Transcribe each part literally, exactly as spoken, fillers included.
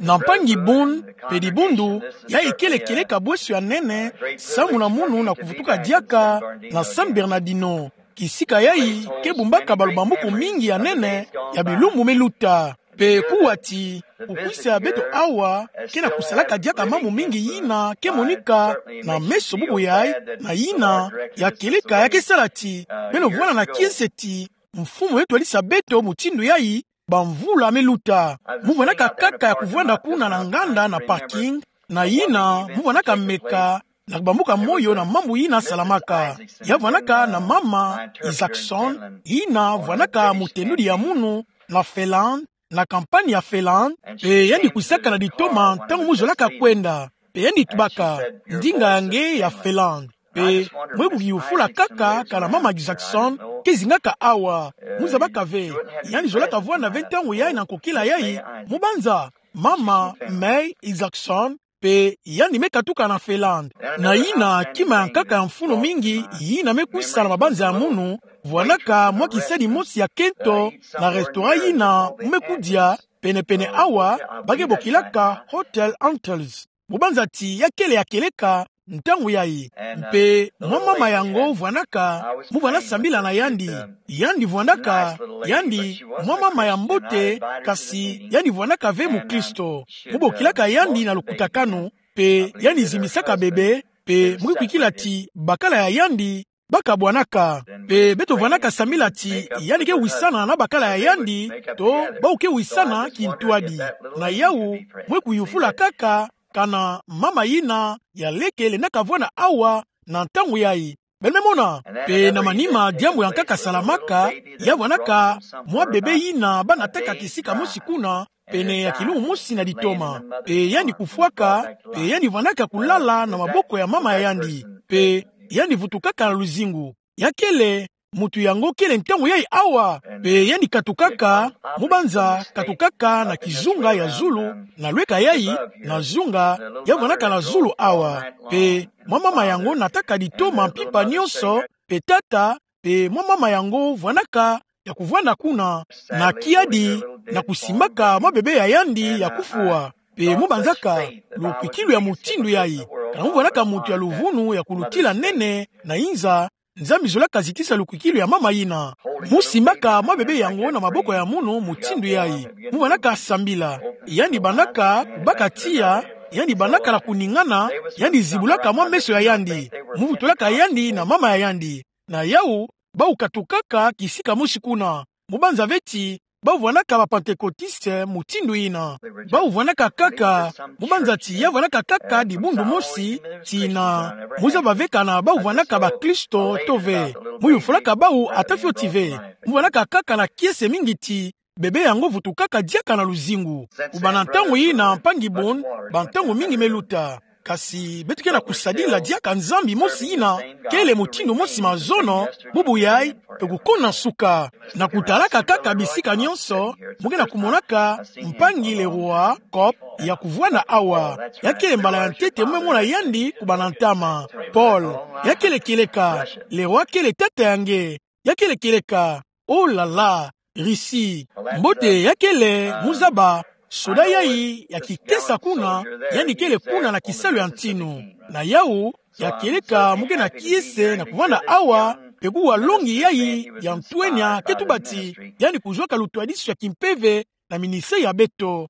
Na mpangi Boone, pe dibundu, yayi kele kieleka bwesio ya nene, samu na munu na kuvutuka diaka na San Bernardino. Kisika yayi, ke bumbaka balubambuku mingi ya nene, ya bilumbu me luta. Pe kuwa ti, kukwisa ya beto awa, ke na kusalaka diaka mambu mingi yina, ke monika, na meso bubu yayi, na yina, ya kieleka ya ke sala ti, beno vwanda na kiese ti, Mfumu me twadisa beto mutindu yayi, bamvula me luta. Mu vwandaka kaka ya kuvwanda kuna na nganda na parking, na yina, mu vwandaka meka, na kubambuka moyo na mambu yina salamaka. Ya vwandaka na mama Isaacson, yina vwandaka mutendudi ya munu, na Finlande, na kampani ya Finlande, pe yandi kwisaka na ditoma ntangu mu zolaka kwenda. Pe yandi tubaka, ndinga ya nge ya Finlande. Pe, mwe kuyufula kaka, kana mama Isaacson, ke zingaka awa. Mu zabaka ve, yandi zolaka vwanda ve ntangu yayi na nkokila yayi, mu banza, mama May Isaacson, pe yandi me katuka na Finlande. Na yina, kima ya nkaka ya mfunu mingi, yina me kwisa na mabanza ya munu, vwandaka mwa kisadi mosi ya kento, na restaurant yina, mu me kudia, penepene awa, ba ke bokilaka Hotel Antlers. Mu banza ti ya kele ya kieleka, ntangu yayi. Mpe, mwa mama yango vwandaka, mu vwanda sambila na yandi. Yandi vwandaka, yandi, mwa mama ya mbote, kasi, yandi vwandaka ve mukristo. Mu bokilaka yandi na lukutakanu, pe, yandi zimbisaka bebe, pe, mu ke kwikila ti, bakala ya yandi, ba kabwanaka. Pe beto vwandaka sambila ti, yandi ke wisana na bakala ya yandi, to, bawu ke wisana kintwadi. Na yawu, mwe kuyufula kaka, kana mama yina, ya leke lendaka vwanda awa, na ntangu yayi. Beno me mona, pe na manima diambu ya nkaka salamaka, ya vwandaka, mwa bebe yina, ba nataka kisika mosi kuna, pene ya kilumbu mosi na ditoma. Pe yandi kufwaka, pe yandi vwandaka kulala na maboko ya mama ya yandi. Pe yandi vutukaka na luzingu. Ya kele, mutu yango kele ntangu yayi awa. Pe yandi katukaka, mu banza, katukaka na kizunga ya zulu, na lweka yayi, na zunga, ya vwandaka na zulu awa. Pe, mwa mama yango nataka ditoma mpimpa nyonso, pe tata, pe mwa mama yango vwandaka, ya kuvwanda kuna, na kiadi, na kusimbaka mwa bebe ya yandi ya kufwa. Pe mu banzaka, lukwikilu ya mutindu yayi. Kana mu vwandaka mutu ya luvunu ya kulutila nene, na inza, Nzambi zolaka zitisa lukwikilu ya mama yina. Mu simbaka mwa bebe yango na maboko ya munu mutindu yayi. Mu vwandaka sambila. Yandi bandaka, baka tiya, yandi bandaka na kuningana, yandi zibulaka mwa meso ya yandi. Mu vutulaka yandi na mama ya yandi. Na yawu, bawu katukaka kisika mosi kuna. Mu banza ve ti, bawu vwandaka ba Pentecôtistes mutindu yina. Bawu vwandaka kaka, mu banza ti ya vwandaka kaka dibundu mosi, tina, mu zaba ve kana bawu vwandaka bakristo to ve. Mu yufulaka bawu ata fioti ve. Mu vwandaka kaka na kiese mingi ti, bebe yango vutukaka diaka na luzingu. Kubanda ntangu yina mpangi Boone, bantangu mingi me luta. Kasi, beto ke na kusadila diaka Nzambi mosi yina, kele mutindu mosi mazono, bubu yayi, pe kukuna nsuka. Na kutalaka kaka bisika nyonso, mu ke na kumonaka, mpangi Leroy Cope, ya kuvwanda awa. Ya kele mbala ya ntete mu me mona yandi kubanda ntama. Paul, ya kele kieleka, Leroy kele tata ya nge. Ya kele kieleka, oh là là, Russie. Mbote ya kele, mu zaba, soda yayi, ya kikesa kuna, yandi kele kuna na kisalu ya ntinu. Na yawu, ya kieleka, mu ke na kiese, na kuvwanda awa, pe kuwa longi yayi, ya ntwenya, ke tuba ti, yandi kuzwaka lutwadisu ya kimpeve, na ministère ya beto.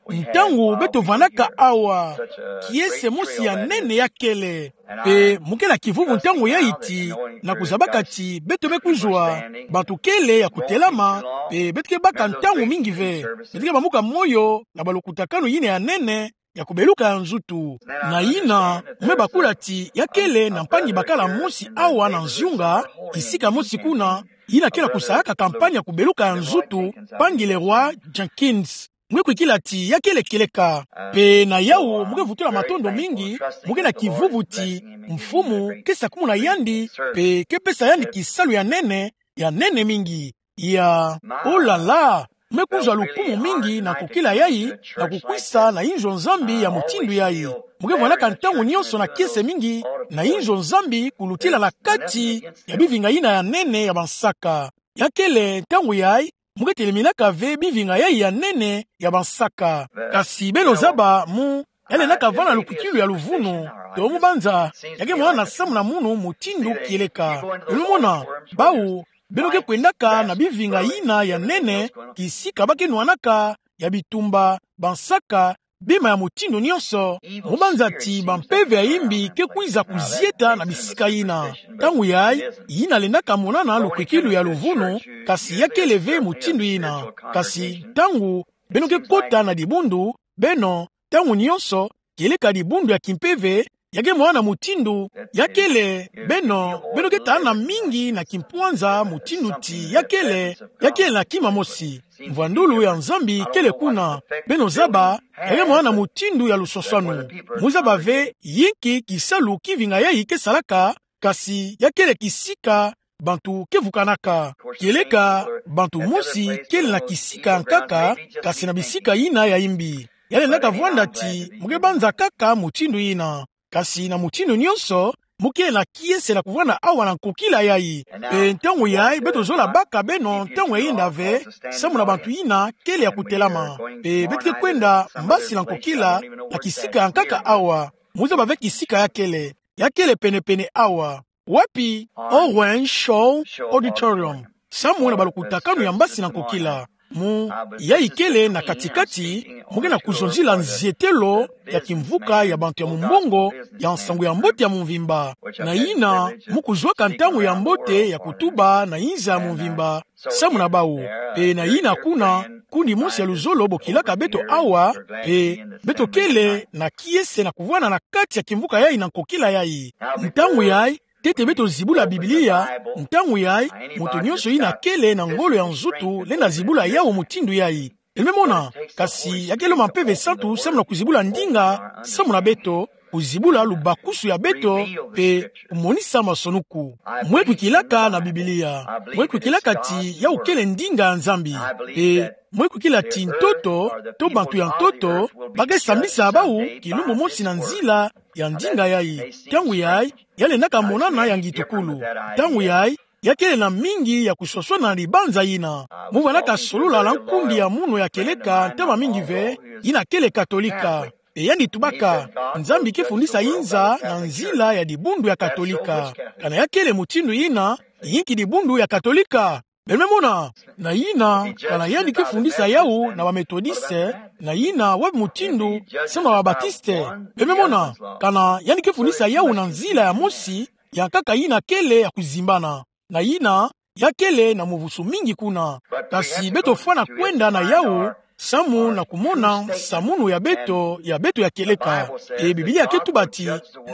Ntangu beto vwandaka awa, kiese mosi ya nene ya kele. Pe mu ke na kivuvu ntangu yayi ti, na kuzabaka ti, beto me kuzwa, bantu kele ya kutelama, pe beto ke baka ntangu mingi ve. Beto ke bambuka moyo, na balukutakanu yina ya nene, ya kubeluka ya nzutu. Na yina, mu me bakula ti, ya kele na mpangi bakala mosi awa na nzunga, kisika mosi kuna, yina ke na kusalaka kampanye ya kubeluka ya nzutu, mpangi Leroy Jenkins. Mu ke kwikila ti ya kele kieleka. Pe na yawu, mu ke vutula matondo mingi, mu ke na kivuvu ti, Mfumu, ke sakumuna yandi, pe ke pesa yandi kisalu ya nene, ya nene mingi. Ya, oh là là, mu me kuzwa lukumu mingi na nkokila yayi, na kukwisa na inzo Nzambi ya mutindu yayi. Mu ke vwandaka ntangu nyonso na kiese mingi, na inzo Nzambi kulutila na kati, ya bivinga yina ya nene ya bansaka. Ya kele ntangu yayi, mu ke teleminaka ve bivinga yayi ya nene ya bansaka. Kasi beno zaba mu, ya lendaka vwanda na lukwikilu ya luvunu, to mu banza, ya ke mona na samu na munu mutindu kieleka. Beno mona, bawu, beno ke kwendaka na bivinga yina ya nene, kisika ba ke nwanaka, ya bitumba, bansaka, bima ya mutindu nyonso, mu banza ti bampeve ya imbi ke kwiza kuzieta na bisika yina. Ntangu yayi, yina lendaka monana lukwikilu ya luvunu, kasi ya kele ve mutindu yina. Kasi ntangu beno ke kota na dibundu, beno, ntangu nyonso, kieleka dibundu ya kimpeve, ya ke mona mutindu, ya kele, beno, beno ke tana mingi na kimpwanza mutindu ti ya kele, ya kele na kima mosi. Mvwandulu ya Nzambi kele kuna, beno zaba, ya ke mona mutindu ya luswaswanu. Mu zaba ve, yinki kisalu kivinga yayi ke salaka, kasi ya kele kisika, bantu ke vukanaka. Kieleka, bantu mosi, kele na kisika nkaka, kasi na bisika yina ya imbi. Ya lendaka vwanda ti, mu ke banza kaka mutindu yina. Kasi na mutindu nyonso, mu kele na kiese na kuvwanda awa na nkokila yayi. Pe ntangu yayi, beto zola baka beno, ntangu ya yinda ve, samu na bantu yina, kele ya kutelama. Pe beto ke kwenda, mbasi na nkokila, na kisika nkaka awa. Mu zaba ve kisika ya kele. Ya kele penepene awa. Wapi? Owen Shaw Auditorium. Samu na balukutakanu ya mbasi na nkokila. Mu, yayi kele na katikati, mu ke na kuzonzila nzietelo ya kimvuka ya bantu ya mumbongo ya nsangu ya mbote ya mumvimba. Na yina, mu kuzwaka ntangu ya mbote ya kutuba na inza ya mumvimba, samu na bawu. Pe na yina kuna, kundi mosi ya luzolo bokilaka beto awa, pe beto kele na kiese na kuvwanda na kati ya kimvuka yayi na nkokila yayi. Ntangu yayi, ntete beto zibula Biblia, ntangu yayi, moto nyonso yina kele na ngolo ya nzutu, lenda zibula yawu mutindu yayi. Beno me mona, kasi ya ke lomba Mpeve Santu samu na kuzibula ndinga, samu na beto, kuzibula lubakusu ya beto, pe kumonisa masonuku. Mwe kwikilaka na Biblia. Mwe kwikilaka ti yawu kele ndinga ya Nzambi. Pe mwe kwikila ti ntoto, to bantu ya ntoto, ba ke sambisa bawu, kilumbu mosi na nzila ya ndinga yayi. Ntangu yayi, ya lendaka monana ya ngitukulu. Ntangu yayi, ya kele na mingi ya kuswaswana na libanza yina. Mu vwandaka solola na nkundi ya munu ya kieleka ntama mingi ve, yina kele Katolika. Pe yandi tubaka, Nzambi ke fundisa inza na nzila ya dibundu ya Katolika. Kana ya kele mutindu yina, yinki dibundu ya Katolika? Beno me mona, na yina, kana yandi ke fundisa yawu na ba Metodiste, na yina wapi mutindu, samu na ba Batiste. Beno me mona, kana yandi ke fundisa yawu na nzila ya mosi, ya nkaka yina kele ya kuzimbana. Na yina, ya kele na muvusu mingi kuna. Kasi beto fwana kwenda na yawu, samu na kumona nsamunu ya beto, ya beto ya kieleka. E Biblia ke tuba ti,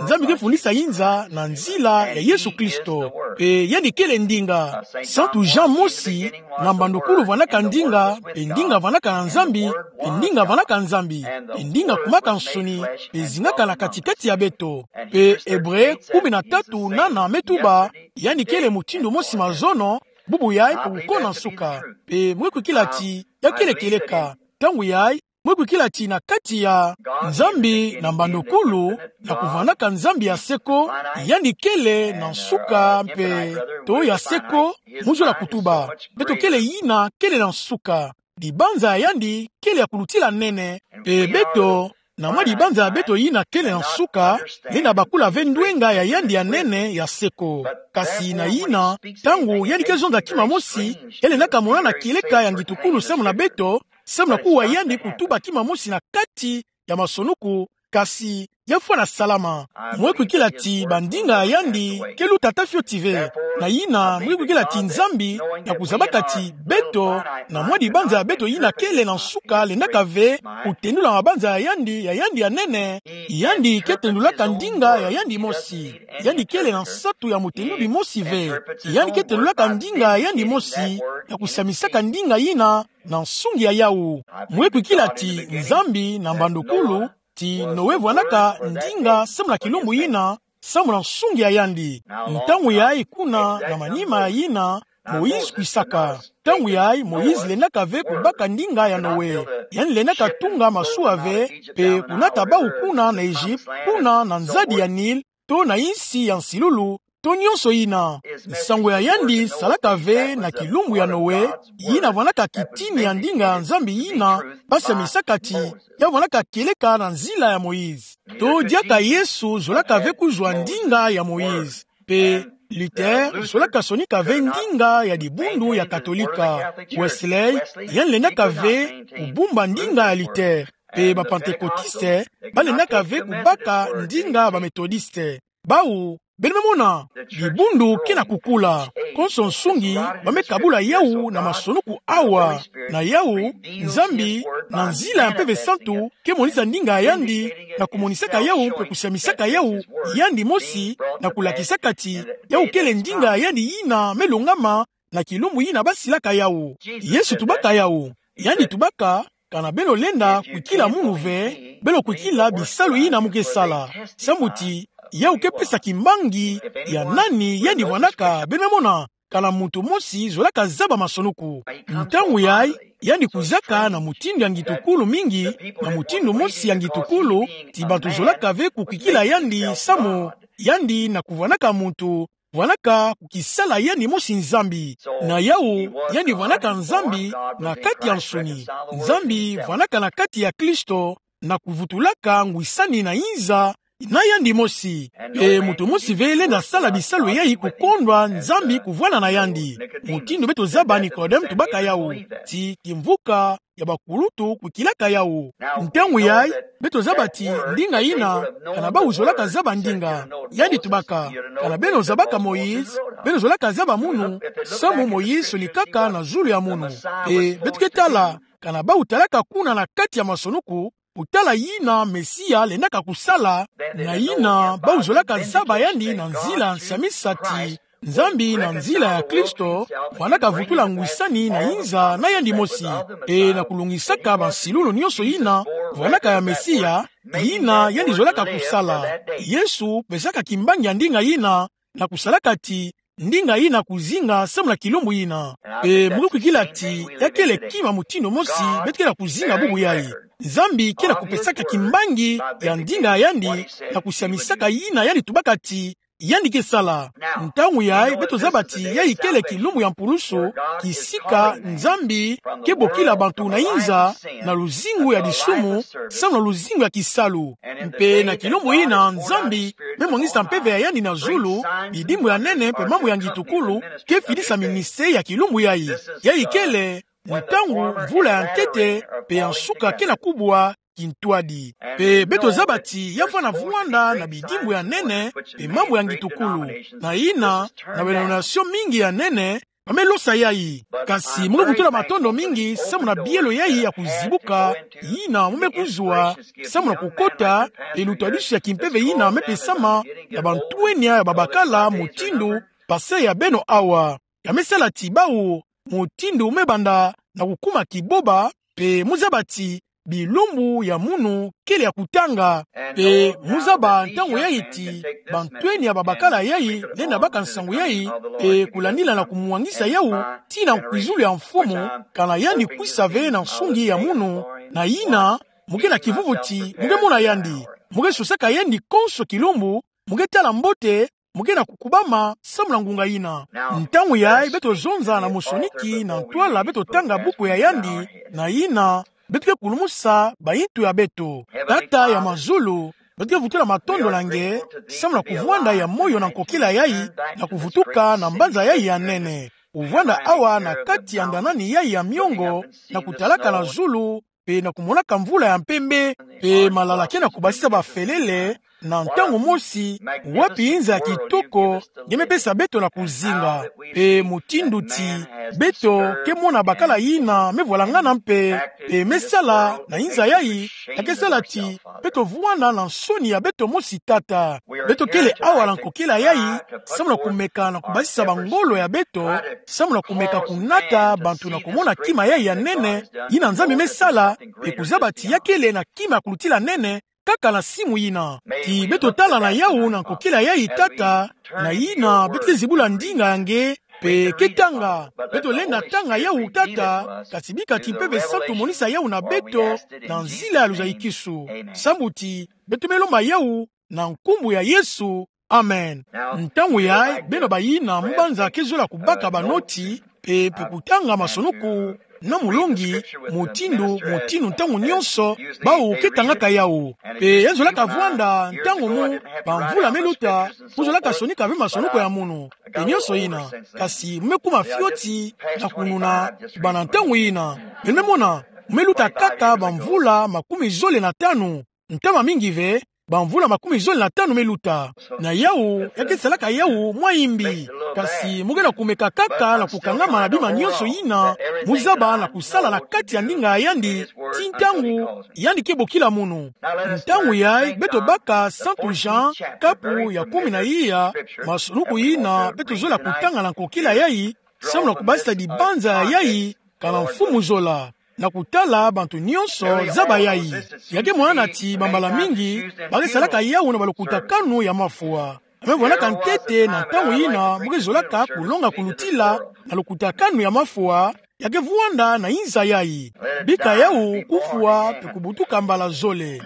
Nzambi ke fundisa inza na nzila ya Yesu Kristo. Pe yandi kele ndinga. Santu Jean mosi, na mbandukulu vwandaka ndinga, pe ndinga vwandaka na Nzambi, pe ndinga vwandaka Nzambi, pe ndinga kumaka nsuni, pe zingaka na katikati ya beto. Pe Ebre kumi na tatu nana me tuba, yandi kele mutindu mosi mazono, bubu yayi pe kuko na nsuka. Pe mwe kwikila ti, ya kele kieleka. Ntangu yayi, mwe kwikila ti na kati ya Nzambi na mbandukulu, na kuvwandaka Nzambi ya seko, yandi kele na nsuka mpe, to ya seko, mu zola kutuba. Beto kele yina kele na nsuka. Libanza ya yandi kele ya kulutila nene, pe beto, na mwa libanza ya beto yina kele na nsuka, lenda bakula ve ndwenga ya yandi ya nene ya seko. Kasi na yina, ntangu yandi ke zonza kima mosi, ya lendaka monana kieleka ya ngitukulu samu na beto, samu na kuwa yandi kutuba kima mosi na kati ya masonuku, kasi ya fwana salama. Mwe kwikila ti bandinga ya yandi ke luta ta fioti ve. Na yina, mwe kwikila ti Nzambi, na kuzabaka ti beto, na mwa libanza ya beto yina kele na nsuka lendaka ve kutendula mabanza ya yandi, ya yandi ya nene, yandi ke tendulaka ndinga ya yandi mosi. Yandi kele na nsatu ya mutenduli mosi ve. Yandi ke tendulaka ndinga ya yandi mosi, ya kusamisaka ndinga yina, na nsungi ya yawu. Mwe kwikila ti Nzambi na mbandukulu, ti Noe vwandaka ndinga samu na kilumbu yina, samu na nsungi ya yandi. Ntangu yayi kuna na manima ya yina, Moïse kwisaka. Ntangu yayi, Moïse lendaka ve kubaka ndinga ya Noe. Yandi lendaka tunga masuwa ve, pe kunata bawu kuna na Egypte, kuna na nzadi ya Nil, to na insi ya nsilulu, to nyonso yina. Nsangu ya yandi salaka ve na kilumbu ya Noe, yina vwanaka kitini ya ndinga ya Nzambi yina basamisaka ti ya vwanaka kieleka na nzila ya Moïse. To diaka Yesu zolaka ve kuzwa ndinga ya Moïse. Mpe Luther zolaka sonika ve ndinga ya dibundu ya Katolika. Wesley, yandi lendaka ve kubumba ndinga ya Luther. Mpe ba Pantekotiste, balendaka ve kubaka ndinga ya ba Metodiste. Bawu, beno me mona, dibundu ke na kukula. Konso nsungi, ba me kabula yawu na masonuku awa. Na yawu, Nzambi, na nzila ya Mpeve Santu, ke monisa ndinga ya yandi, na kumonisaka yawu, mpe kusamisaka yawu, yandi mosi, na kulakisaka ti yawu kele ndinga ya yandi yina me longama, na kilumbu yina basilaka yawu. Yesu tubaka yawu. Yandi tubaka, kana beno lenda kwikila munu ve, beno kwikila bisalu yina mu ke sala. Samu ti, yawu ke pesa kimbangi ya nani yandi vwanaka, beno me mona, kana muntu mosi zolaka zaba masonuku. Ntangu yayi, yandi kwizaka na mutindu ya ngitukulu mingi, na mutindu mosi ya ngitukulu, ti bantu zolaka ve kukwikila yandi samu, yandi na kuvwanaka muntu, vwanaka kukisala yandi mosi Nzambi. Na yawu, yandi vwanaka Nzambi na kati ya nsuni. Nzambi vwanaka na kati ya Kristo, na kuvutulaka ngwisani na inza na yandi mosi. Mpe muntu mosi ve lenda sala bisalu yayi kukondwa Nzambi kuvwanda na yandi. Mutindu beto zaba Nikodeme tubaka yawu. Ti kimvuka ya bakulutu kwikilaka yawu. Ntangu yayi, beto zaba ti ndinga yina, kana bawu zolaka zaba ndinga. Yandi tubaka, kana beno zabaka Moïse, beno zolaka zaba munu, samu Moïse sonikaka na zulu ya munu. Mpe beto ke tala, kana bawu talaka kuna na kati ya masonuku, kutala yina Mesia lendaka kusala, na yina bawu zolaka zaba yandi na nzila nsamisa ti Nzambi na nzila ya Kristo, vwanaka vutula ngwisani na inza na yandi mosi. Mpe na kulongisaka bansilulu nyonso yina vwanaka ya Mesia, yina yandi zolaka kusala. Yesu pesaka kimbangi ya ndinga yina, na kusalaka ti ndinga yina kuzinga samu na kilumbu yina. Mpe mu ke kwikila ti ya kele kima mutindu mosi beto ke na kuzinga bubu yayi. Nzambi ke na kupesaka kimbangi ya ndinga ya yandi, na kusamisaka yina yandi tubaka ti yandi ke sala. Ntangu yayi beto zaba ti yayi kele kilumbu ya mpulusu, kisika Nzambi ke bokila bantu na inza, na luzingu ya disumu, samu na luzingu ya kisalu. Mpe na kilumbu yina Nzambi me mwangisa mpeve ya yandi na zulu, bidimbu ya nene mpe mambu ya ngitukulu ke fidisa ministère ya kilumbu yayi. Yayi kele ntangu mvula ya ntete mpe ya nsuka ke na kubwa kintwadi. Mpe beto zaba ti ya fwana vwanda na bidimbu ya nene mpe mambu ya ngitukulu. Na yina, na ba dénomination mingi ya nene, ba me losa yayi. Kasi mu ke vutula matondo mingi samu na bielo yayi ya kuzibuka, yina mu me kuzwa, samu na kukota, mpe lutwadisu ya kimpeve yina me pesama na bantwenia ya babakala mutindu pasteur ya beno awa. Ya me sala ti bawu, mutindu me banda na kukuma kiboba, mpe mu zaba ti bilumbu ya munu kele ya kutanga. Mpe mu zaba ntangu yayi ti bantwenia ya babakala yayi lenda baka nsangu yayi, mpe kulandila na kumwangisa yawu tii na kwizulu ya mfumu, kana yandi kwisa ve na nsungi ya munu, na yina, mu ke na kivuvu ti mu ke mona yandi, mu ke sosaka yandi konso kilumbu, mu ke tala mbote, mu ke na kukubama samu na ngunga yina. Ntangu yayi beto zonza na mosoniki na ntwala beto tanga buku ya yandi, na yina, beto ke kulumusa bayintu ya beto. Tata ya mazulu, beto ke vutula matondo na nge, samu na kuvwanda ya moyo na nkokila yayi, na kuvutuka na mbanza yayi ya nene. Kuvwanda awa na kati ya ndanani yayi ya miongo, na kutalaka na zulu, mpe na kumonaka mvula ya mpembe, mpe malala ke na kubasisa bafelele, na ntangu mosi, wapi inza ya kitoko nge me pesa beto na kuzinga. Mpe mutindu ti beto ke mona bakala yina me vwalangana mpe, mpe me sala na inza yayi, ya ke sala ti beto vwanda na nsoni ya beto mosi, Tata. Beto kele awa na nkokila yayi, samu na kumeka na kubasisa bangolo ya beto, samu na kumeka kunata bantu na kumona kima yayi ya nene, yina Nzambi me sala, mpe kuzaba ti ya kele na kima ya kulutila nene, kaka na simu yina. Ti beto tala na yawu na nkokila yayi, Tata, na yina beto ke zibula ndinga ya nge, mpe ke tanga. Beto lenda tanga yawu, Tata, kasi bika ti Mpeve Santu monisa yawu na beto, na nzila ya luzayikisu. Sambu ti beto me lomba yawu na nkumbu ya Yesu. Amen. Ntangu yayi, beno bayina mubanza ke zola kubaka banoti, pe, pe kutanga masonuku na mulongi, mutindu, mutindu ntangu nyonso, bawu ke tangaka yawu. Pe ya zolaka vwanda ntangu mu bamvula me luta, mu zolaka sonika ve masonuku ya munu. Pe nyonso yina. Kasi mu me kuma fioti na kununa, bana ntangu yina. Beno me mona, mu me luta kaka bamvula makumi zole na tanu. Ntama mingi ve, bamvula makumi zole na tanu me luta. Na yawu, ya ke salaka yawu mwa imbi. Kasi mu ke na kumeka kaka na kukangama na bima nyonso yina mu zaba na kusala na kati ya ndinga ya yandi, ti ntangu yandi ke bokila munu. Ntangu yayi, beto baka Santu Jean, kapu ya kumi na iya, masonuku yina beto zola kutanga na nkokila yayi, samu na kubasisa dibanza ya yayi, kana mfumu zola, na kutala bantu nyonso zaba yayi. Ya ke mwanana ti bambala mingi, ba ke salaka yawu na balukutakanu ya mafwa. A me vwanaka ntete na ntangu yina mu ke zolaka kulonga kulutila na lukutakanu ya mafwa, ya ke vwanda na inza yayi. Bika yawu kufwa pe kubutuka mbala zole.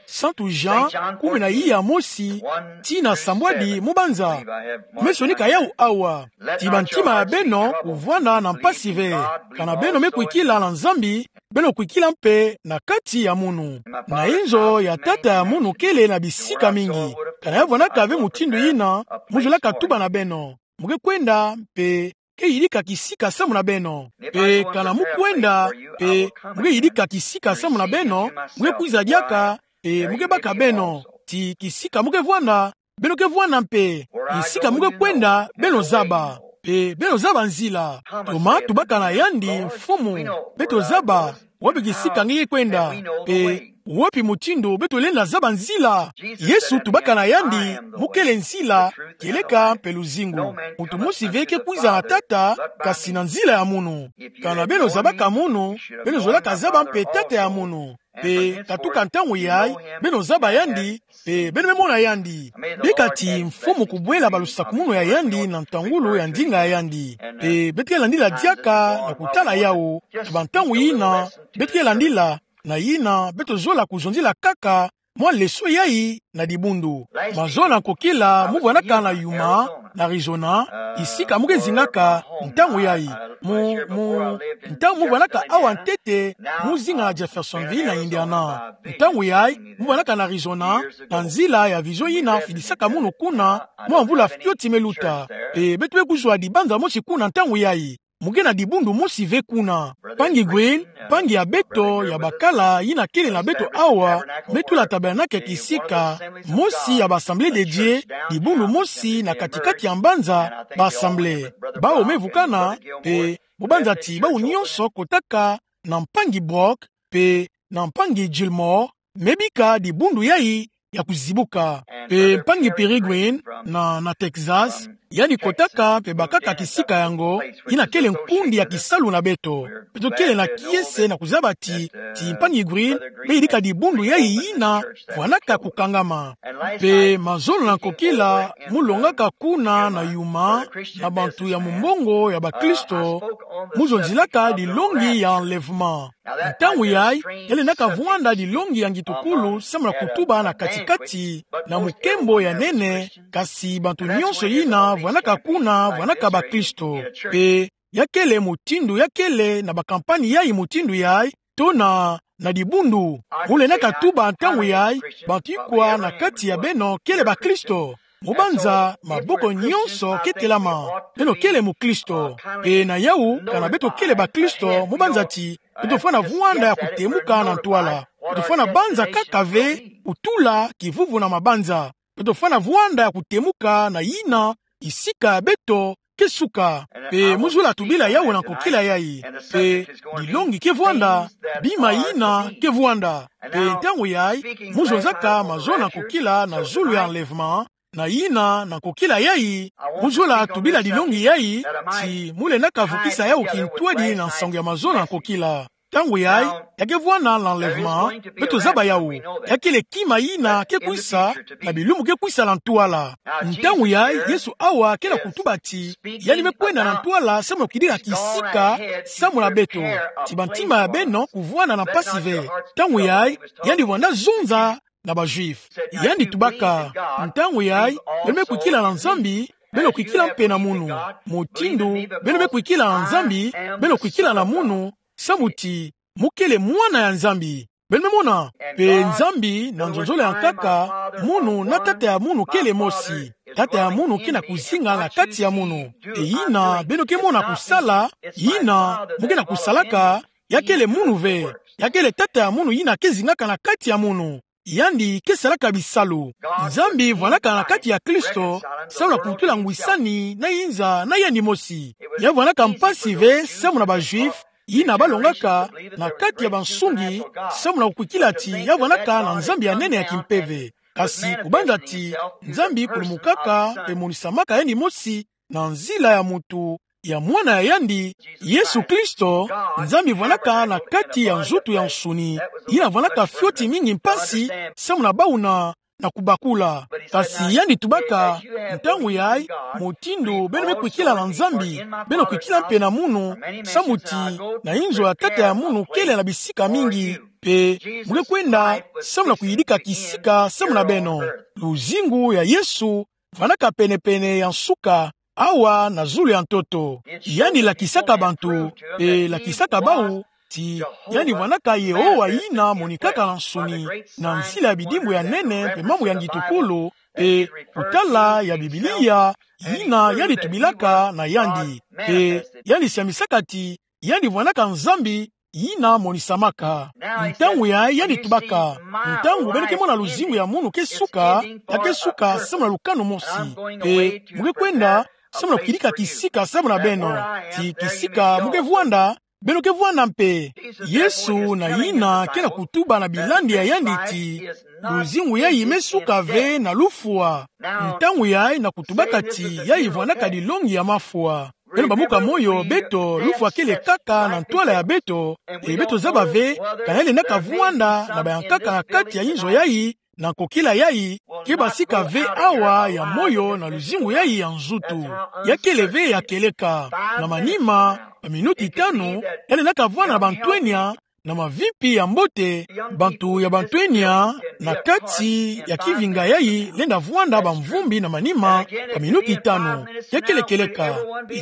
Santu Jean, kumi na iya mosi, tii na sambwadi mubanza. Me sonika yawu awa. Ti bantima ya beno kuvwanda na mpasi ve. Kana beno me kwikila na Nzambi, beno kwikila mpe na kati ya munu. Na inzo ya tata ya munu kele na bisika mingi. Kana ya vwanaka ve mutindu yina, mu zolaka tuba na beno: Mu ke kwenda, pe ke yidika kisika samu na beno. Pe kana mu kwenda, pe mu ke yidika kisika samu na beno, mu ke kwiza diaka, pe mu ke baka beno. Ti kisika mu ke vwanda, beno ke vwanda mpe. Kisika mu ke kwenda, beno zaba. Pe beno zaba nzila. Toma tubaka na yandi: Mfumu, beto zaba wapi kisika nge ke kwenda, pe wapi mutindu beto lenda zaba nzila? Yesu tubaka na yandi: Mu kele nzila, kieleka mpe luzingu. Muntu mosi ve ke kwiza na tata, kasi na nzila ya munu. Kana beno zabaka munu, beno zolaka zaba mpe tata ya munu. Pe katuka ntangu yayi, beno zaba yandi, pe beno me mona yandi. Bika ti Mfumu kubwela balusakumunu ya yandi na ntangulu ya ndinga ya yandi. Pe beto ke landila diaka na kutala yawu, na bantangu yina beto ke landila, na yina beto zola kuzonzila kaka mwa leçon yayi na dibundu. Mazola na nkokila mu vwanaka na Yuma, na Arizona, kisika mu ke zingaka ntangu yayi. Mu, mu, ntangu mu vwanaka awa ntete, mu zinga na Jeffersonville na Indiana. Ntangu yayi, mu vwanaka na Arizona, na nzila ya vision yina fidisaka munu kuna, mwa mvula fioti me luta. Pe beto me kuzwa dibanza mosi kuna ntangu yayi. Mu ke na dibundu mosi ve kuna. Mpangi Green, mpangi ya beto ya bakala yina kele na beto awa, me tula tabernacle kisika mosi ya ba Assemblée de Dieu, dibundu mosi na kati-kati ya mbanza, ba Assemblée. Bawu me vukana, pe mubanza ti bawu nyonso kotaka na mpangi Brock, pe na mpangi Gilmore, me bika dibundu yayi ya kuzibuka. Pe mpangi Peregrine na, na Texas, yandi kotaka pe bakaka kisika yango, yina kele nkundi ya kisalu na beto. Beto kele na kiese na kuzaba ti, ti mpangi Green me yidika dibundu yayi yina vwanaka kukangama. Pe mazola na nkokila mu longaka kuna na Yuma, na bantu ya mumbongo ya bakristo, mu zonzilaka dilongi ya enlèvement. Ntangu yayi, ya lendaka vwanda dilongi ya ngitukulu samu na kutuba na kati-kati na mukembo ya nene, kasi bantu nyonso yina vwanaka kuna vwanaka bakristo. Pe ya kele mutindu ya kele na ba campagne yayi mutindu yayi, to na, na dibundu. Mu lendaka tuba ntangu yayi, bantu ikwa na kati ya beno kele bakristo? Mubanza maboko nyonso ke telama: Beno kele mukristo. Pe na yawu, kana beto kele bakristo, mubanza ti beto fwana vwanda ya kutemuka na ntwala. Beto fwana banza kaka ve kutula kivuvu na mabanza. Beto fwana vwanda ya kutemuka na yina kisika ya beto ke suka. Pe mu zola tubila yawu na nkokila yayi. Pe dilongi ke vwanda, bima yina ke vwanda. Pe ntangu yayi, mu zonzaka mazola na nkokila na zulu ya enlèvement, na yina na nkokila yayi, mu zola tubila dilongi yayi, ti mu lendaka vukisa yawu kintwadi na nsangu ya mazola na nkokila. Ntangu yayi, ya ke vwanda l'enlèvement, beto zaba yawu. Ya kele kima yina ke kwisa, na bilumbu ke kwisa na ntwala. Ntangu yayi, Yesu awa ke na kutuba ti yandi me kwenda na ntwala samu na kuyidika kisika samu na beto. Ti bantima ya beno kuvwanda na mpasi ve. Ntangu yayi, yandi vwanda zonza na ba-Juifs. Yandi tubaka: Ntangu yayi, beno me kwikila na Nzambi, beno kwikila mpe na munu. Mutindu beno me kwikila na Nzambi, beno kwikila na munu, samu ti mu kele mwana ya Nzambi. Beno me mona? Mpe Nzambi, na nzonzolo ya nkaka, munu na tata ya munu kele mosi. Tata ya munu ke na kuzinga na kati ya munu. E yina beno ke mona kusala, yina mu ke na kusalaka, ya kele munu ve. Ya kele tata ya munu yina ke zingaka na kati ya munu. Yandi ke salaka bisalu. Nzambi vwandaka na kati ya Kristo, samu na kutula ngwisani na inza na yandi mosi. Ya vwandaka mpasi ve samu na ba-Juifs yina balongaka na kati ya bansungi, samu na kukwikila ti ya vwandaka na Nzambi ya nene ya kimpeve. Kasi kubanza ti Nzambi kulumukaka mpe monisamaka yandi mosi na nzila ya mutu, ya mwana ya yandi, Yesu Kristo, Nzambi vwandaka na kati ya nzutu ya nsuni, yina vwandaka fioti mingi mpasi samu na bawu na kubakula. Kasi yandi tubaka: Ntangu yayi, mutindu beno me kwikila na Nzambi, beno kwikila mpe na munu, samu ti na inzo ya tata ya munu kele na bisika mingi, mpe mu ke kwenda samu na kuyidika kisika samu na beno. Luzingu ya Yesu vwandaka pene-pene ya nsuka, awa na zulu ya ntoto. Yandi lakisaka bantu, mpe lakisaka bawu, ti yandi vwandaka Yehowa yina monikaka na nsuni, na nzila ya bidimbu ya nene mpe mambu ya ngitukulu, mpe kutala ya Biblia yina yandi tubilaka na yandi. Mpe yandi siamisaka ti yandi vwandaka Nzambi yina monisamaka. Ntangu yayi yandi tubaka: Ntangu beno ke mona luzingu ya munu ke suka, ya ke suka samu na lukanu mosi. Mpe mu ke kwenda samu na kuyidika kisika samu na beno. Ti kisika mu ke vwanda, beno ke vwanda mpe. Yesu na yina ke na kutuba na bilandi ya yandi ti: Luzingu yayi me suka ve na lufwa. Ntangu yayi na kutubaka ti yayi vwandaka dilongi ya mafwa. Beno bambuka moyo, beto, lufwa kele kaka na ntwala ya beto, e beto zaba ve kana ya lendaka vwanda na bayankaka na kati ya inzo yayi, na nkokila yayi, ke basika ve awa ya moyo na luzingu yayi ya nzutu. Ya kele ve ya kieleka. Na manima, ba minuti tanu, ya lendaka vwanda na bantwenia, na mavimpi ya mbote, bantu ya bantwenia, na kati ya kivinga yayi, lenda vwanda bamvumbi na manima, ba minuti tanu. Ya kele kieleka.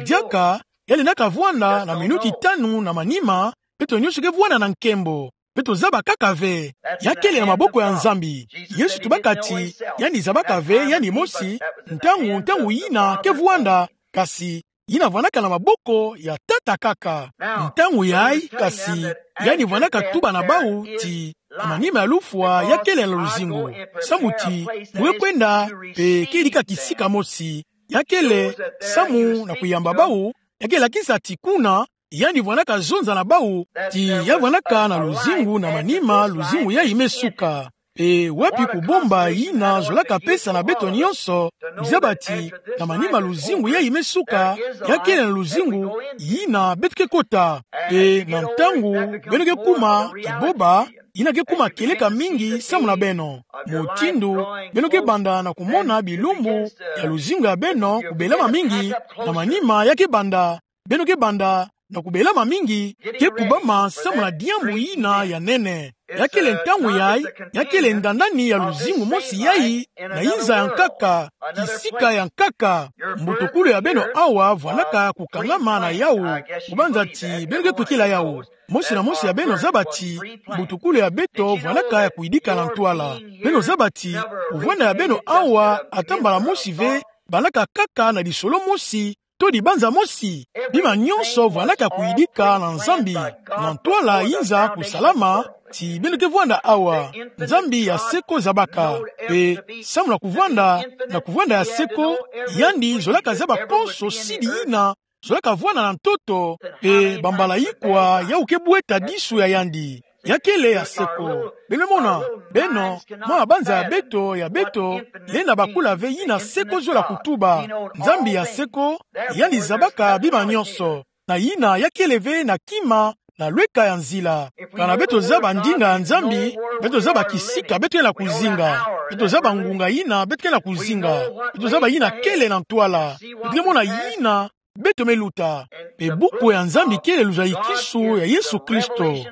Diaka, ya lendaka vwanda na minuti tanu na manima, beto nyonso ke vwanda na nkembo. Beto zaba kaka ve. Ya kele na maboko ya Nzambi. Yesu tubaka ti yandi zabaka ve yandi mosi, ntangu, ntangu yina ke vwanda, kasi yina vwandaka na maboko ya Tata kaka. Ntangu yayi, kasi, yandi vwandaka tuba na bawu ti na manima ya lufwa ya kele na luzingu. Samu ti mu ke kwenda, mpe ke yidika kisika mosi. Ya kele samu na kuyamba bawu, ya ke lakisa ti kuna, yandi vwandaka zonza na bawu, ti ya vwandaka na luzingu na manima luzingu yayi me suka. Mpe wapi kubomba yina zolaka pesa na beto nyonso, kuzaba ti na manima luzingu yayi me suka, ya kele na luzingu yina beto ke kota. Mpe na ntangu beno ke kuma kiboba, yina ke kuma kieleka mingi samu na beno. Mutindu beno ke banda na kumona bilumbu ya luzingu ya beno kubelama mingi, na manima ya ke banda, beno ke banda na kubelama mingi, ke kubama samu na diambu yina ya nene. Ya kele ntangu yayi, ya kele ndandani ya luzingu mosi yayi, na inza ya nkaka, kisika ya nkaka, mbutukulu ya beno awa vwandaka kukangama na yawu, kubanza ti beno ke kwikila yawu. Mosi na mosi ya beno zaba ti mbutukulu ya beto vwandaka ya kuyidika na ntwala. Beno zaba ti kuvwanda ya beno awa ata mbala mosi ve bandaka kaka na lisolo mosi, to dibanza mosi. Bima nyonso vwandaka kuyidika na Nzambi, na ntwala inza kusalama, ti beno ke vwanda awa. Nzambi ya seko zabaka. Mpe samu na kuvwanda, na kuvwanda ya seko, yandi zolaka zaba konso sidi yina zolaka vwanda na ntoto, mpe bambala ikwa yawu ke bweta disu ya yandi. Ya kele ya seko. Beno mona, beno, mwa mabanza ya beto, ya beto, lenda bakula ve yina seko zola kutuba. Nzambi ya seko, yandi zabaka bima nyonso. Na yina ya kele ve na kima, na lweka ya nzila. Kana beto zaba ndinga ya Nzambi, beto zaba kisika beto ke na kuzinga. Beto zaba ngunga yina beto ke na kuzinga. Beto zaba yina kele na ntwala. Beto ke mona yina beto meluta. Mpe buku ya Nzambi kele luzayikisio ya Yesu Kristo,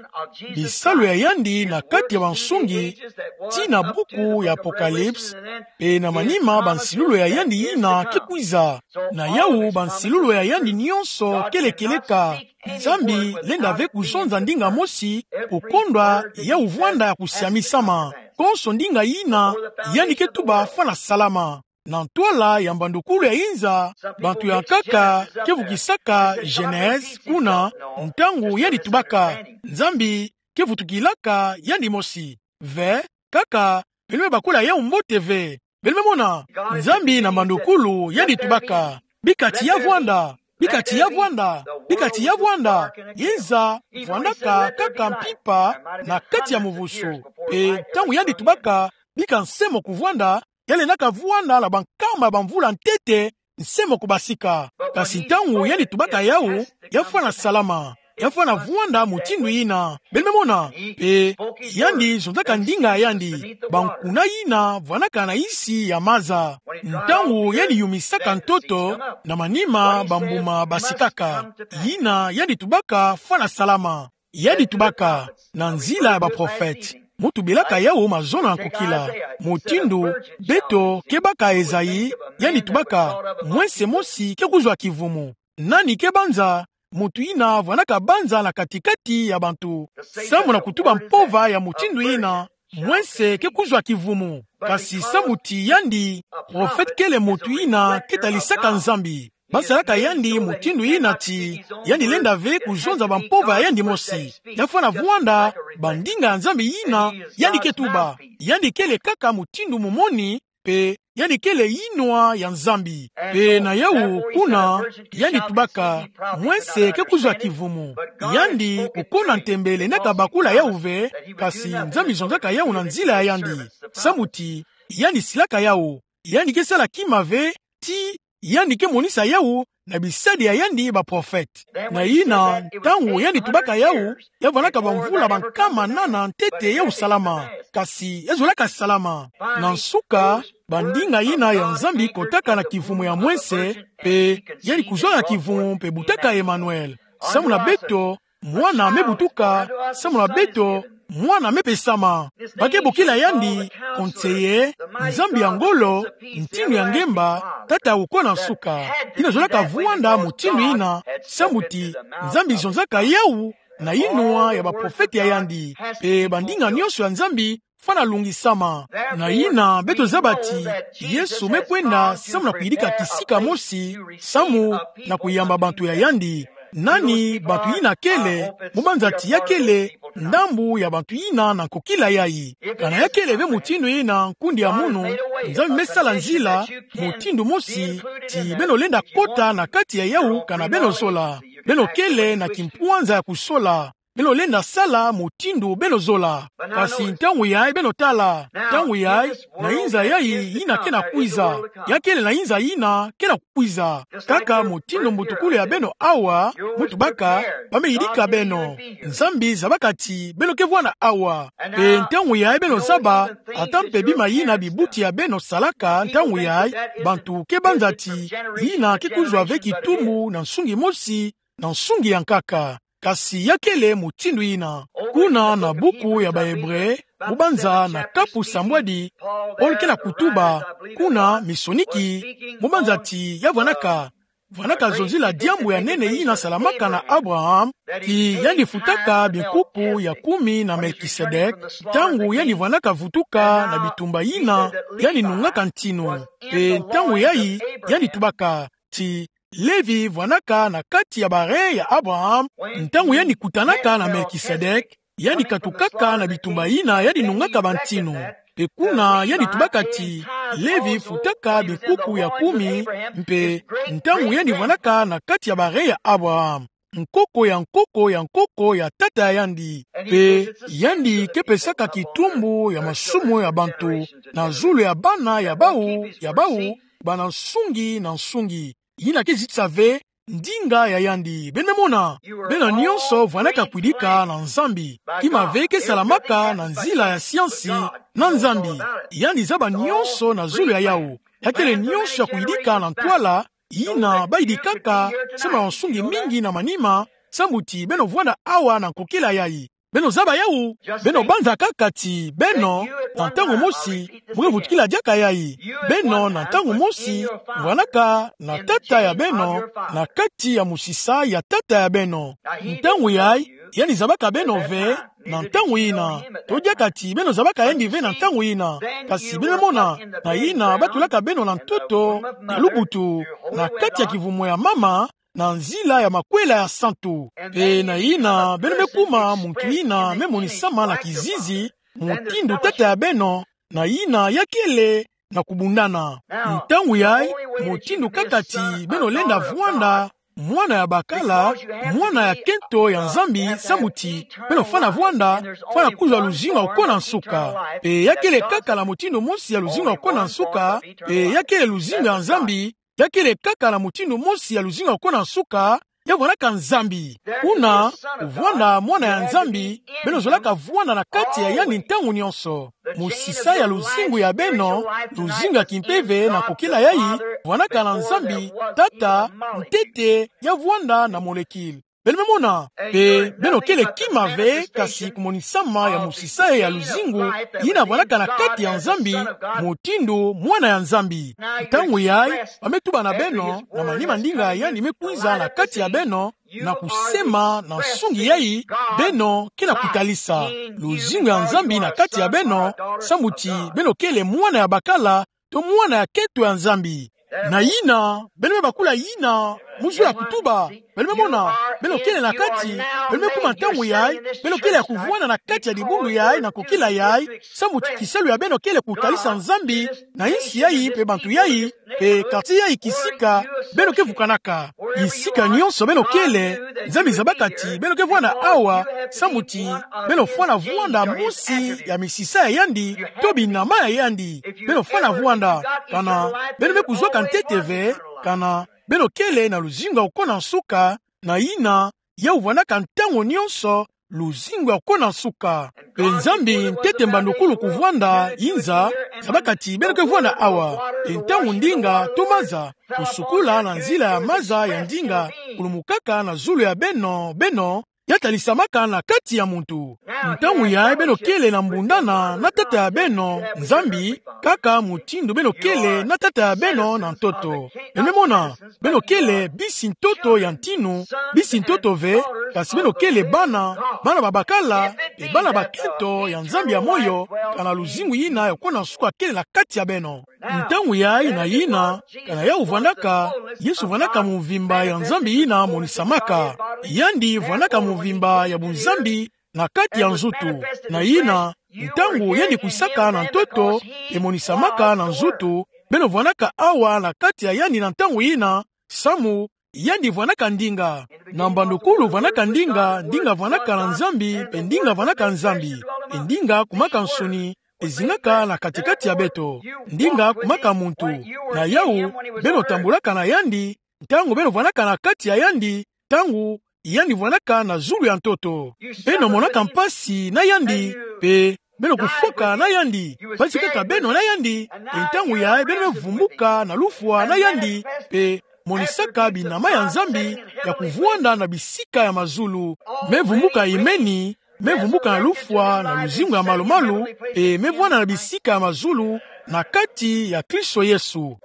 bisalu ya yandi na kati ya bansungi, tii na buku ya Apocalypse, mpe na manima bansilulu ya yandi yina ke kwiza. Na yawu bansilulu ya yandi nionso kele kieleka. Nzambi lenda ve kuzonza ndinga mosi, kukondwa yawu vwanda ya kusiamisama. Konso ndinga yina yandi ke tuba fwana salama. Na ntwala ya mbandukulu ya inza, bantu ya nkaka ke vukisaka Genèse, kuna, ntangu yandi tubaka, Nzambi ke vutukilaka yandi mosi. Ve, kaka, beno me bakula yawu mbote ve. Beno me mona, Nzambi na mbandukulu yandi tubaka: Bika tiya vwanda, bika tiya vwanda, bika tiya vwanda. Inza vwandaka kaka mpimpa na kati ya muvusu. Mpe ntangu yandi tubaka: Bika nse mo kuvwanda, ya lendaka vwanda na bankama ya bamvula ntete nse mo kubasika. Kasi ntangu yandi tubaka yawu, ya fwana salama, ya fwana vwanda mutindu yina. Beno me mona, mpe yandi zonzaka ndinga ya yandi, bankuna yina vwanaka na insi ya maza. Ntangu yandi yumisaka ntoto, na manima bambuma basikaka. Yina yandi tubaka fwana salama. Yandi tubaka na nzila ya baprofete. Mu tubelaka yawu mazono ya nkokila. Mutindu beto ke baka Ezayi, yandi tubaka: Mwense mosi ke kuzwa kivumu. Nani ke banza? Muntu yina vwanaka banza na kati-kati ya bantu. Samu na kutuba mpova ya mutindu yina, mwense ke kuzwa kivumu. Kasi samu ti yandi, profete kele muntu yina ke talisaka Nzambi. Basalaka yandi mutindu yina ti yandi lenda ve kuzonza bampova ya yandi mosi. Ya fwana vwanda bandinga ya Nzambi yina yandi ke tuba. Yandi kele kaka mutindu mumoni, mpe yandi kele yinwa ya Nzambi. Mpe na yawu kuna, yandi tubaka: Mwense ke kuzwa kivumu. Yandi, kukona ntembe, lendaka bakula yawu ve, kasi Nzambi zonzaka yawu na nzila ya yandi. Samu ti yandi silaka yawu. Yandi ke sala kima ve, ti yandi ke monisa yawu na bisadi ya yandi baprofete. Na yina, ntangu yandi tubaka yawu, ya vwanaka bamvula bankama nana ntete yawu salama. Kasi ya zolaka salama. Na nsuka, bandinga yina ya Nzambi kotaka na kivumu ya mwense, mpe yandi kuzwa na kivumu mpe butaka Emmanuel. Samu na beto, mwana me butuka. Samu na beto, mwana me pesama. Ba ke bokila yandi Konseye, Nzambi ya ngolo, Ntindu ya ngemba, Tata ya kukona nsuka. Yina zolaka vwanda mutindu yina, samu ti Nzambi zonzaka yawu na yinwa ya baprofete ya yandi. Mpe bandinga nionso ya Nzambi fwana lungisama. Na yina beto zaba ti Yesu me kwenda samu na kuyidika kisika mosi, samu na kuyamba bantu ya yandi. Nani bantu yina kele? Mu banza ti ya kele ndambu ya bantu yina na nkokila yayi. Kana ya kele ve mutindu yina, nkundi ya munu, Nzambi me sala nzila mutindu mosi ti beno lenda kota na kati ya yawu kana beno zola. Beno kele na kimpwanza ya kusola. Beno lenda sala mutindu beno zola. Kasi ntangu yayi beno tala, ntangu yayi, na inza yayi yina ke na kwiza. Ya kele na inza yina ke na kukwiza. Kaka mutindu mbutukulu ya beno awa, mu tubaka, ba me yidika beno. Nzambi zabaka ti beno ke vwanda awa. Mpe ntangu yayi beno zaba, ata mpe bima yina bibuti ya beno salaka ntangu yayi, bantu ke banza ti yina ke kuzwa ve kitumbu na nsungi mosi, na nsungi ya nkaka. Kasi ya kele mutindu yina. Kuna na buku ya Baebre, mu banza na kapu sambwadi, Paul ke na kutuba, kuna Misoniki, mu banza ti ya vwanaka, vwanaka zonzila diambu ya nene yina salamaka na Abraham, ti yandi futaka binkuku ya kumi na Melkisedek, ntangu yandi vwanaka vutuka na bitumba yina yandi nungaka ntinu. Mpe ntangu yayi, yandi tubaka, ti Levi vwanaka na kati ya ba rein ya Abraham, ntangu yandi kutanaka na Melkisedek, yandi katukaka na bitumba yina yandi nungaka bantinu. Mpe kuna yandi tubaka ti Levi futaka binkuku ya kumi, mpe ntangu yandi vwanaka na kati ya ba rein ya Abraham, nkoko ya nkoko ya nkoko ya tata ya yandi. Mpe yandi ke pesaka kitumbu ya masumu ya bantu na zulu ya bana ya bawu, ya bawu, bana nsungi na nsungi. Yina ke zitisa ve ndinga ya yandi. Beno me mona, beno nionso vwanaka kuyidika na Nzambi. Kima ve ke salamaka na nzila ya siansi na Nzambi. Yandi zaba nionso na zulu ya yawu. Ya kele nionso ya kuyidika na ntwala yina baidi kaka, samu na nsungi mingi na manima, samu ti beno vwanda awa na nkokila yai. Beno zaba yawu, beno banza kaka ti beno, na ntangu mosi, mu ke vutukila diaka yai. Beno na ntangu mosi, vwanaka na tata ya beno, na kati ya mosisa ya tata ya beno. Ntangu yai, yandi zabaka beno ve, na ntangu yina. To diaka ti beno zabaka yandi ve na ntangu yina. Kasi beno mona, na yina batulaka beno na ntoto, na lubutu, na kati ya kivumo ya mama, na nzila ya makwela ya santu. Pe na yina, beno me kuma muntu yina me monisama na kizizi, mutindu tata ya beno, na yina ya kele na kubundana. Ntangu yai, mutindu kaka ti beno lenda vwanda mwana ya bakala, mwana ya kento ya Nzambi, samu ti beno fwana vwanda, fwana kuzwa luzingu ya kukona nsuka. Pe ya kele kaka na mutindu mosi ya luzingu ya kukona nsuka, pe ya kele luzingu ya Nzambi, ya kele kaka na mutindu mosi ya luzingu ya kukona nsuka, ya vwanaka Nzambi. Kuna, kuvwanda mwana ya Nzambi, beno zolaka vwanda na kati ya yandi ntangu nyonso. Mosisa ya luzingu ya beno, luzingu ya kimpeve na nkokila yai, vwanaka na Nzambi, tata, ntete, ya vwanda na molekile. Beno me mona, pe beno kele kima ve, kasi kumonisama ya mosisa ya luzingu, yina vwanaka na kati ya Nzambi, mutindu mwana ya Nzambi. Ntangu yai, ba me tuba na beno, na manima ndinga ya yandi me kwiza na kati ya beno, na kusema na nsungi yai, beno ke na kutalisa luzingu ya Nzambi na kati ya beno, samu ti beno kele mwana ya bakala, to mwana ya kento ya Nzambi. Na yina, beno me bakula yina, mu nzila ya kutuba. Beno me mona, beno kele na kati, beno me kuma ntangu yai, beno kele ya kuvwanda na kati ya dibundu yai, na nkokila yai, samu ti kisalu ya beno kele kutalisa Nzambi, na insi yai, pe bantu yai, pe quartier yai kisika, beno ke vukanaka. Bisika nyonso beno kele, Nzambi zabaka ti beno ke vwanda awa, samu ti beno fwana vwanda mosi ya misisa ya yandi, to binama ya yandi. Beno fwana vwanda, kana beno me kuzwaka ntete ve, kana beno kele na luzingu ya kukona nsuka, na yina, yawu vwandaka ntangu nyonso, luzingu ya kukona nsuka. Pe Nzambi ntete mbandukulu kuvwanda inza, zabaka ti beno ke vwanda awa. Pe ntangu ndinga to maza, kusukula na nzila ya maza ya ndinga, kulumukaka na zulu ya beno, beno, ya talisamaka na kati ya muntu. Ntangu yai beno kele na mbundana na tata ya beno, Nzambi, kaka mutindu beno kele na tata ya beno na ntoto. Beno me mona, beno kele bisi ntoto ya ntinu, bisi ntoto ve, kasi beno kele bana, bana babakala, pe bana bakento ya Nzambi ya moyo, kana luzingu yina ya kukona nsuka kele na kati ya beno. Ntangu yai na yina, kana yawu vwandaka, Yesu vwandaka mvimba ya Nzambi yina monisamaka. Yandi vwandaka mvimba ya buNzambi na kati ya nzutu. Na yina, ntangu yandi kwisaka na ntoto, pe monisamaka na nzutu, beno vwandaka awa na kati ya yandi na ntangu yina, samu, yandi vwandaka ndinga. Na mbandukulu vwandaka ndinga, ndinga vwandaka na Nzambi, pe ndinga vwandaka Nzambi. Pe ndinga kumaka nsuni, pe zingaka na kati-kati ya beto. Ndinga kumaka muntu. Na yawu, beno tambulaka na yandi, ntangu beno vwandaka na kati ya yandi, ntangu yandi vwandaka na zulu ya ntoto. Beno monaka mpasi na yandi, pe beno kufwaka na yandi, mpasi kaka beno na yandi, pe ntangu yai beno me vumbuka na lufwa na yandi, pe monisaka binama ya Nzambi ya kuvwanda na bisika ya mazulu. Me vumbuka imeni, me vumbuka na lufwa na luzingu ya malu-malu, pe me vwanda na bisika ya mazulu, na kati ya Kristo Yesu.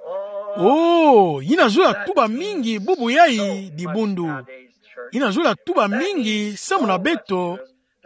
Oh, yina zola tuba mingi bubu yai dibundu. Yina zola tuba mingi samu na beto,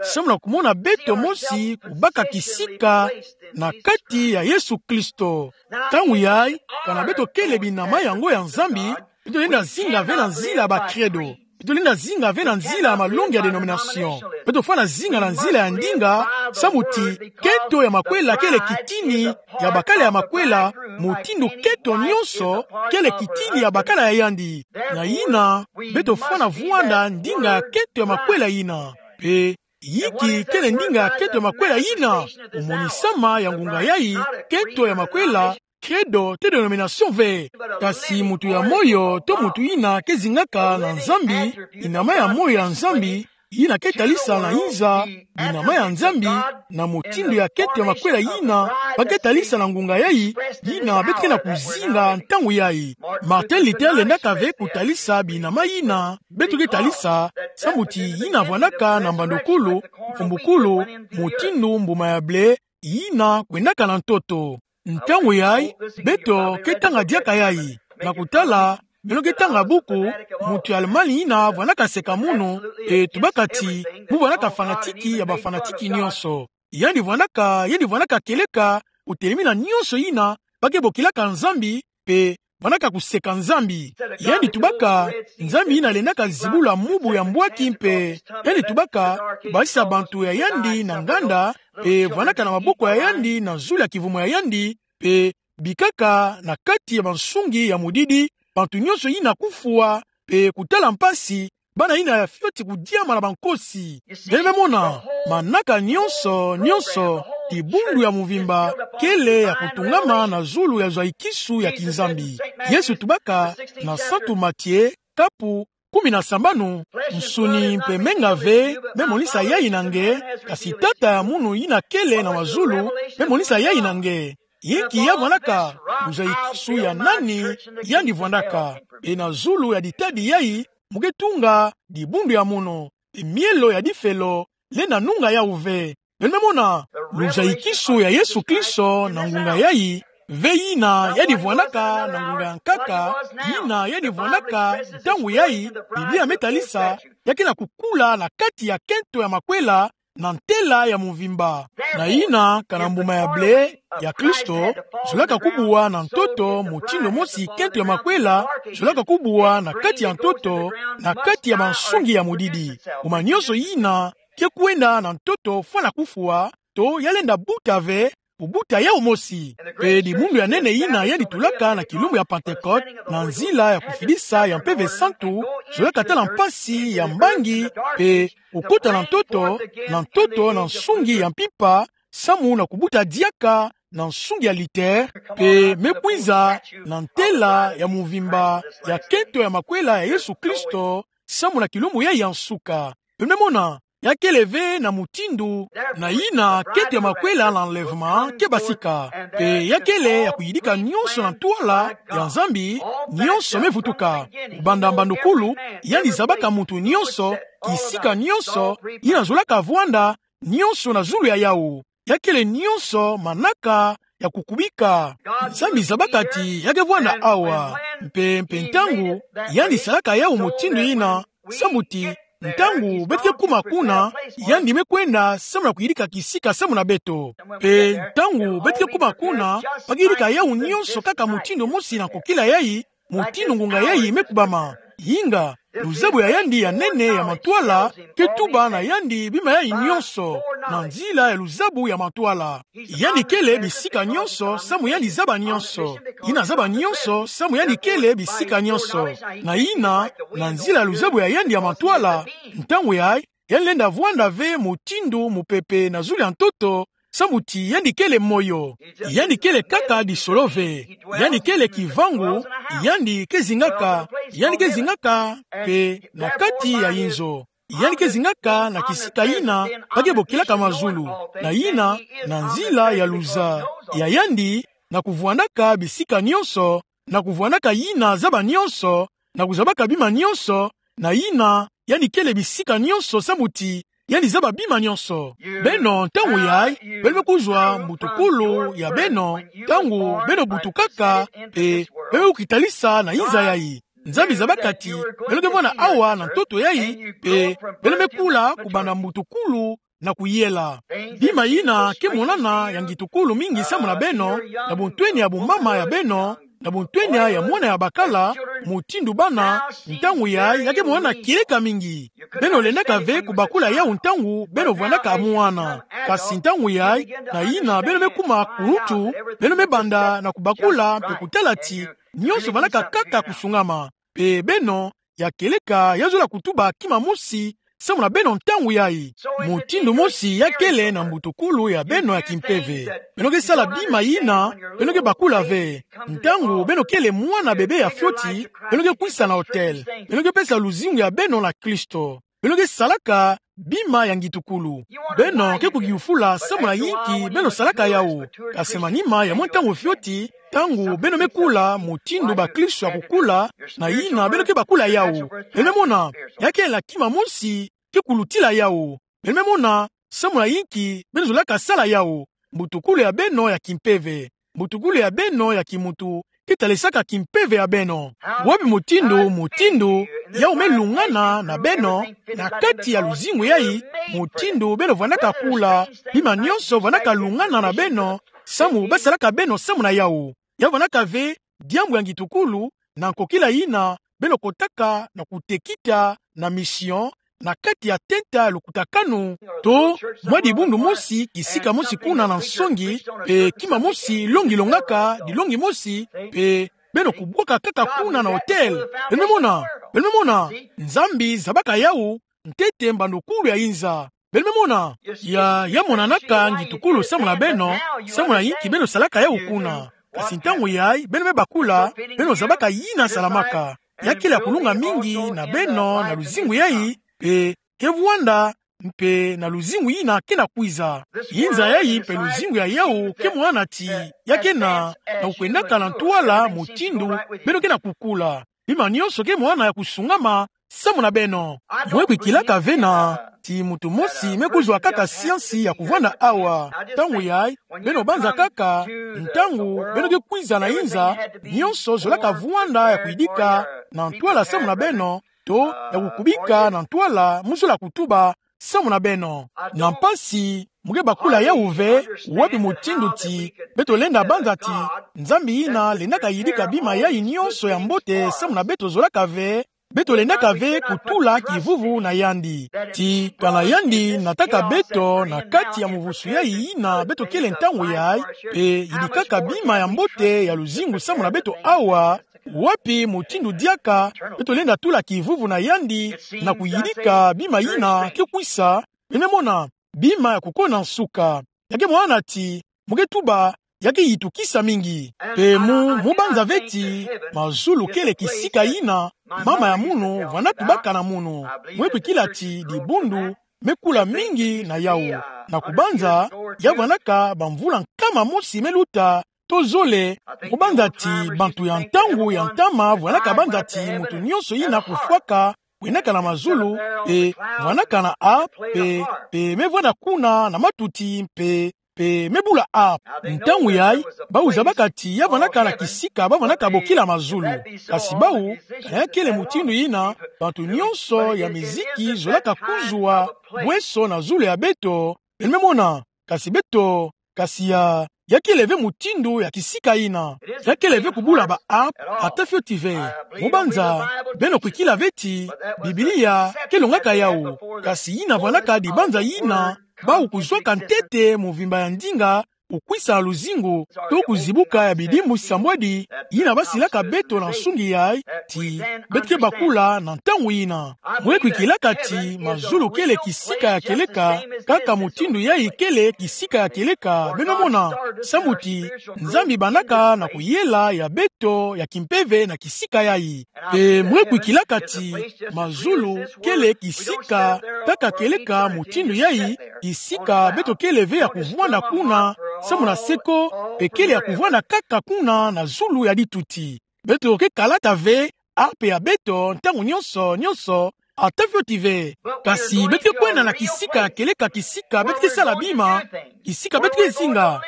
samu na kumona beto mosi kubaka kisika na kati ya Yesu Kristo. Ntangu yai, kana beto kele binama yango ya Nzambi, beto lenda zinga ve na nzila ya ba credo. Beto lenda zinga ve na nzila ya malongi ya dénomination. Beto fwana zinga na nzila ya ndinga, samu ti kento ya makwela kele kitini ya bakala ya makwela, mutindu kento nyonso kele kitini ya bakala ya yandi. Na yina, beto fwana vwanda ndinga ya kento ya makwela yina. Pe, yinki kele ndinga ya kento ya makwela yina? Kumonisama ya ngunga yai, kento ya makwela, credo to dénomination ve. Kasi muntu ya moyo to muntu yina ke zingaka na Nzambi, binama ya moyo ya Nzambi, yina ke talisa na inza binama ya Nzambi, na motindo ya kento ya makwela yina ba ke talisa na ngunga yayi, yina beto ke na kuzinga ntangu yayi. Martin Luther lendaka ve kutalisa binama yina beto ke talisa, sambu ti yina vwandaka na mbandokulu, mfumbukulu, motindo mbuma ya ble, yina kwendaka na ntoto. Ntangu yayi, beto ke tanga diaka yayi. Na kutala, beno ke tanga buku, muntu ya Allemagne yina vwandaka seka munu, e tubaka ti, mu vwandaka fanatiki ya bafanatiki nyonso. Yandi vwandaka, yandi vwandaka kieleka, kutelemina nyonso yina ba ke bokilaka Nzambi, mpe vwandaka kuseka Nzambi. Yandi tubaka, Nzambi yina lendaka zibula mubu ya mbwaki mpe, yandi tubaka, basisa bantu ya yandi na nganda, mpe vwandaka na maboko ya yandi na zulu ya kivumu ya yandi, mpe bikaka na kati ya bansungi ya modidi, bantu nyonso yina kufwa, mpe kutala mpasi, bana yina ya fioti kudiama na bankosi. Beno me mona, manaka nyonso, nyonso, dibundu ya mvimba, kele ya kutungama na zulu ya zwa ikisu ya kinzambi. Yesu tubaka, na Santu Matie, kapu kumi na sambanu, nsuni mpe menga ve me monisa yayi na nge, kasi Tata ya munu yina kele na mazulu me monisa yayi na nge. Inki ya vwandaka, luzwa ikisu ya nani yandi vwandaka. Mpe na zulu ya ditadi yayi, mu ke tunga dibundu ya munu, mpe mielo ya difelo lenda nunga yawu ve. Beno me mona, luzwa ikisu ya Yesu Kristo na ngunga yayi, ve yina yandi vwandaka na ngunga ya nkaka, yina yandi vwandaka ntangu yayi, Biblia me talisa, ya ke na kukula na kati ya kento ya makwela, na ntela ya mvimba. Na yina, kana mbuma ya ble ya Kristo zolaka kubuwa na ntoto, motindo mosi kento ya makwela zolaka kubuwa na kati ya ntoto, na kati ya bansungi ya modidi. Mbuma nyonso yina ke kwenda na ntoto fwana kufwa, to ya lenda buta ve, kubuta yawu mosi. Mpe dibundu ya nene yina yandi tulaka na kilumbu ya Pentecote, na nzila ya kufidisa ya Mpeve Santu, zolaka tala mpasi ya mbangi, mpe kukota na ntoto, na ntoto na nsungi ya mpimpa, samu na kubuta diaka na nsungi ya Luther, mpe me kwiza na ntela ya mvimba ya kento ya makwela ya Yesu Kristo, samu na kilumbu yayi ya nsuka. Beno me mona, ya kele ve na motindo, na yina kento ya makwela na enlèvement ke basika. Mpe ya kele ya kuyidika nyonso na ntwala ya Nzambi, nyonso me vutuka. Kubanda mbandokulu, yandi zabaka muntu nyonso, kisika nyonso yina zolaka vwanda, nyonso na zulu ya yawu. Ya kele nyonso manaka ya kukubika. Nzambi zabaka ti ya ke vwanda awa. Mpe, mpe ntangu yandi salaka yawu motindo yina, samu ti, ntangu beto ke kuma kuna, yandi me kwenda samu na kuyidika kisika samu na beto. Mpe ntangu beto ke kuma kuna, ba ke yidika yawu nyonso kaka motindo mosi na nkokila yayi, motindo ngunga yayi me kubama. Inga, luzabu ya yandi ya nene ya mantwala ke tuba na yandi bima yayi nyonso, na nzila ya luzabu ya mantwala. Yandi kele bisika nyonso samu yandi zaba nyonso. Yina zaba nyonso samu yandi kele bisika nyonso. Na yina, na nzila ya luzabu ya yandi ya mantwala, ntangu yayi, yandi lenda vwanda ve motindo mopepe na zulu ya ntoto, samu ti yandi kele moyo. Yandi kele kaka disolo ve. Yandi kele kivangu, yandi ke zingaka, yandi ke zingaka mpe na kati ya inzo. Yandi ke zingaka na kisika yina ba ke bokilaka mazulu. Na yina, na nzila ya luza ya yandi, na kuvwandaka bisika nyonso, na kuvwandaka yina zaba nyonso, na kuzabaka bima nyonso, na yina, yandi kele bisika nyonso samu ti yandi zaba bima nyonso. Beno, ntangu yayi, beno me kuzwa mbutukulu ya beno, ntangu beno butukaka, mpe beno me kukitalisa na inza yayi. Nzambi zabaka ti beno ke vwanda awa na ntoto yayi, mpe beno me kula kubanda mbutukulu na kuyela. Bima yina ke monana ya ngitukulu mingi samu na beno, na buntwenia ya bumama ya beno, na buntwenia ya mwana ya bakala, motindo bana, ntangu yayi ya ke monana kieleka mingi. Beno lendaka ve kubakula yawu ntangu beno vwandaka mwana. Kasi ntangu yayi, na yina beno me kuma kulutu, beno me banda na kubakula mpe kutala ti nyonso vandaka kaka kusungama. Mpe beno, ya kieleka ya zola kutuba kima mosi samu na beno ntangu yayi. Motindo mosi ya kele na mbutukulu ya beno ya kimpeve. Beno ke sala bima yina, beno ke bakula ve. Ntangu beno kele mwana bebe ya fioti, beno ke kwisa na autel. Beno ke pesa luzingu ya beno na Kristo. beno ke salaka bima ya ngitukulu. Beno ke kuyufula samu na yinki beno salaka yawu. Kasi manima ya mwa ntangu fioti, ntangu beno me kula mutindu bakristo ya kukula, na yina beno ke bakula yawu, beno me mona, ya kele na kima mosi ke kulutila yawu. Beno me mona samu na yinki beno zolaka sala yawu. Mbutukulu ya beno ya kimpeve, mbutukulu ya beno ya kimuntu ke talisaka kimpeve ya beno. Wapi mutindu, mutindu yawu me lungana na beno, na kati ya luzingu yayi, mutindu beno vandaka kula, bima nionso vandaka lungana na beno, samu basalaka beno samu na yawu. Ya vandaka ve diambu ya ngitukulu, na nkokila yina beno kotaka na kutekita na mission, na kati ya tenta lukutakanu, to mwa dibundu mosi, kisika mosi kuna na nsongi, mpe kima mosi longi longaka dilongi mosi, mpe beno kubwaka kaka kuna na hotel. Beno me mona, beno me mona, Nzambi zabaka yawu ntete mbandukulu ya inza. Beno me mona, ya, ya monanaka ngitukulu samu na beno, samu na yinki beno salaka yawu kuna. Kasi ntangu yayi beno me bakula, beno zabaka yina salamaka. Ya kele ya kulunga mingi na beno na luzingu yayi, mpe ke vwanda, mpe na luzingu yina ke na kwiza. Inza yayi mpe luzingu ya yawu ke mwana ti, ya ke na, na kukwendaka na ntwala mutindu beno ke na kukula. Bima nionso ke mwana ya kusungama samu na beno. Mwe kwikilaka ve na ti muntu mosi me kuzwa kaka siansi ya kuvwanda awa. Ntangu yayi, beno banza kaka, ntangu beno ke kwiza na inza, nionso zolaka vwanda ya kuyidika na ntwala samu na beno, to ya kukubika na ntwala mu zola kutuba samu na beno. Na mpasi, mwe ke bakula yawu ve, wapi mutindu ti beto lenda banza ti Nzambi yina lendaka yidika bima yayi nionso ya mbote samu na beto zolaka ve, beto lendaka ve kutula kivuvu na yandi. Ti kana yandi nataka beto na kati ya muvusu yayi yina beto kele ntangu yayi, mpe yidikaka bima ya mbote ya luzingu samu na beto awa, wapi mutindu diaka beto lenda tula kivuvu na yandi na kuyidika bima yina ke kwisa, beno me mona, bima ya kukona nsuka. Ya ke mwana ti, mwe ke tuba, ya ke yitukisa mingi. Mpe mu, mu banza ve ti mazulu kele kisika yina mama ya munu vwanda tubaka na munu. Mwe kwikila ti dibundu me kula mingi na yawu. Na kubanza, ya vwandaka bamvula nkama mosi me luta, to zole, mu banza ti bantu ya ntangu ya ntama vwandaka banza ti muntu nionso yina kufwaka, kwendaka na mazulu, mpe vwandaka na harpe, mpe, mpe me vwanda kuna na matuti, mpe, mpe me bula harpe. Ntangu yayi, bawu zabaka ti ya vwandaka na kisika ba vwandaka bokila mazulu. Kasi bawu, ya kele mutindu yina bantu nionso ya miziki zolaka kuzwa bweso na zulu ya beto, beno me mona, kasi beto, kasi ya, ya kele ve mutindu ya kisika yina. Ya kele ve kubula ba harpe, ata fioti ve. Mu banza, beno kwikila ve ti Biblia ke longaka yawu. Kasi yina vwandaka dibanza yina bawu kuzwaka ntete muvimba ya ndinga, kukwisa luzingu, to kuzibuka ya bidimbu sambwadi, yina basilaka beto na nsungi yayi, ti beto ke bakula na ntangu yina. Mwe kwikilaka ti mazulu kele kisika ya kieleka, kaka mutindu yayi kele kisika ya kieleka, beno mona, sambu ti Nzambi bandaka na kuyela ya beto ya kimpeve na kisika yayi. Mpe mwe kwikilaka ti mazulu kele kisika kaka kieleka mutindu yayi, kisika beto kele ve ya kuvwanda kuna samu na seko, mpe kele ya kuvwanda kaka kuna na zulu ya dituti. Beto ke kalata ve harpe ya beto ntangu nionso, nionso, ata fioti ve. Kasi beto ke kwenda na kisika ya kieleka, kisika beto ke sala bima, kisika beto ke zinga,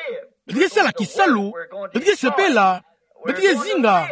beto ke sala kisalu, beto ke sepela, beto ke zinga,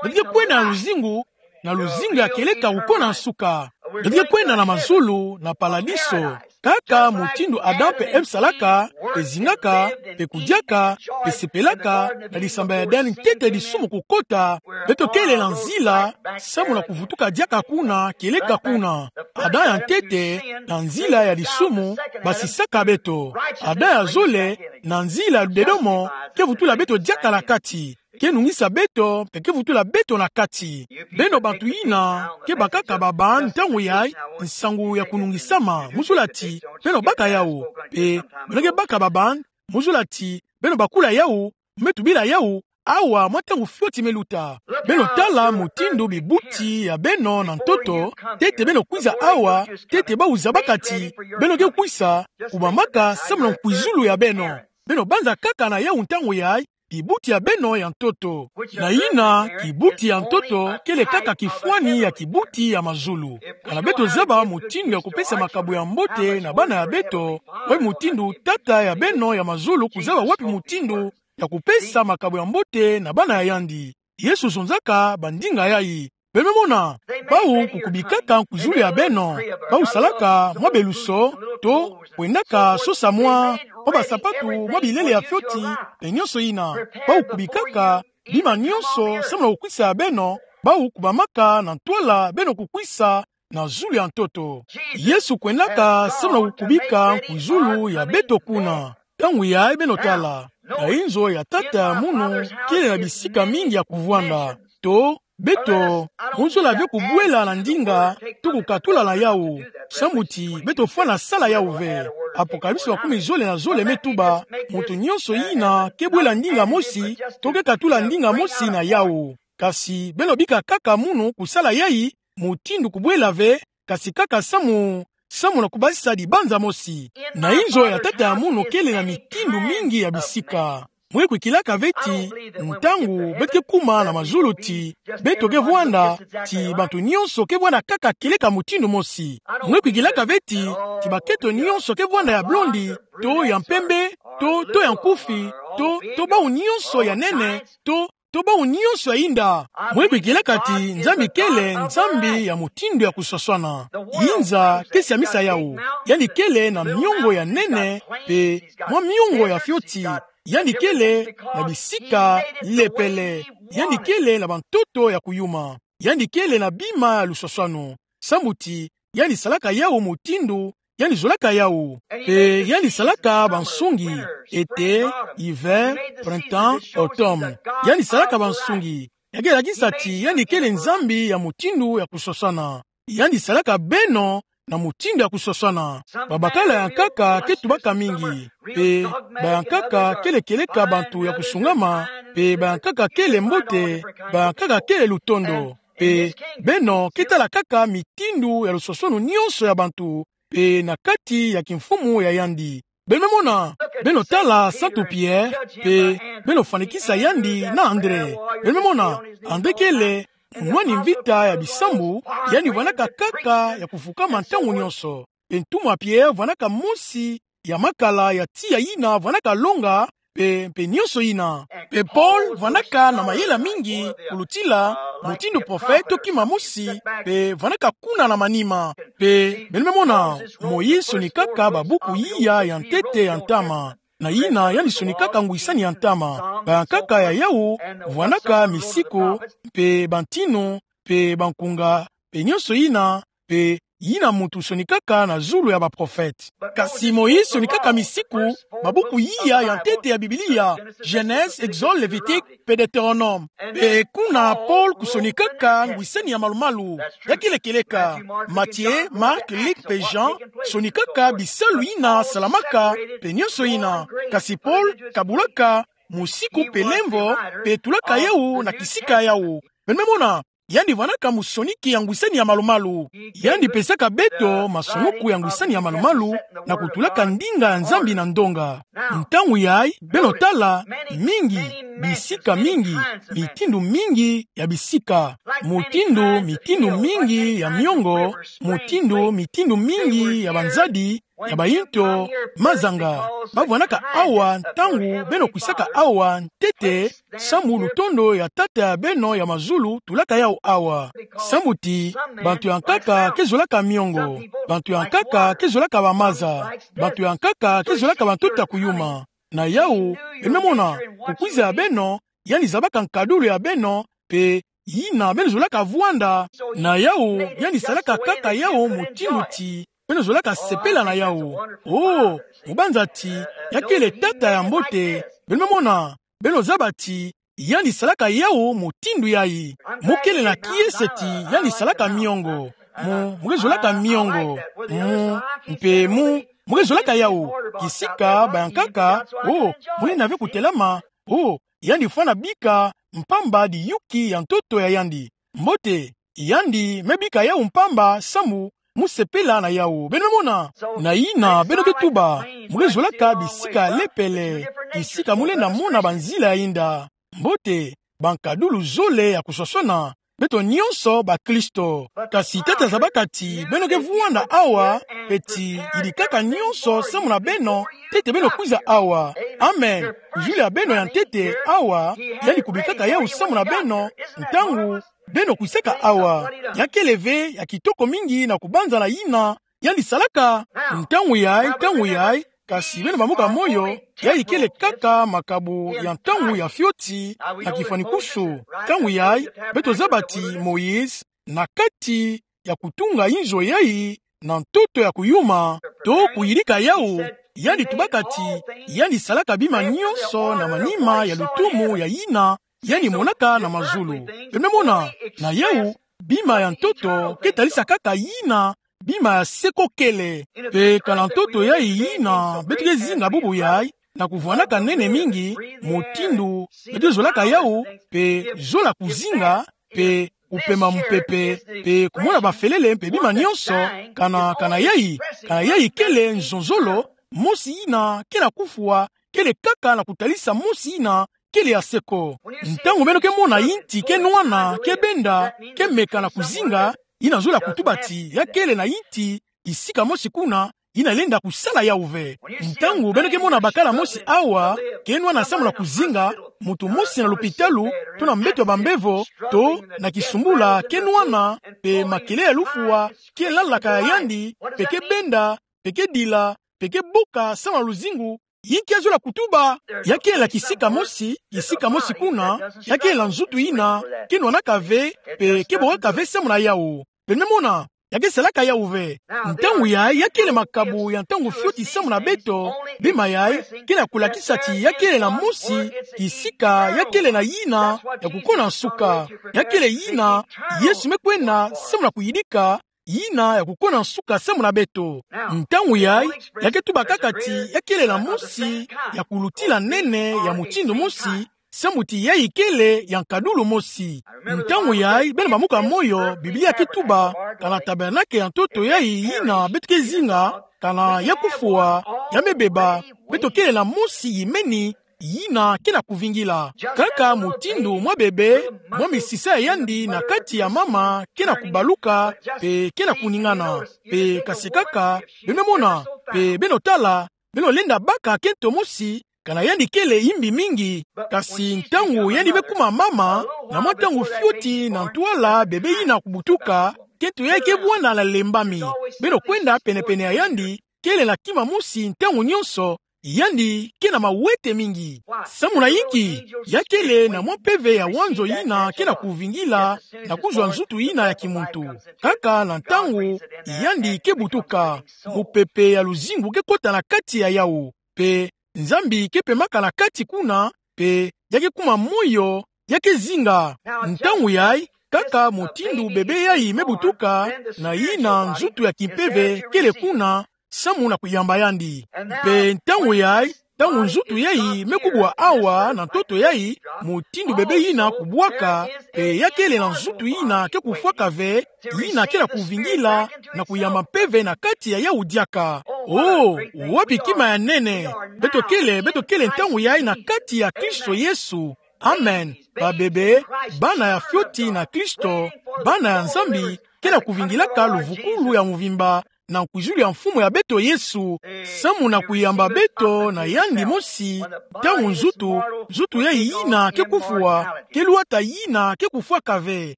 beto ke kwenda na luzingu, na luzingu ya kieleka kukona nsuka. Beto ke kwenda na mazulu, na paladiso. Kaka mutindu Adam mpe Eve salaka, mpe zingaka, mpe kudiaka, mpe sepelaka, na disamba ya Edene ntete disumu kukota, beto kele na nzila samu na kuvutuka diaka kuna, kieleka kuna. Adam ya ntete, na nzila ya disumu, basisaka beto. Adam ya zole, na nzila ya ludedomo, ke vutula beto diaka na kati. Ke nungisa beto, mpe ke vutula beto na kati. Beno bantu yina ke bakaka ba bande ntangu yayi, nsangu ya kunungisama, mu zola ti beno baka yawu. Mpe beno ke baka ba bande, mu zola ti beno bakula yawu, mu tubila yawu, awa mwa ntangu fioti me luta. Beno tala mutindu bibuti ya beno na ntoto, ntete beno kwiza awa, ntete bawu zabaka ti beno ke kwisa kubamaka samu na nkwizulu ya beno. Beno banza kaka na yawu ntangu yayi, kibuti ya beno ya ntoto. Na yina, kibuti ya ntoto kele kaka kifwani ya kibuti ya mazulu. Kana beto zaba mutindu ya kupesa makabo ya mbote na bana ya beto, wapi mutindu Tata ya beno ya mazulu kuzaba wapi mutindu ya kupesa makabo ya mbote na bana ya yandi? Yesu zonzaka bandinga yayi. Beno me mona, bawu kukubikaka nkwizulu ya beno, bawu salaka mwa beluso, to kwendaka sosa mwa, mwa basapatu, mwa bilele ya fioti, pe nyonso yina. Bawu kubikaka bima nyonso samu na kukwisa ya beno, bawu kubamaka na ntwala beno kukwisa na zulu ya ntoto. Yesu kwendaka samu na kukubika nkwizulu ya beto kuna. Ntangu yayi beno tala, na inzo ya Tata ya munu kele na bisika mingi ya kuvwanda. To, beto, mu zola ve kubwela na ndinga, to kukatula na yawu. Sambu ti beto fwana sala yawu ve. Apocalypse makumi zole na zole me tuba, muntu nyonso yina ke bwela ndinga mosi, to ke katula ndinga mosi na yawu. Kasi beno bika kaka munu kusala yayi, mutindu kubwela ve, kasi kaka samu, samu na kubasisa dibanza mosi. Na inzo ya Tata ya munu kele na mitindu mingi ya bisika. Mwe kwikilaka ve ti, ntangu beto ke kuma na mazulu ti, beto ke vwanda, ti bantu nyonso ke vwanda kaka kieleka mutindu mosi. Mwe kwikilaka ve ti, ti bakento nyonso ke vwanda ya blondi, to ya mpembe, to, to ya nkufi, to, to bawu nyonso ya nene, to, to bawu nyonso ya inda. Mwe kwikilaka ti Nzambi kele Nzambi ya mutindu ya kuswaswana. Yinza ke siamisa yawu. Yandi kele na miongo ya nene, pe mwa miongo ya fioti. Yandi kele na bisika lepele. Yandi kele na bantoto ya kuyuma. Yandi kele na bima ya luswaswanu. Sambu ti yandi salaka yawu mutindu yandi zolaka yawu. Pe yandi salaka bansungi, été, hiver, printemps, automne. Yandi salaka bansungi. Ya ke lakisa ti yandi kele Nzambi ya mutindu ya kuswaswana. Yandi salaka beno na mutindu ya kuswaswana. Babakala ya nkaka ke tubaka mingi. Pe bayankaka kele kieleka bantu ya kusungama. Pe bayankaka kele mbote. Bayankaka kele lutondo. Pe beno ke tala kaka mitindu ya luswaswanu nyonso ya bantu, pe na kati ya kimfumu ya yandi. Beno me mona, beno tala Santu Pierre, pe beno fwanikisa yandi na André. Beno me mona, André kele munwani mvita ya bisambu, yandi vwanaka kaka ya kufukama ntangu nyonso. Pe ntumwa Pierre vwanaka mosi ya makala ya tiya yina vwanaka longa, pe, pe nyonso yina. Pe Paul vwanaka na mayela mingi, kulutila mutindu prophète to kima mosi, pe vwanaka kuna na manima. Pe, beno me mona, Moïse sonikaka babuku iya ya ntete ya ntama. Na yina yandi sonikaka ngwisani ya ntama. Bayankaka ya yawu vwanaka misiku, pe bantinu, pe bankunga, pe nyonso yina, pe yina muntu sonikaka na zulu ya baprophète. Kasi Moïse sonikaka misiku, babuku iya ya ntete ya Biblia, Genèse, Exode, Lévitique, pe Deutéronome. Pe kuna Paul kusonikaka ngwisani ya malumalu. Ya kele kieleka, Matthieu, Marc, Luc, pe Jean, sonikaka bisalu yina salamaka, pe nyonso yina. Kasi Paul kabulaka misiku pe lemvo, pe tulaka yawu na kisika yawu. Beno me mona, yandi vwanaka musoniki ya ngwisani ya malumalu. Yandi pesaka beto masunuku ya ngwisani ya malumalu, na kutulaka ndinga ya Nzambi na ndonga. Ntangu yayi, beno tala, mingi, bisika mingi, mitindu mingi ya bisika, mutindu, mitindu mingi ya miongo, mutindu, mitindu mingi ya banzadi, ya bayinto, mazanga. Bavwanaka awa ntangu beno kwisaka awa ntete, sambu lutondo ya Tata ya beno ya mazulu tulaka yawu awa. Sambu ti, bantu ya nkaka ke zolaka miongo, bantu ya nkaka ke zolaka bamaza, bantu ya nkaka ke zolaka bantoto ya kuyuma. Na yawu, beno me mona, kukwiza ya beno, yandi zabaka nkadulu ya beno, pe yina beno zolaka vwanda. Na yawu, yandi salaka kaka yawu mutindu ti beno zolaka sepela na yawu. Oh, mu banza ti ya kele Tata ya mbote, beno me mona, beno zaba ti yandi salaka yawu mutindu yayi. Mu kele na kiese ti yandi salaka miongo. Mu, mu ke zolaka miongo. Mu, mpe mu, mu ke zolaka yawu. Kisika bayankaka, oh, mu lenda ve kutelama. Oh, yandi fwana bika mpamba diyuki ya ntoto ya yandi. Mbote, yandi me bika yawu mpamba samu mu sepela na yawu. Beno mona, na yina beno ke tuba, mu ke zolaka bisika lepele, bisika mu lenda mona banzila ya yinda. Mbote, bankadulu zole ya kuswaswana. Beto nyonso bakristo. Kasi tata zaba kati, beno ke vwanda awa, peti, yidikaka nyonso samu na beno, ntete beno kwiza awa. Amen. Kuzuli ya beno ya ntete awa, yandi kubikaka yawu samu na beno, ntangu beno kwisaka awa. Ya kele ve ya kitoko mingi na kubanza na yina yandi salaka. Ntangu yayi, ntangu yayi, kasi beno bambuka moyo, yayi kele kaka makabu ya ntangu ya fioti na kifwani kusu. Ntangu yayi, beto zaba ti Moïse, na kati ya kutunga inzo yayi na ntoto ya kuyuma, to kuyidika yawu, yandi tubaka ti, yandi salaka bima nyonso na manima ya lutumu ya yina yandi monaka na mazulu. Beno mona, na yawu, bima ya ntoto ke talisa kaka yina bima ya seko kele. Pe kana ntoto yayi yina beto ke zinga bubu yayi, na kuvwanaka nene mingi, mutindu beto zolaka yawu, pe zola kuzinga, pe kupema mupepe, pe kumona bafelele, mpe bima nyonso, kana, kana yayi, kana yayi kele nzonzolo, mosi yina ke na kufwa, kele kaka na kutalisa mosi yina kele ya seko. Ntangu beno ke mona yinti ke nwana, ke benda, ke meka na kuzinga, yina zola kutuba ti ya kele na yinti, bisika mosi kuna, yina lenda kusala yawu ve. Ntangu beno ke mona bakala mosi awa ke nwana samu na kuzinga, muntu mosi na lupitalu, to na mbeto ya bambevo, to na kisumbula ke nwana, pe makelele ya lufwa ke lalaka ya yandi, pe ke benda, pe ke dila, pe ke buka samu na luzingu, yinki ya zola kutuba? Ya kele na kisika mosi, kisika mosi kuna, ya kele na nzutu yina ke nwanaka ve, pe ke bokaka ve samu na yawu. Beno mona, ya ke salaka yawu ve. Ntangu yayi, ya kele makabu ya ntangu fioti samu na beto, bima yayi ke na kulakisa ti ya kele na mosi kisika ya kele na yina ya kukona nsuka. Ya kele yina Yesu me kwenda samu na kuyidika, yina ya kukona nsuka samu na beto. Ntangu yayi, ya ke tuba kaka ti ya kele na mosi ya kulutila nene ya mutindu mosi, samu ti yayi kele ya nkadulu mosi. Ntangu yayi, beno bambuka moyo, Biblia ke tuba, kana tabernakele ya ntoto yayi yina beto ke zinga, kana ya kufwa, ya me beba, beto kele na mosi yimeni, yina ke na kuvingila. Kaka mutindu mwa bebe, mwa misisa ya yandi na kati ya mama ke na kubaluka, pe ke na kuningana. Pe kasi kaka, beno mona, pe beno tala, beno lenda baka kento mosi, kana yandi kele yimbi mingi. Kasi ntangu yandi me kuma mama, na mwa ntangu fioti na ntwala bebe yina kubutuka, kento yayi ke vwanda na lembami. Beno kwenda penepene ya yandi, kele na kima mosi ntangu nyonso, yandi ke na mawete mingi. Samu na yinki? Ya kele na mwa mpeve ya wanzo yina ke na kuvingila, na kuzwa nzutu yina ya kimuntu. Kaka na ntangu yandi ke butuka, mupepe ya luzingu ke kota na kati ya yawu. Pe Nzambi ke pemaka na kati kuna, pe ya ke kuma moyo, ya ke zinga. Ntangu yayi, kaka mutindu bebe yayi me butuka, na yina nzutu ya kimpeve kele kuna, samu na kuyamba yandi. Pe ntangu yayi, ntangu nzutu yayi me kubwa awa na ntoto yayi, mutindu bebe yina kubwaka, pe ya kele na nzutu yina ke kufwaka ve, yina ke na kuvingila, na kuyamba mpeve na kati ya yawu diaka. Oh, wapi kima ya nene! Beto kele, beto kele ntangu yayi na kati ya Kristo Yesu. Amen. Babebe, bana ya fioti na Kristo, bana ya Nzambi, ke na kuvingilaka luvukulu ya mvimba, na nkwizulu ya Mfumu ya beto Yesu, samu na kuyamba beto na yandi mosi, ntangu nzutu, nzutu yayi yina ke kufwa, ke lwata yina ke kufwaka ve.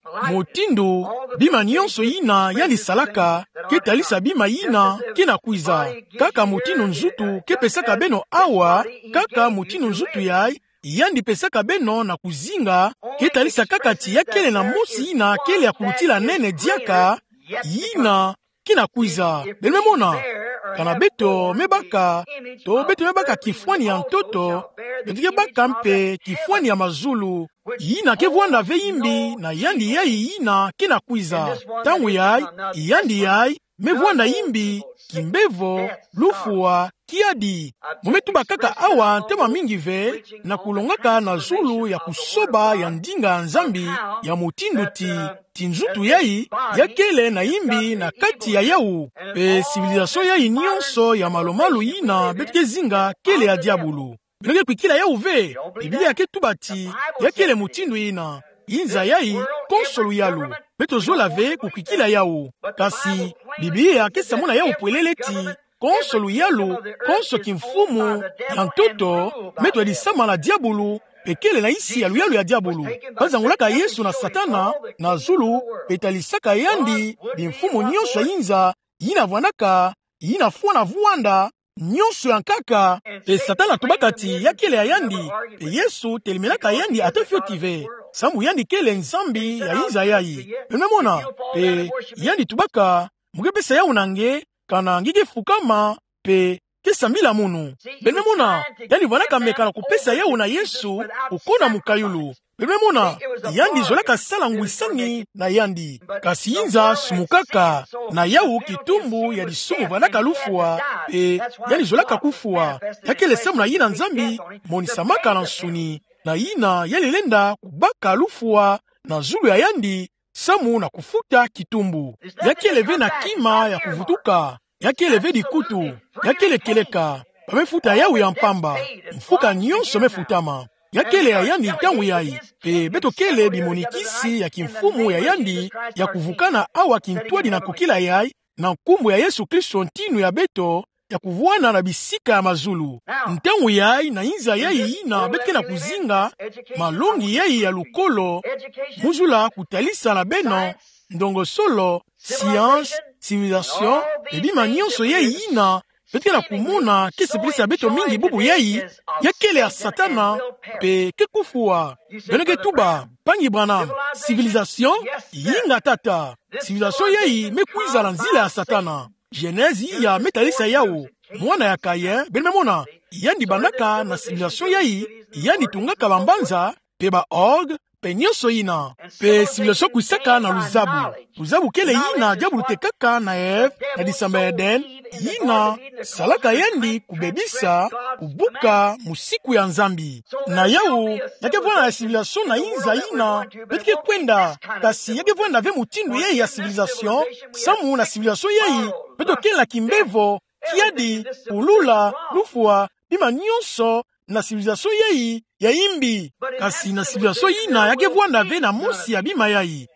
Mutindu, bima nyonso yina yandi salaka, ke talisa bima yina ke na kwiza. Kaka mutindu nzutu ke pesaka beno awa, kaka mutindu nzutu yayi, yandi pesaka beno na kuzinga, ke talisa kaka ti ya kele na mosi yina kele ya kulutila nene diaka, yina ke na kwiza. Beno me mona, kana beto me baka, to beto me baka kifwani ya ntoto, beto ke baka mpe kifwani ya mazulu, yina ke vwanda ve yimbi na yandi yayi yina ke na kwiza. Ntangu yayi, yandi yayi me vwanda yimbi, kimbevo, lufwa, Kiadi, mo me tuba kaka awa ntama mingi ve, na kulongaka na zulu ya kusoba ya ndinga ya Nzambi, ya mutindu ti, ti nzutu yayi, ya kele na imbi na kati ya yawu. Pe civilisation yayi nyonso ya malu-malu yina beto ke zinga kele ya diabulu. Beno ke kwikila yawu ve. Biblia ke tuba ti, ya kele mutindu yina. Yinza yayi, konso luyalu. Beto zola ve kukwikila yawu. Kasi, Biblia ke samuna yawu pwelele ti, konso luyalu, konso kimfumu, ya ntoto, me twadisama na diabulu, pe kele na insi ya luyalu ya diabulu. Bazangulaka Yesu na Satana, na zulu, pe talisaka yandi, bimfumu nyonso ya yinza, yina vwandaka, yina fwana vwanda, nyonso ya nkaka, pe Satana tubaka ti ya kele ya yandi, pe Yesu telemelaka yandi ata fioti ve. Sambu yandi kele Nzambi ya yinza yayi. Beno me mona, pe yandi tubaka, mo ke pesa yawu na nge, kana nge ke fukama, pe ke sambila munu. Beno me mona, yandi vwandaka meka na kupesa yawu na Yesu, ku kona mukayulu. Beno me mona, yandi zolaka sala ngwisani na yandi. Kasi yinza sumukaka, na yawu kitumbu ya disumu vwandaka lufwa, pe yandi zolaka kufwa. Ya kele samu na yina Nzambi monisamaka na nsuni, na yina yandi lenda kubaka lufwa na zulu ya yandi, samu na kufuta kitumbu. Ya kele ve na kima ya kuvutuka. Ya kele ve dikutu. Ya kele kieleka. Ba me futa yawu ya mpamba. Mfuka nyonso me futama. Ya kele ya yandi ntangu yayi. Pe beto kele bimonikisi ya kimfumu ya yandi, ya kuvukana awa kintwadi na kokila yayi, na nkumbu ya Yesu Kristo ntinu ya beto, ya kuvwanda na bisika ya mazulu. Ntangu yayi na yinza yayi yina beto ke na kuzinga, malongi yayi ya lukolo, muzula kutalisa na beno, ndongosolo, science, civilisation, pe bima nyonso yayi yina, beto ke na kumona ke sepelisa beto mingi bubu yayi, ya kele ya Satana, pe ke kufwa. Beno ke tuba, mpangi Branham, civilisation, yinga tata. Civilisation yayi me kwiza na nzila ya Satana. Genèse iya me talisa yawu. Mwana ya Caïn, beno me mona, yandi bandaka na civilisation yayi, yandi tungaka bambanza, pe ba orgue, pe nyonso yina. Pe civilisation kwisaka na luzabu. Luzabu kele yina diabulu tekaka na Ève, na disamba ya Eden, yina salaka yandi kubebisa, kubuka musiku ya Nzambi. Na yawu, ya ke vwanda ya civilisation na yinza yina beto ke kwenda, kasi ya ke vwanda ve mutindu yayi ya civilisation, samu na civilisation yayi, beto kele na kimbevo, kiadi, kulula, lufwa, bima nyonso, na civilisation yayi ya imbi. Kasi na civilisation yina ya ke vwanda ve na mosi ya bima yayi,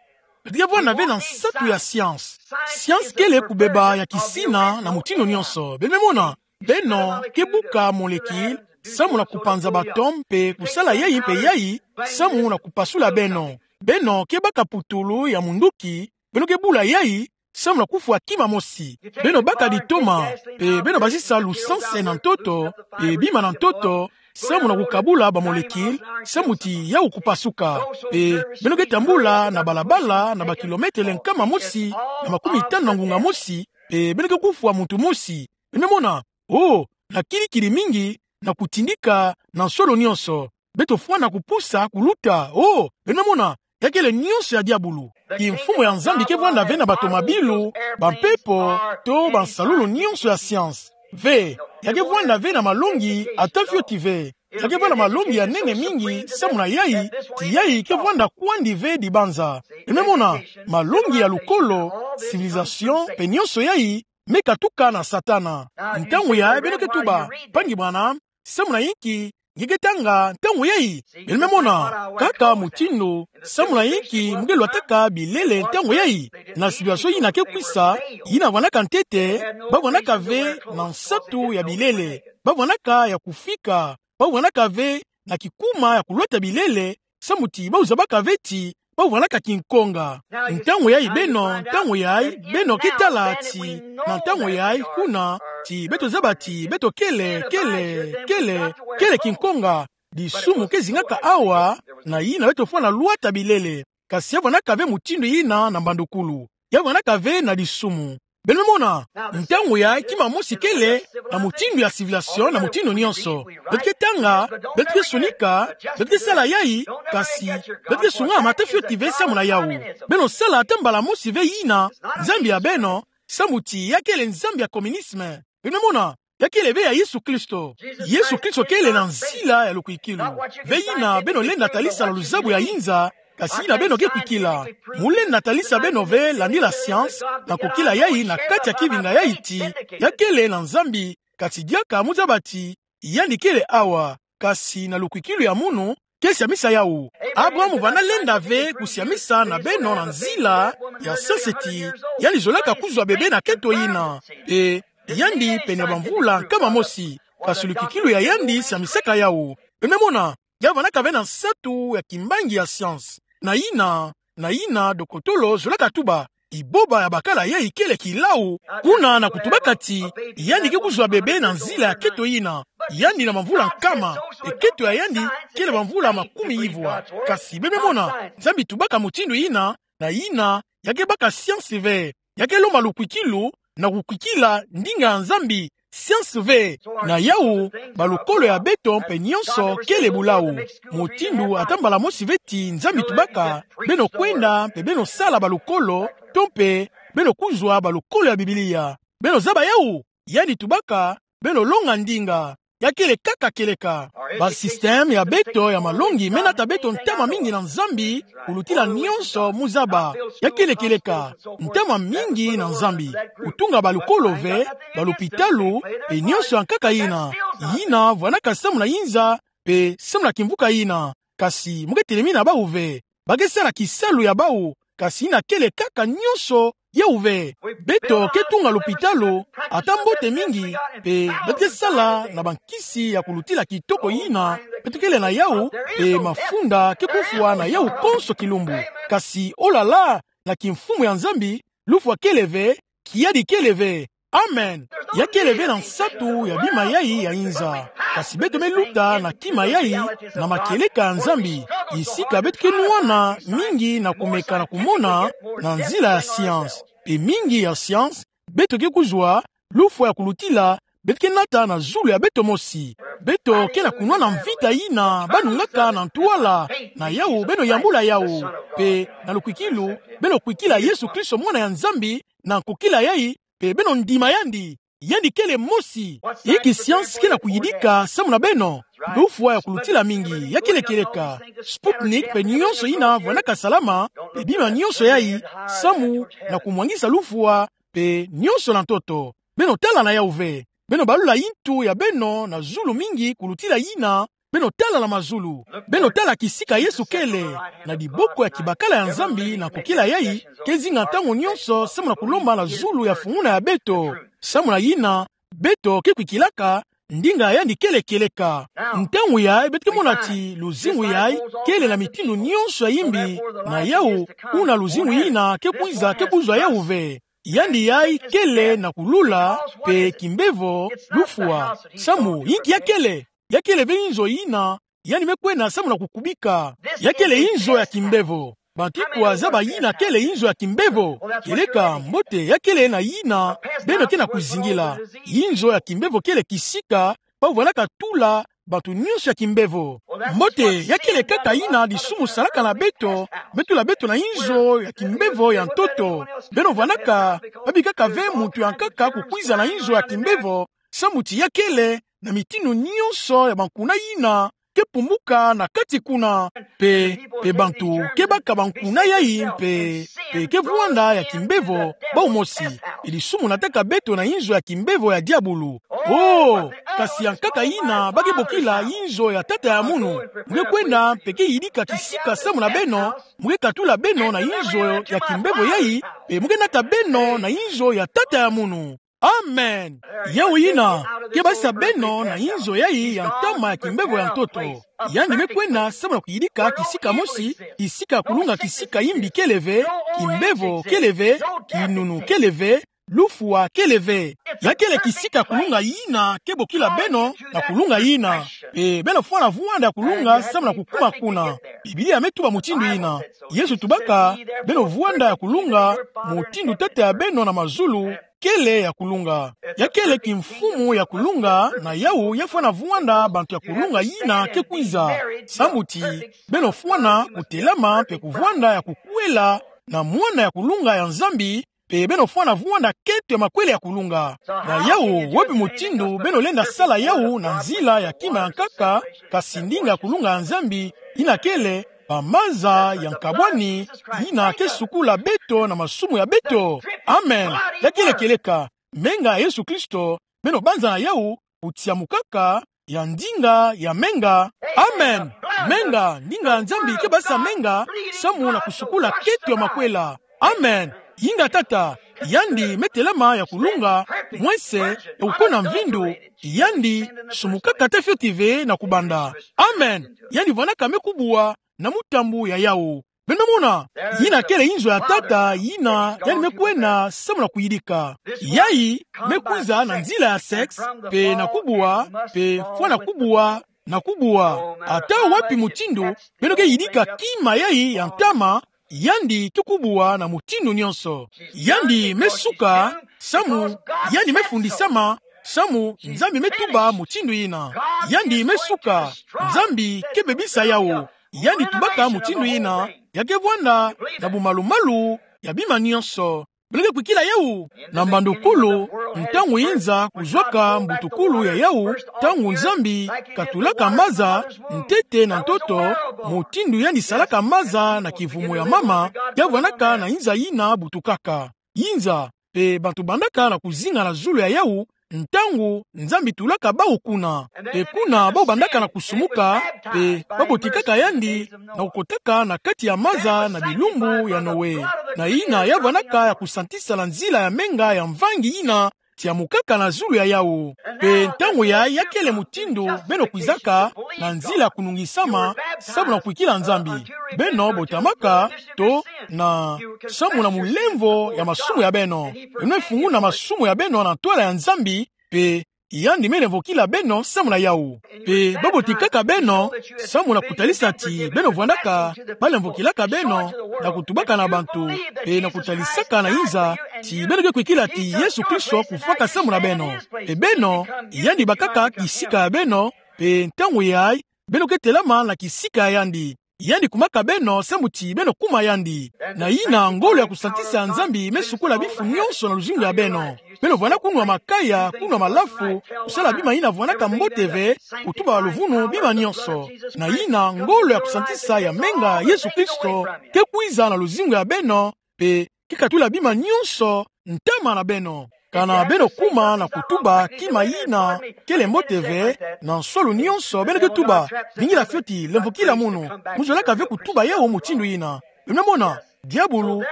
beto ke vwanda ve na nsatu ya science. Science kele kubeba ya kisina na mutindu nyonso. Beno me mona, beno ke buka molécule, samu na kupanza ba atome pe kusala yayi pe yayi, samu na kupasula beno. Beno ke baka putulu ya munduki, beno ke bula yayi, samu na kufwa kima mosi. Beno baka ditoma, pe beno basisa lusanse na ntoto, pe bima na ntoto, samu na kukabula ba molécule, samu ti yawu kupasuka. Pe beno ke tambula na balabala na ba kilometele nkama mosi na makumitanu na ngunga mosi, pe beno ke kufwa muntu mosi. Beno me mona, oh, na kilikili mingi, na kutindika, na nsolo nyonso. Beto fwana kupusa, kuluta, oh, beno me mona, ya kele nyonso ya diabulu. Kimfumu ya Nzambi ke vwanda ve na batomabilu, bampepo, to bansalulu nyonso ya science. Ve, ya ke vwanda ve na malongi, ata fioti ve. Ya ke vwanda malongi ya nene mingi, samu na yayi, ti yayi ke vwanda kwandi ve dibanza. Beno me mona, malongi ya lukolo, civilisation, pe nyonso yayi, me katuka na Satana. Ntangu yayi beno ke tuba, mpangi Branham, samu na inki nge ke tanga ntangu yayi? Beno me mona, kaka mutindu, samu na inki mo ke lwataka bilele ntangu yayi? Na civilisation yina ke kwisa, yina vwandaka ntete, ba vwandaka ve na nsatu ya bilele, ba vwandaka ya kufika, ba vwandaka ve na kikuma ya kulwata bilele, samu ti ba uza baka ve ti ba vwandaka kinkonga. Ntangu yayi beno, ntangu yayi beno ke tala ti, na ntangu yayi kuna, ti beto zaba ti beto kele, kele, kele, kele kinkonga. Disumu ke zingaka awa, na yina beto fwana lwata bilele. Kasi ya vwandaka ve mutindu yina na mbandukulu. Ya vwandaka ve na disumu. Beno me mona, ntangu yayi kima mosi kele, na mutindu ya civilisation, na mutindu nyonso. Beto ke tanga, beto ke sonika, beto ke sala yayi, kasi beto ke sungama ata fioti ve samu na yawu. Beno sala ata mbala mosi ve yina, nzambi ya beno, samu ti ya kele nzambi ya communisme. Beno me mona, ya kele ve ya Yesu Kristo. Yesu Kristo kele na nzila ya lukwikilu. Ve yina beno lenda talisa na luzabu ya yinza, kasi yina beno ke kwikila. Mu lenda talisa beno ve landila science, na kukila yayi na kati ya kivinga yayi ti, ya kele na Nzambi, kasi diaka mu zaba ti yandi kele awa, kasi na lukwikilu ya munu, ke siamisa yawu. Abraham vana lenda ve kusiamisa na beno na nzila ya science ti yandi zolaka kuzwa bebe na keto yina. E, yandi pene bamvula nkama mosi, kasi lukwikilu ya yandi siamisaka yawu. Beno me mona, ya vanaka ve na nsatu ya kimbangi ya science. Na yina, na yina dokotolo zolaka tuba, iboba ya bakala yayi kele kilau, kuna na kutubaka ti yandi ke kuzwa bebe na nzila ya keto yina. Yandi na bamvula nkama, e keto ya yandi kele bamvula makumi ivwa. Kasi beno me mona, Nzambi tubaka mutindu yina, na yina, ya ke baka science ve, ya ke lomba lukwikilu, na kukwikila ndinga ya Nzambi, science ve. Na yawu, balukolo ya beto mpe nionso kele bulau. Mutindu ata mbala mosi ve ti Nzambi tubaka beno kwenda mpe beno sala balukolo, to mpe beno kuzwa balukolo ya Biblia. Beno zaba yawu, yandi tubaka beno longa ndinga. Ya kele kaka kieleka. Ba système ya beto ya malongi me nata beto ntama mingi na Nzambi, kulutila nionso mu zaba. Ya kele kieleka. Ntama mingi na Nzambi. Kutunga balukolo ve, balupitalu, mpe nionso ya nkaka yina. Yina vwanaka samu na yinza, mpe samu na kimvuka yina. Kasi mu ke telemina bawu ve. Ba ke sala kisalu ya bawu, kasi yina kele kaka nionso yawu ve. Beto ke tunga lupitalu, ata mbote mingi, mpe beto ke sala na bankisi ya kulutila kitoko yina beto kele na yawu, mpe mafunda ke kufwa na yawu konso kilumbu. Kasi, oh là là, na kimfumu ya Nzambi, lufwa kele ve, kiadi kele ve. Amen. Ya kele ve na nsatu ya bima yayi ya yinza. Kasi beto me luta na kima yayi, na makieleka ya Nzambi. Kisika beto ke nwana mingi na kumeka na kumona na nzila ya science. Mpe mingi ya science beto ke kuzwa, lufwa ya kulutila, beto ke nata na zulu ya beto mosi. Beto ke na kunwana mvita yina ba nungaka na ntwala. Na yawu beno yambula yawu. Mpe na lukwikilu, beno kwikila Yesu Kristo, Mwana ya Nzambi, na nkokila yayi, mpe beno ndima yandi. Yandi kele mosi. Inki science ke na kuyidika samu na beno? Lufwa ya kulutila mingi, ya kele kieleka. Sputnik mpe nionso yina vwanaka salama, mpe bima nionso yayi, samu na kumwangisa lufwa, mpe nionso na ntoto. Beno tala na yawu ve. Beno balula yintu ya beno na zulu mingi kulutila yina beno tala na mazulu. Beno tala kisika Yesu kele, na diboko ya kibakala ya Nzambi na nkokila yayi, ke zinga ntangu nionso samu na kulomba na zulu ya funguna ya beto. Samu na yina, beto ke kwikilaka ndinga yandi kele kieleka. Ntangu yayi beto ke mona ti luzingu yayi kele na mitindu nionso ya imbi, na yawu, kuna luzingu yina ke kwiza ke kuzwa yawu ve. Yandi yayi kele na kulula, mpe kimbevo, lufwa. Samu, inki ya kele? Ya kele ve inzo yina yandi me kwena samu na kukubika. Ya kele inzo ya kimbevo. Bantu ikwa zaba yina kele inzo ya kimbevo? Kieleka, mbote, ya kele na yina beno ke na kuzingila. Inzo ya kimbevo kele kisika ba vwanaka tula bantu nionso ya kimbevo. Mbote, ya kele kaka yina disumu salaka na beto, me tula beto na inzo ya kimbevo ya ntoto. Beno vwanaka, ba bikaka ve muntu ya nkaka kukwiza na inzo ya kimbevo, samu ti ya kele na mitindu nionso ya bankuna yina ke pumbuka na kati kuna. Mpe, mpe bantu ke baka bankuna yayi mpe, mpe ke vwanda ya kimbevo, bawu mosi. Mpe disumu nataka beto na inzo ya kimbevo ya diabulu. Oh, kasi ya nkaka yina ba ke bokila inzo ya tata ya munu. Mu ke kwenda mpe ke yidika kisika samu na beno, mu ke katula beno na inzo ya kimbevo yayi, mpe mu ke nata beno na inzo ya tata ya munu. Amen. Yawu yina, ke basisa beno na inzo yayi ya ntama ya kimbevo ya ntoto. Yandi me kwena samu na kuyidika kisika mosi, kisika kulunga kisika imbi kele ve, kimbevo kele ve, kinunu kele ve, lufwa kele ve. Ya kele kisika kulunga yina ke bokila beno na kulunga yina. Mpe beno fwana vwanda ya kulunga samu na kukuma kuna. Biblia me tuba mutindu yina. Yesu tubaka, beno vwanda ya kulunga, mutindu Tata ya beno na mazulu kele ya kulunga. Ya kele kimfumu ya kulunga, na yawu ya fwana vwanda bantu ya kulunga yina ke kwiza. Samu ti, beno fwana kutelama mpe kuvwanda ya kukwela na mwana ya kulunga ya Nzambi, pe beno fwana vwanda keto ya makwela ya kulunga. Na yawu, wapi mutindu beno lenda sala yawu na nzila ya kima ya nkaka, kasi ndinga ya kulunga ya Nzambi, yina kele bamaza ya nkabwani, yina ke sukula beto na masumu ya beto. Amen. Ya kele kieleka, menga ya Yesu Kristo, beno banzana yawu, kutia mukaka ya ndinga ya menga. Amen. Menga, ndinga ya Nzambi ke basa menga, samu na kusukula keto ya makwela. Amen. Yinga Tata, yandi me telama ya kulunga, mwese, ya kukona mvindu, yandi, sumukaka ta fioti ve na kubanda. Amen. Yandi vwanaka me kubwa, na mutambu ya yawu. Beno mona, yina kele inzo ya Tata, yina, yandi me kwena, samu na kuyidika. Yayi, me kwiza na nzila ya sexe, pe na kubwa, pe fwana kubwa, na kubwa. Ata wapi mutindu, beno ke yidika kima yayi ya ntama, yandi ke kubwa na mutindu nyonso. Yandi me suka, samu, yandi me fundisama, samu, Nzambi me tuba mutindu yina. Yandi me suka, Nzambi ke bebisa yawu. Yandi tubaka mutindu yina, ya ke vwanda, na bumalumalu, ya bima nyonso. Beno ke kwikila yawu, na mbandukulu, ntangu yinza kuzwaka mbutukulu ya yawu, ntangu Nzambi katulaka maza, ntete na ntoto, mutindu yandi salaka maza na kivumu ya mama, ya vwanaka na yinza yina butukaka. Yinza, pe bantu bandaka na kuzinga na zulu ya yawu, ntangu Nzambi tulaka bawu kuna. Pe kuna bawu bandaka na kusumuka, pe babotikaka yandi, na kukotaka na kati ya maza na bilumbu ya Noe. Na yina ya vwanaka ya kusantisa na nzila ya menga ya mvangi yina, tiamukaka na zulu ya yawu. Pe ntangu yayi ya kele mutindu, beno kwizaka, na nzila ya kunungisama, samu na kwikila Nzambi. Beno botamaka, to, na, samu na mulemvo ya masumu ya beno. Beno me funguna masumu ya beno na ntwala ya Nzambi, pe, yandi me lemvokila beno samu na yawu. Pe, babotikaka beno, samu na kutalisa ti, beno vwandaka, balemvokilaka beno, na kutubaka na bantu, pe na kutalisaka na yinza, ti beno ke kwikila ti Yesu Kristo kufwaka samu na beno. Pe beno, yandi bakaka kisika ya beno, pe ntangu yayi, beno ke telama na kisika ya yandi. Yandi kumaka beno samu ti beno kuma yandi. Na yina ngolo ya kusantisa ya Nzambi me sukola bifu nyonso na luzingu ya beno. Beno vwanda kunwa makaya, kunwa malafu, kusala bima yina vwandaka mbote ve, kutuba luvunu bima nyonso. Na yina ngolo ya kusantisa ya menga Yesu Kristo, ke kwiza na luzingu ya beno, pe ke katula bima nyonso, ntama na beno. Kana beno kuma na kutuba kima yina kele mbote ve, na nsolu nyonso beno ke tuba, vingila fioti, lemvokila munu, mu zolaka ve kutuba yawu mutindu yina. Beno mona, diabulu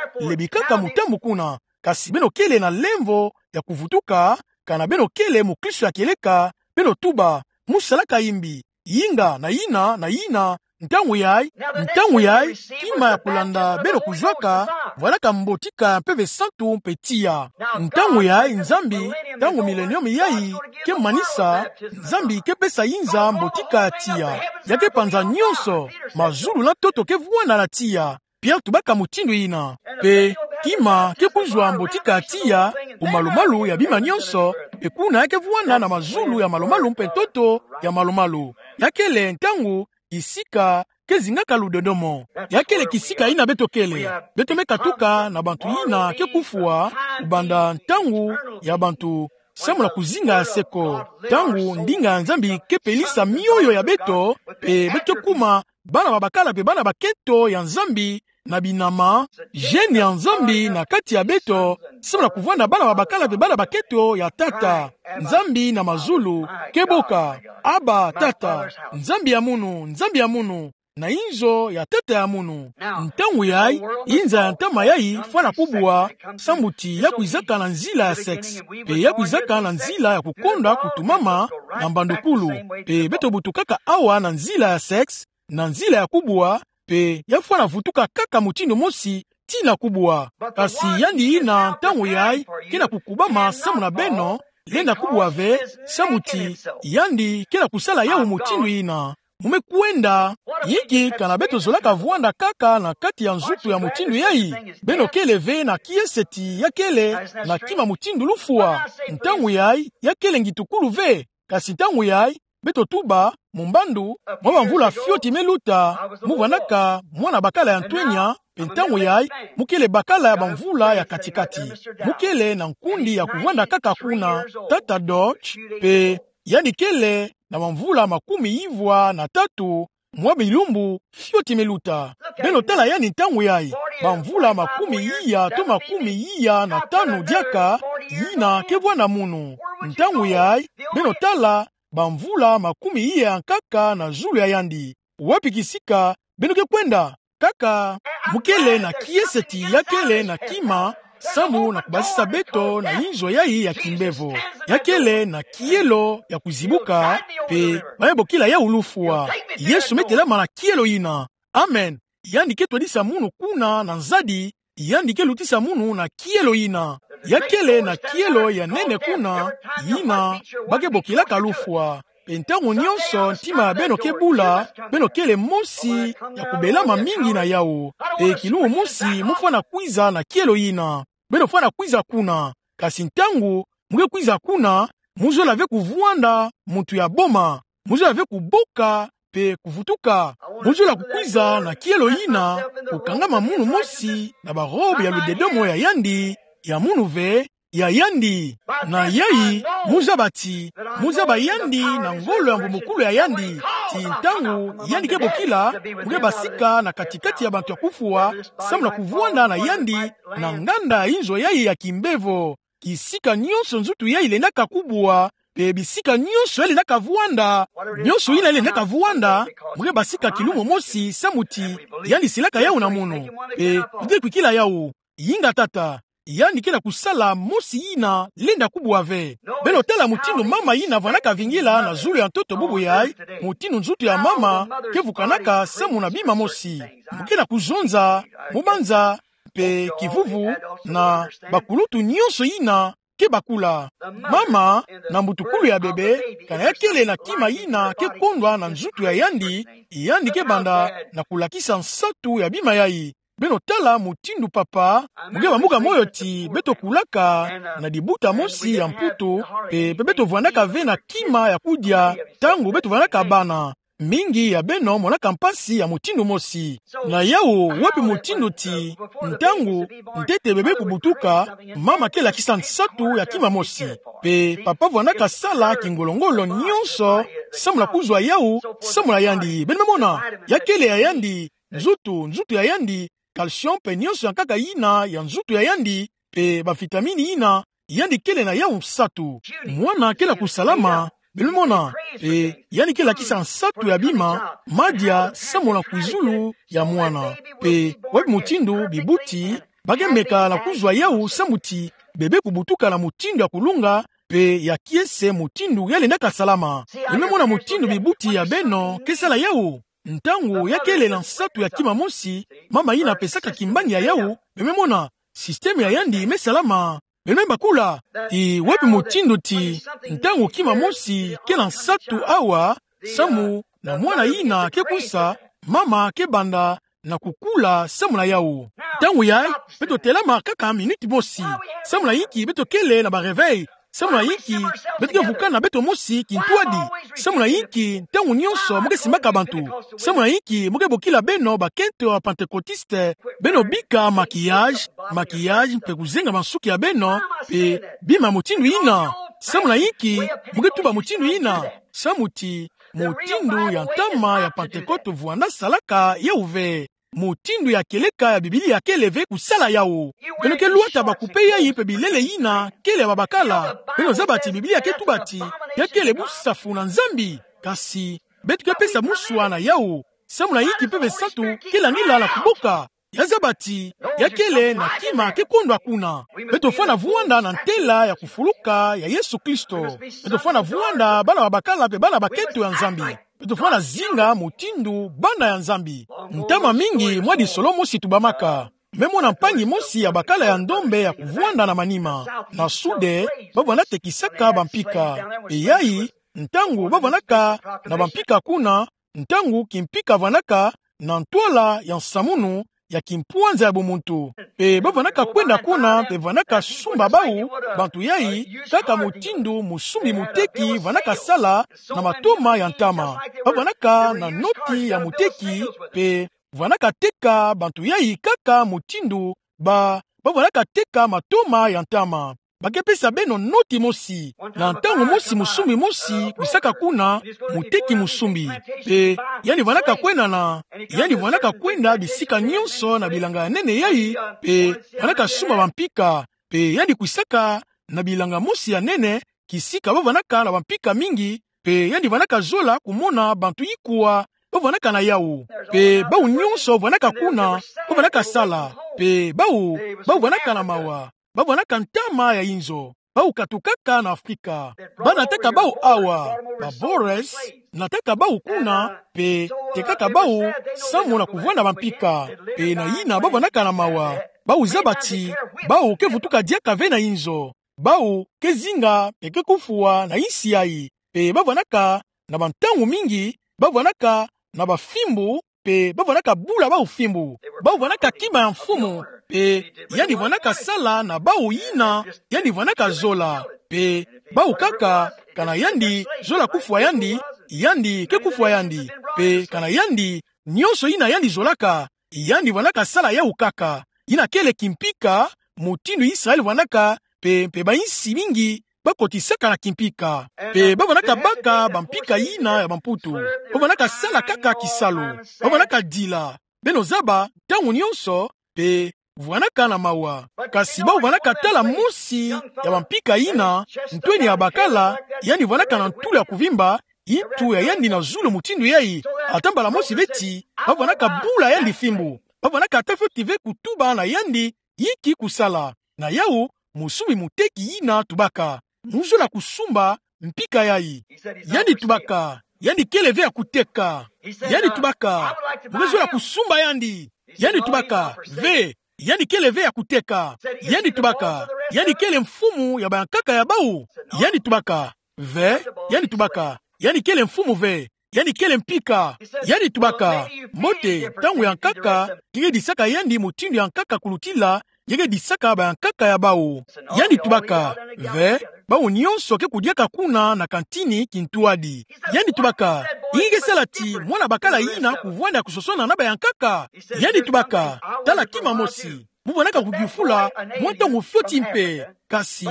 lebikaka mutambu kuna, kasi beno kele na lemvo ya kuvutuka, kana beno kele mukristo ya kieleka, beno tuba, mu salaka yimbi, yinga, na yina, na yina, ntangu yayi, ntangu yayi, kima ya kulanda beno kuzwaka, vwandaka mbotika ya Mpeve Santu mpe tiya. Ntangu yayi, Nzambi, ntangu milenium yayi ke manisa, Nzambi ke pesa yinza mbotika ya tiya. Ya ke panza nyonso, mazulu na ntoto ke vwanda na tiya. Pierre tubaka mutindu yina. Pe, kima, ke kuzwa mbotika ya tiya, bumalumalu ya bima nyonso, pe kuna ya ke vwanda na mazulu ya malumalu mpe ntoto ya malumalu. Ya kele ntangu, kisika, ke zingaka ludodomo. Ya kele kisika yina beto kele. Beto me katuka na bantu yina ke kufwa, kubanda ntangu ya bantu, samu na kuzinga ya seko. Ntangu ndinga ya Nzambi ke pelisa mioyo ya beto, pe beto kuma, bana babakala pe bana bakento ya Nzambi, na binama, gènes ya Nzambi na kati ya beto, samu na kuvwanda bana babakala pe bana bakento ya Tata. Nzambi na mazulu, ke boka, Abba, Tata, Nzambi ya munu, Nzambi ya munu, na inzo ya Tata ya munu. Ntangu yayi, yinza ya ntama yayi, fwana kubwa, samu ti ya kwizaka na nzila ya sexe. Pe ya kwizaka na nzila ya kukonda kutumama, na mbandukulu. Pe beto butukaka awa na nzila ya sexe, na nzila ya kubwa, pe ya fwana vutuka kaka mutindu mosi, tii na kubwa. Kasi yandi yina ntangu yayi, ke na kukubama samu na beno, lenda kubwa ve, samu ti, yandi ke na kusala yawu mutindu yina. Mu me kwenda, yinki kana beto zolaka vwanda kaka na kati ya nzutu ya mutindu yayi? Beno kele ve na kiese ti ya kele, na kima mutindu lufwa. Ntangu yayi, ya kele ngitukulu ve. Kasi ntangu yayi, beto tuba, mumbandu, mwa bamvula fioti me luta, mu vwandaka mwana bakala ya ntwenya, mpe ntangu yayi, mu kele bakala ya bamvula ya kati-kati. Mu kele na nkundi ya kuvwanda kaka kuna, tata Deutsch, mpe yandi kele na bamvula makumi ivwa na tatu, mwa bilumbu fioti me luta. Beno tala yandi ntangu yayi, bamvula makumi iya to makumi iya na tanu diaka, yina ke vwanda munu. Ntangu yayi, beno tala, bamvula makumi iya ya nkaka na zulu ya yandi. Wapi kisika beno ke kwenda? Kaka, mu kele na kiese ti ya kele na kima, samu na kubasisa beto na inzo yayi ya kimbevo. Ya kele na kielo ya kuzibuka, mpe ba me bokila yawu lufwa. Yesu me telama na kielo yina. Amen. Yandi ke twadisa munu kuna na nzadi, yandi ke lutisa munu na kielo yina. Ya kele na kielo ya nene kuna, yina ba ke bokilaka lufwa. Mpe ntangu nyonso ntima ya beno ke bula, beno kele mosi ya kubelama mingi na yawu. Mpe kilumbu mosi mu fwana kwiza na kielo yina. Beno fwana kwiza kuna. Kasi ntangu mu ke kwiza kuna, mu zola ve kuvwanda muntu ya boma. Mu zola ve kuboka mpe kuvutuka. Mu zola kukwiza na kielo yina, kukangama munu mosi na barobe ya ludedomo ya yandi, ya munu ve, ya yandi. Na yayi, mu zaba ti, mu zaba yandi na ngolo ya mvumbukulu ya yandi, ti ntangu yandi ke bokila, mu ke basika na kati-kati ya bantu ya kufwa, samu na kuvwanda na yandi, na nganda ya inzo yayi ya kimbevo. Kisika nyonso nzutu yayi lendaka kubwa, mpe bisika nyonso ya lendaka vwanda, nyonso yina ya lendaka vwanda, mu ke basika kilumbu mosi samu ti yandi silaka yawu na munu. Mpe mu ke kwikila yawu, inga tata, yandi ke na kusala mosi yina lenda kubwa ve. Beno tala mutindu mama yina vwandaka vingila na zulu ya ntoto bubu yayi, mutindu nzutu ya mama ke vukanaka samu na bima mosi. Mu ke na kuzonza, mu banza, mpe kivuvu, na bakulutu nyonso yina ke bakula. Mama, na mbutukulu ya bebe, kana ya kele na kima yina ke kondwa na nzutu ya yandi, yandi ke banda na kulakisa nsatu ya bima yayi. Beno tala mutindu papa, mu ke bambuka moyo ti beto kulaka na dibuta mosi ya Mputu, mpe, mpe beto vwandaka ve na kima ya kudia, ntangu beto vwandaka bana. Mingi ya beno monaka mpasi ya mutindu mosi. Na yawu, wapi mutindu ti, ntangu ntete bebe kubutuka, mama ke lakisa nsatu ya kima mosi. Mpe papa vwandaka sala kingolo-ngolo nyonso, samu na kuzwa yawu, samu na yandi. Beno me mona, ya kele ya yandi, nzutu, nzutu ya yandi, calcium mpe nyonso ya nkaka yina ya nzutu ya yandi, mpe bavitamini yina, yandi kele na yawu nsatu. Mwana ke na kusalama, beno me mona, mpe yandi ke lakisa nsatu ya bima, madia, samu na kwizulu ya mwana. Mpe wapi mutindu bibuti ba ke meka na kuzwa yawu samu ti bebe kubutuka na mutindu ya kulunga, mpe ya kiese mutindu ya lendaka salama. Beno me mona mutindu bibuti ya beno ke sala yawu. Ntangu ya kele na nsatu ya kima mosi, mama yina pesaka kimbangi ya yawu, beno me mona, système ya yandi me salama. Beno me bakula, ti wapi mutindu ti, ntangu kima mosi ke na nsatu awa, samu na mwana yina ke kwisa, mama ke banda na kukula samu na yawu. Ntangu yayi, beto telama kaka minute mosi. Samu na yinki beto kele na ba réveil? Samu na yinki beto ke vukana beto mosi kintwadi? Samu na yinki ntangu nyonso mu ke simbaka bantu? Samu na yinki mu ke bokila beno bakento ya Pentecôtiste, beno bika maquillage, maquillage mpe kuzenga bansuki ya beno, mpe bima mutindu yina? Samu na yinki mu ke tuba mutindu yina? Samu ti mutindu ya ntama ya Pentecôte vwanda salaka yawu ve. Mutindu ya kieleka ya Biblia kele ve kusala yawu. Beno ke lwata ba kupe yayi mpe bilele yina kele ya babakala. Beno zaba ti Biblia ke tuba ti ya kele busafu na Nzambi. Kasi beto ke pesa muswa na yawu. Samu na yinki Mpeve Santu ke landila na kuboka? Ya zaba ti ya kele na kima ke kondwa kuna. Beto fwana vwanda na ntela ya kufuluka ya Yesu Kristo. Beto fwana vwanda bana babakala mpe bana bakento ya Nzambi. Beto fwana zinga mutindu bana ya Nzambi. Ntama mingi mwa disolo mosi tubamaka. Me mona mpangi mosi ya bakala ya ndombe ya kuvwanda na manima. Na sude, ba vwanda tekisaka bampika. Mpe yayi, ntangu ba vwandaka na bampika kuna, ntangu kimpika vwandaka na ntwala ya nsamunu, ya kimpwanza ya bumuntu. Pe bavwanaka kwenda kuna, pe vwanaka sumba bau, bantu yai, kaka mutindu mosumbi muteki vwanaka sala na matoma ya ntama. Bavwanaka na noti ya muteki, pe vwanaka teka bantu yai kaka mutindu ba, bavwanaka teka matoma ya ntama. Ba ke pesa beno noti mosi. Na ntangu mosi mosumbi mosi kwisaka kuna, muteki mosumbi. Pe yandi vwanaka kwenda na, yandi vwanaka kwenda bisika nionso na bilanga ya nene yai, pe vwanaka sumba bampika. Pe yandi kwisaka na bilanga mosi ya nene, kisika bavwanaka na bampika mingi, pe yandi vwanaka zola kumona bantu ikua bavwanaka na yau. Pe bau nionso vwanaka kuna, bavwanaka sala. Pe bau, bavwanaka na mawa. Bavwanaka ntama ya inzo. Bau katukaka na Afrika. Ba nataka bau awa, ba Boers, nataka bau kuna, pe tekaka bau samu na kuvwanda bampika. Pe na yina bavwanaka na mawa. Bau zaba ti, bau ke vutuka diaka ve na inzo. Bau ke zinga pe ke kufwa na insi yai. Pe bavwanaka na bantangu mingi, bavwanaka na bafimbu, pe bavwanaka bula bau fimbu. Bau vwanaka kima ya mfumu, pe yandi vwanaka sala na bau yina yandi vwanaka zola. Pe bau kaka, kana yandi zola kufwa yandi, yandi ke kufwa yandi. Pe kana yandi, nionso yina yandi zolaka, yandi vwanaka sala yau kaka. Yina kele kimpika, mutindu Israel vwanaka, pe, pe bainsi mingi bakotisaka na kimpika. Pe bavwanaka baka bampika yina ya bamputu. Bavwanaka sala kaka kisalu. Bavwanaka dila. Beno zaba, ntangu nionso, pe vwanaka na mawa. Kasi bau vwanaka tala mosi ya bampika yina, ntweni ya bakala, yandi vwanaka na ntulu ya kuvimba, intu ya yandi na zulu mutindu yai, ata mbala mosi ve ti, bavwanaka bula yandi fimbu. Bavwanaka ata fioti ve kutuba na yandi, yinki kusala. Na yau, mosumbi muteki yina tubaka: Mu zola kusumba mpika yai. Yandi tubaka: Yandi kele ve ya kuteka. Yandi tubaka: Mu ke zola kusumba yandi. Yandi tubaka: Ve, yandi kele ve ya kuteka. Yandi tubaka: Yandi kele mfumu ya bayankaka ya bau. Yandi tubaka: Ve. Yandi tubaka: Yandi kele mfumu ve. Yandi kele mpika. Yandi tubaka: Mbote, ntangu ya nkaka nge ke disaka yandi mutindu ya nkaka kulutila nge ke disaka bayankaka ya bau. Yandi tubaka: Ve, bau nionso ke kudiaka kuna na kantini kintwadi. Yandi tubaka: Inki ke sala ti mwana bakala yina kuvwanda kusosona na bayankaka? Yandi tubaka: Tala kima mosi. Mu vwanaka kudifula mwa ntangu fioti mpe. Kasi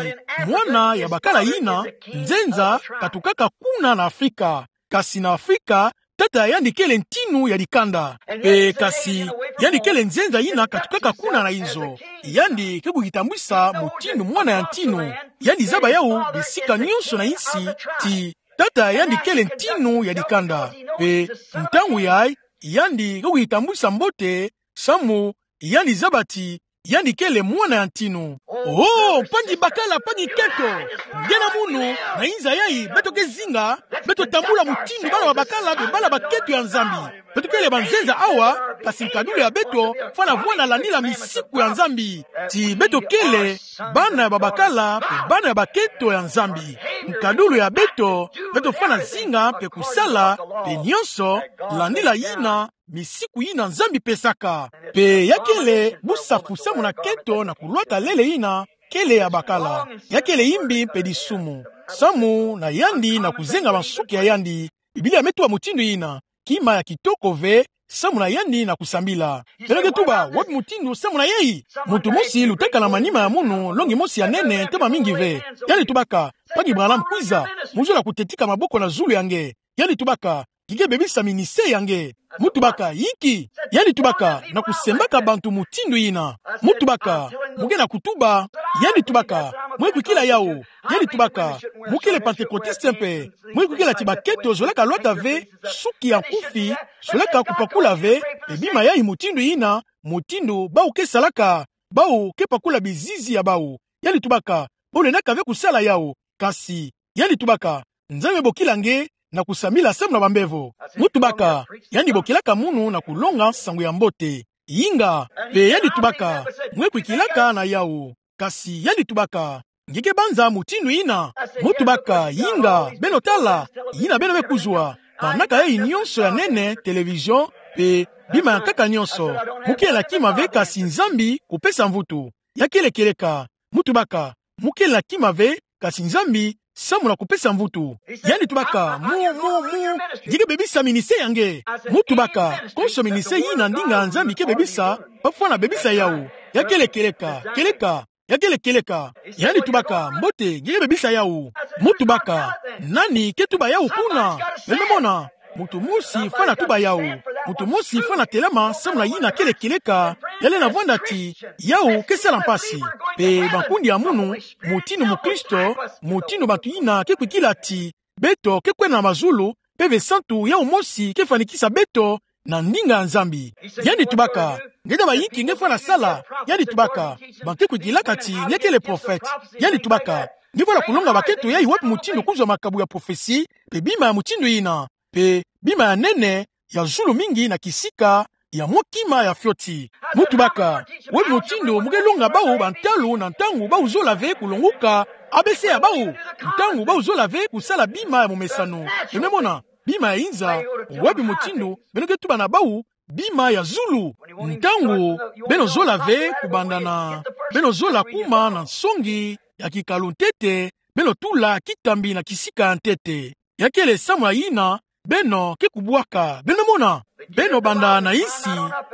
mwana ya bakala yina, nzenza katukaka kuna na Afrika. Kasi na Afrika, tata ya yandi kele ntinu ya dikanda. Pe kasi, yandi kele nzenza yina katukaka kuna na inzo. Yandi ke kuyitambwisa mutindu mwana ya ntinu. Yandi zaba yau bisika nionso na insi, ti tata ya yandi kele ntinu ya dikanda. Pe ntangu yai, yandi ke kuyitambwisa mbote, samu yandi zaba ti yandi kele mwana ya ntinu. Oh, mpangi bakala, mpangi keto, nge na munu, na inza yai, beto ke zinga, beto tambula mutindu bana ba bakala, be bana ba keto ya Nzambi. Beto kele banzenza awa, kasi nkadulu ya beto fwana vwanda landila misiku ya Nzambi. Ti beto kele bana ya ba bakala, pe bana ya ba keto ya Nzambi. Nkadulu ya beto, beto fwana zinga pe kusala, pe nionso, landila yina misiku yina Nzambi pesaka. Pe ya kele busafu samu na keto na kulwata lele yina kele ya bakala. Ya kele yimbi mpe disumu samu na yandi na kuzenga bansuki ya yandi. Biblia me tuba mutindu yina: Kima ya kitoko ve samu na yandi na kusambila. Beno ke tuba: Wapi mutindu samu na yai? Muntu mosi lutaka na manima ya munu, longi mosi ya nene, ntama mingi ve. Yandi tubaka: Mpangi Branham, kwiza. Mu zola kutetika maboko na zulu ya nge. Yandi tubaka: Nge ke bebisa ministère ya nge. Mu tubaka: Inki? Yandi tubaka: Na kusembaka bantu mutindu yina. Mu tubaka: Mu ke na kutuba. Yandi tubaka: Mwe kwikila yau. Yandi tubaka: Mu kele Pantekotiste mpe. Mwe kwikila ti ba keto zolaka lwata ve, suki ya nkufi, zolaka kupakula ve, pe bima yai mutindu yina, mutindu bau ke salaka, bau ke pakula bizizi ya bau. Yandi tubaka: Bo lendaka ve kusala yau. Kasi yandi tubaka: Nzambi me bokila nge na kusambila samu na bambevo. Mu tubaka: Yandi bokilaka munu na kulonga nsangu ya mbote. Inga. Pe yandi tubaka: Mwe kwikilaka na yau. Kasi yandi tubaka: Nge ke banza mutindu yina? Mu tubaka: Inga, beno tala, yina beno me kuzwa. Kanaka yai nionso ya nene, télévision, Pe bima ya nkaka nionso, mu kele na kima ve kasi Nzambi kupesa mvutu. Ya kele kieleka. Mu tubaka, mu kele na kima ve kasi Nzambi samu na kupesa mvutu. Yandi tubaka, mu, mu, mu, nge ke bebisa ministère ya nge. Mu tubaka, konso ministère yina ndinga ya Nzambi ke bebisa, bafwana bebisa yawu. Ya kele kieleka, kieleka. Ya kele kieleka. Yandi tubaka, mbote, nge ke bebisa yawu. Mu tubaka, nani ke tuba yawu kuna? Beno me mona, muntu mosi fwana tuba yawu. Muntu mosi fwana telama samu na yina kele kieleka. Ya lenda vwanda ti yawu ke sala mpasi. Pe bankundi ya munu, mutindu mukristo, mutindu bantu yina ke kwikila ti beto ke kwenda na mazulu, Mpeve Santu yawu mosi ke fwanikisa beto na ndinga ya Nzambi. Yandi tubaka, nge ta bayinki nge fwana sala? Yandi tubaka, ba ke kwikilaka ti nge kele prophète. Yandi tubaka, nge fwana kulonga bakento yayi wapi mutindu kuzwa makabu ya prophétie, pe bima ya mutindu yina, pe bima ya nene, ya zulu mingi na kisika ya mwa kima ya fioti. Mu tubaka, wapi mutindu mu ke longa bawu bantalu na ntangu bawu zola ve kulonguka A B C ya bawu, ntangu bawu zola ve kusala bima ya momesano? Beno me mona, bima ya inza, wapi mutindu beno ke tuba na bawu bima ya zulu? Ntangu beno zola ve kubanda na, beno zola kuma na nsongi ya kikalu ntete, beno tula kitambi na kisika ya ntete. Ya kele samu na yina beno ke kubwaka. Beno me mona, beno banda na insi,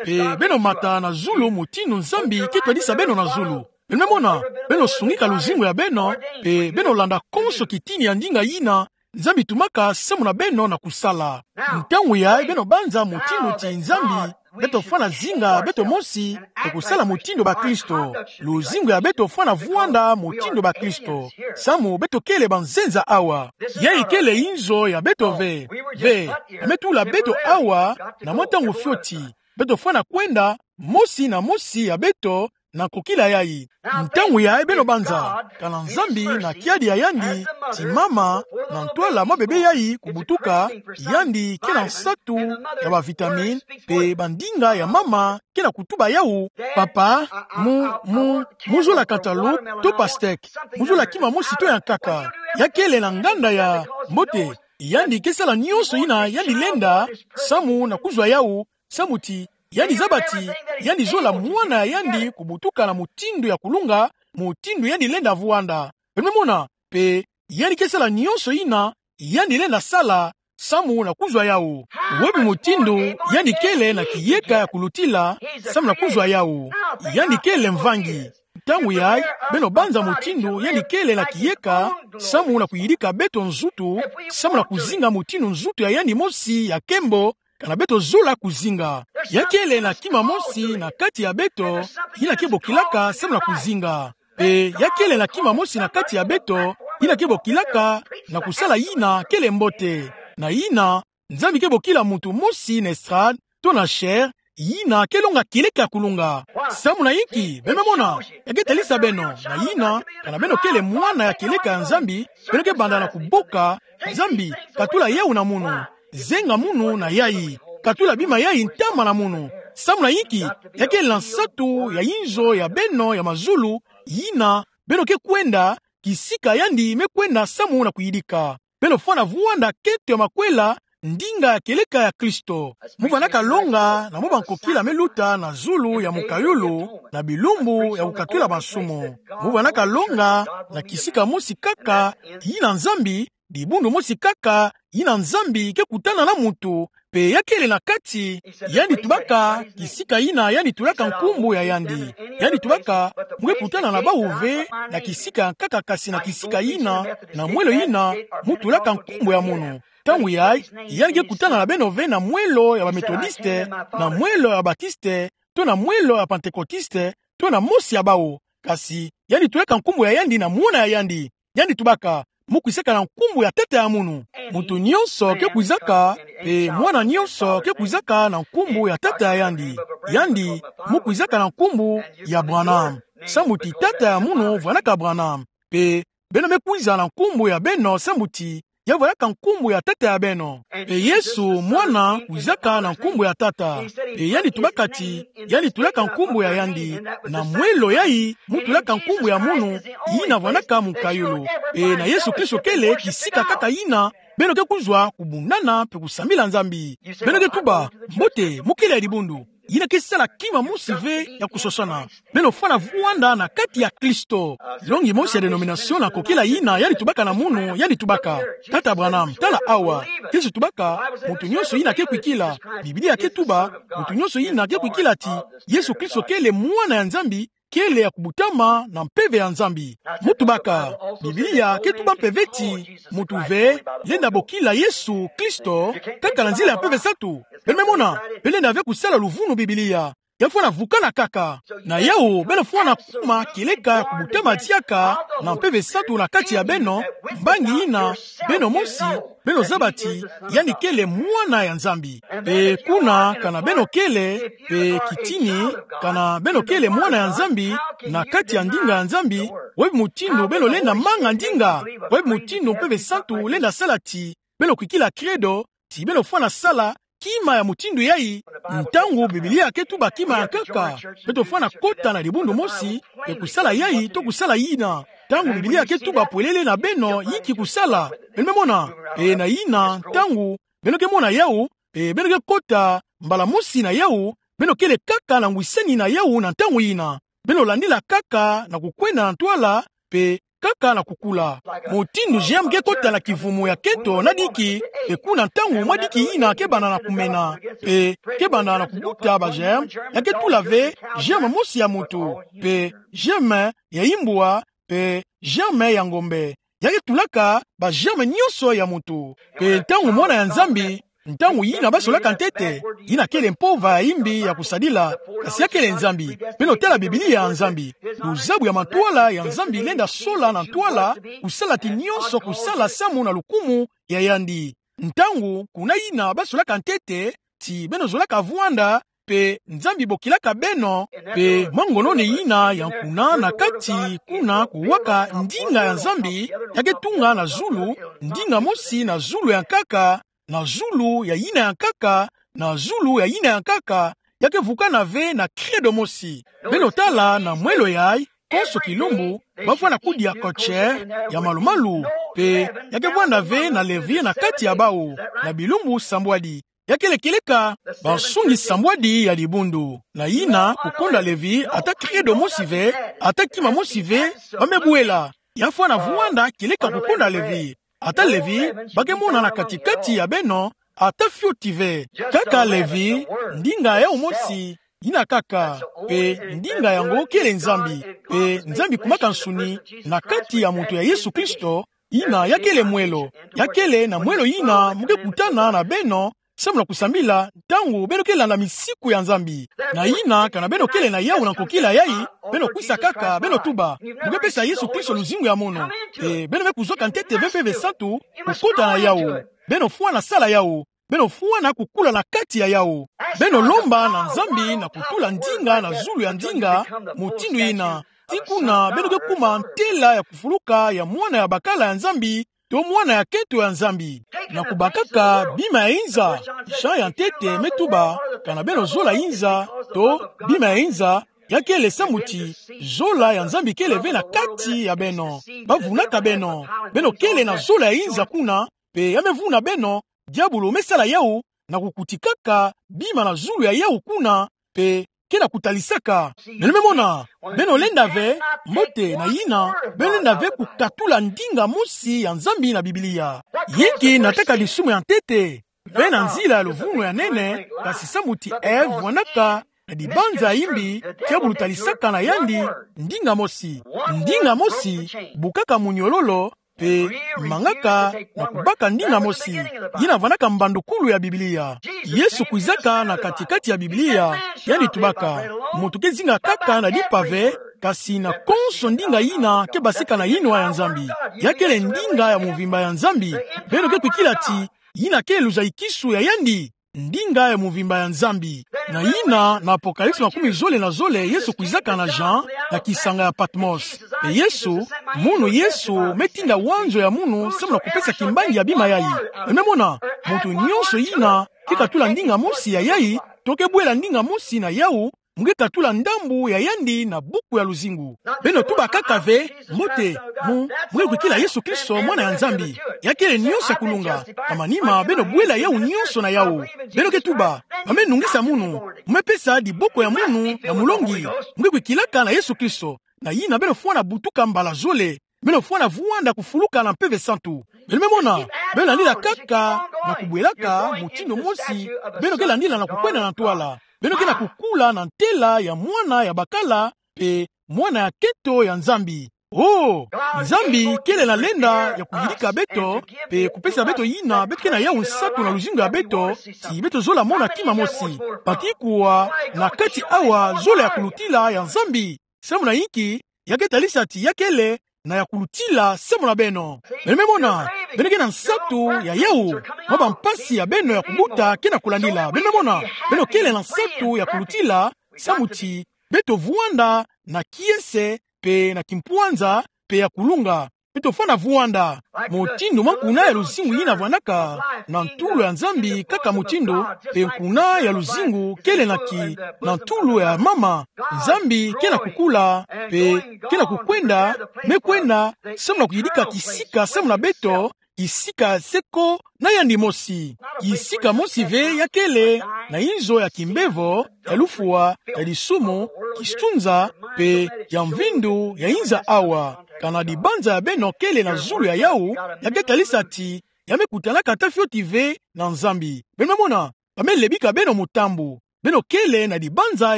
pe beno mata na zulu mutindu Nzambi ke twadisa beno na zulu. Beno me mona, beno sungika luzingu ya beno, pe beno landa konso kitini ya ndinga yina Nzambi tumaka samu na beno na kusala. Ntangu yayi beno banza mutindu ti Nzambi, beto fwana zinga beto mosi, pe kusala mutindu bakristo. Luzingu ya beto fwana vwanda mutindu bakristo, samu beto kele banzenza awa. Yayi kele inzo ya beto ve. Ve, me tula beto awa na mwa ntangu fioti. Beto fwana kwenda, mosi na mosi ya beto, na nkokila yayi. Ntangu yayi beno banza, kana Nzambi na kiadi ya yandi, ti mama, na ntwala mwa bebe yayi kubutuka, yandi ke na nsatu ya ba vitamine, pe bandinga ya mama ke na kutuba yawu, papa, mu, mu, mu zola cantaloupe to pastèque, mu zola kima mosi to ya nkaka. Ya kele na nganda ya mbote, yandi ke sala nionso yina yandi lenda, samu na kuzwa yawu, samu ti yandi zaba ti yandi zola mwana ya yandi kubutuka na mutindu ya kulunga, mutindu yandi lenda vwanda. Beno me mona, pe yandi ke sala nionso yina yandi lenda sala, samu na kuzwa yawu. Wapi mutindu yandi kele na kiyeka ya kulutila, samu na kuzwa yawu? Yandi kele mvangi. Ntangu yayi, beno banza mutindu yandi kele na kiyeka, samu na kuyidika beto nzutu, samu na kuzinga mutindu nzutu ya yandi mosi ya nkembo, kana beto zola kuzinga. Ya kele na kima mosi na kati ya beto, yina ke bokilaka samu na kuzinga. Pe ya kele na kima mosi na kati ya beto, yina ke bokilaka na kusala yina kele mbote. Na yina, Nzambi ke bokila muntu mosi na estrade, to na chair, yina ke longa kieleka ya kulunga. Samu na inki? Beno me mona, ya ke talisa beno, na yina, kana beno kele mwana ya kieleka ya Nzambi, beno ke banda na kuboka: Nzambi, katula yawu na munu. Zenga munu na yayi. Katula bima yayi ntama na munu. Samu na inki? Ya kele na nsatu ya inzo ya beno ya mazulu, yina beno ke kwenda, kisika yandi me kwenda samu na kuyidika. Beno fwana vwanda nkento ya makwela, ndinga ya kieleka ya Kristo. Mu vandaka longa na mwa bankokila me luta na zulu ya mukayulu, na bilumbu ya kukatula masumu. Mu vandaka longa na kisika mosi kaka, yina Nzambi, dibundu mosi kaka, yina Nzambi ke kutana na muntu, pe ya kele na kati, yandi tubaka, kisika yina yandi tulaka nkumbu ya yandi. Yandi tubaka, mu ke kutana na bawu ve na kisika ya nkaka, kasi na kisika yina, na mwelo yina, mu tulaka nkumbu ya munu. Ntangu yayi, yandi ke kutana na beno ve na mwelo ya ba Methodiste, na mwelo ya Batiste, to na mwelo ya Pantekotiste, to na mosi ya bawu. Kasi yandi tulaka nkumbu ya yandi na mwana ya yandi. Yandi tubaka, mu kwisaka na nkumbu ya tata ya munu. Muntu nionso ke kwisaka, pe mwana nionso ke kwisaka na nkumbu ya tata ya yandi. Yandi, mu kwisaka na nkumbu ya Branham, samu ti tata ya munu vandaka Branham. Pe beno me kwiza na nkumbu ya beno, samu ti ya vandaka nkumbu ya tata ya beno. Pe Yesu mwana kwisaka na nkumbu ya tata. Pe yandi tubaka ti yandi tulaka nkumbu ya yandi, na mwelo yayi mu tulaka nkumbu ya munu, yina vandaka mukayulu. Pe na Yesu Kristo kele kisika kaka yina beno ke kuzwa kubundana mpe kusambila Nzambi. Beno ke tuba, mbote, mukele ya dibundu. Yina ke sala kima mosi ve ya kusosana. Beno fwana vwanda na kati ya Kristo. Longi mosi ya dénomination na kokila yina yandi tubaka na munu, yandi tubaka: Tata Branham, tala awa. Yesu tubaka: Muntu nyonso yina ke kwikila. Biblia ke tuba: Muntu nyonso yina ke kwikila ti Yesu Kristo kele Mwana ya Nzambi, kele ya kubutama na mpeve ya Nzambi. Mu tubaka, Biblia ke tuba mpe ve ti muntu ve lenda bokila Yesu Kristo kaka na nzila ya mpeve satu. Beno me mona, beno lenda ve kusala luvunu Biblia. Ya fwana vukana kaka. Na yawu, beno fwana kuma kieleka ya kubutama diaka na mpeve satu na kati ya beno, mbangi yina, beno mosi, beno zaba ti yandi kele Mwana ya Nzambi. Mpe kuna, kana beno kele, mpe kitini, kana beno kele Mwana ya Nzambi, na kati ya ndinga ya Nzambi, wapi mutindu beno lenda manga ndinga, wapi mutindu mpeve satu lenda sala ti beno kwikila Credo, ti beno fwana sala kima ya mutindu yayi? Ntangu Biblia ke tuba kima ya nkaka, beto fwana kota na dibundu mosi, mpe kusala yayi to kusala yina. Ntangu Biblia ke tuba pwelele na beno yinki kusala, beno me mona, mpe na yina ntangu beno ke mona yawu, mpe beno ke kota mbala mosi na yawu, beno kele kaka na ngwisani na yawu na ntangu yina. Beno landila kaka na kukwenda na ntwala, mpe kaka na kukula. Mutindu germe ke kota na kivumu ya nkento na diki, mpe kuna ntangu mwa diki yina ke banda na kumena, mpe ke banda na kubuta ba germe, ya ke tula ve germe mosi ya muntu, mpe germe ya imbwa, mpe germe ya ngombe. Ya ke tulaka ba germe nyonso ya muntu. Mpe ntangu Mwana ya Nzambi, ntangu yina ba solaka ntete, yina kele mpova ya imbi ya kusadila, kasi ya kele Nzambi. Beno tala Biblia ya Nzambi. Luzabu ya mantwala ya Nzambi lenda sola na ntwala, kusala ti nyonso kusala samu na lukumu ya yandi. Ntangu kuna yina ba solaka ntete, ti beno zolaka vwanda, mpe Nzambi bokilaka beno, mpe mwa ngononi yina ya nkuna na kati kuna kuwaka ndinga ya Nzambi, ya ke tunga na zulu, ndinga mosi na zulu ya nkaka, na zulu ya yina ya nkaka, na zulu ya yina ya nkaka, ya ke vukana ve na Credo mosi. Beno tala na mwelo yayi, konso kilumbu, ba fwana kudia kotse ya malumalu, mpe ya ke vwanda ve na levi na kati ya bawu, na bilumbu sambwadi. Ya kele kieleka bansungi sambwadi ya dibundu. Na yina, kukonda levi, ata Credo mosi ve, ata kima mosi ve, ba me bwela. Ya fwana vwanda kieleka kukonda levi. Ata levi, ba ke mona na kati-kati ya beno, ata fioti ve. Kaka levi, ndinga yawu mosi, yina kaka, mpe ndinga yango kele Nzambi, mpe Nzambi kumaka nsuni na kati ya muntu ya Yesu Kristo, yina ya kele mwelo, ya kele na mwelo yina mu ke kutana na beno, samu na kusambila, ntangu beno ke landa misiku ya Nzambi. Na yina, kana beno kele na yawu na nkokila yayi, beno kwisa kaka, beno tuba, mu ke pesa Yesu Kristo luzingu ya mono. Mpe beno me kuzwaka ntete ve mpeve santu, kukota na yawu. Beno fwana sala yawu. Beno fwana kukula na kati ya yawu. Beno lomba na Nzambi na kutula ndinga na zulu ya ndinga, mutindu yina. Ti kuna beno ke kuma ntela ya kufuluka ya mwana ya bakala ya Nzambi, to mwana ya nkento ya Nzambi. Na kubakaka bima ya inza, Jean ya ntete me tuba, kana beno zola inza, to bima ya inza, ya kele samu ti zola ya Nzambi kele ve na kati ya beno. Ba vunaka beno. Beno kele na zola ya inza kuna, mpe ya me vuna beno, diabulu me sala yawu, na kukutikaka bima na zulu ya yawu kuna, mpe ke na kutalisaka. Beno me mona, beno lenda ve, mbote na yina, beno lenda ve kukatula ndinga mosi ya Nzambi na Biblia. Yinki nataka lisumu ya ntete, mpe na nzila ya luvunu ya nene, kasi samu ti Ève vwanaka na dibanza ya imbi, diabulu talisaka na yandi ndinga mosi. Ndinga mosi bukaka muniololo, mpe mangaka na kubaka ndinga mosi. Yina vwanaka mbandukulu ya Biblia. Yesu kwizaka na kati-kati ya Biblia, yandi tubaka: Muntu ke zinga kaka na dimpa ve, kasi na konso ndinga yina ke basika na yinwa ya Nzambi. Ya kele ndinga ya muvimba ya Nzambi. Beno ke kwikila ti yina ke luzayikisu ya yandi? Ndinga ya muvimba ya Nzambi. Na yina, na Apocalypse makumi zole na zole, Yesu kwizaka na Jean na kisanga ya Patmos. Mpe Yesu, munu Yesu me tinda wanzo ya munu samu na kupesa kimbangi ya bima yayi. Beno me mona, muntu nyonso yina ke katula ndinga mosi ya yayi, to ke bwela ndinga mosi na yawu, mu nge katula ndambu ya yandi na buku ya luzingu. Beno tuba kaka ve, mbote, mu, mu nge kuikila Yesu Kristo, Mwana ya Nzambi. Ya kele nionso ya kulunga. Na manima, beno bwela yawu nionso na yawu. Beno ke tuba, ba me nungisa munu, mu me pesa diboko ya munu na mulongi, mu nge kuikilaka na Yesu Kristo. Na yina beno fwana butuka mbala zole. Beno fwana vwanda kufuluka na Mpeve Santu. Beno me mona, beno landila kaka na kubwelaka mutindu mosi, beno ke landila na kukwenda na ntwala. Beno ke na kukula na ntela ya mwana ya bakala, mpe mwana ya kento ya Nzambi. Oh, Nzambi kele na lenda ya kuyidika beto, mpe kupesa beto yina beto ke na yawu nsatu na luzingu ya beto, ti beto zola mona kima mosi. Pati kuwa na kati awa zola ya kulutila ya Nzambi. Samu na inki? Ya ke talisa ti ya kele na ya kulutila samu na beno. Beno me mona, beno ke na nsatu ya yawu, mwa bampasi ya beno ya kubuta ke na kulandila. Beno me mona, beno kele na nsatu ya kulutila, samu ti beto vwanda na kiese, mpe na kimpwanza, mpe ya kulunga. Beto fwana vwanda. Mutindu mwa nkuna ya luzingu yina vwanaka na ntulu ya Nzambi kaka mutindu, mpe nkuna ya luzingu kele na ki, na ntulu ya mama. Nzambi ke na kukula, mpe ke na kukwenda, me kwenda, samu na kuyidika kisika samu na beto, kisika seko na yandi mosi. Kisika mosi ve ya kele na inzo ya kimbevo, ya lufwa, ya disumu, kistunza, mpe ya mvindu ya inza awa. Kana dibanza ya beno kele na zulu ya yawu, ya ke talisa ti ya me kutanaka ata fioti ve na Nzambi. Beno me mona, ba me lebika beno mutambu. Beno kele na dibanza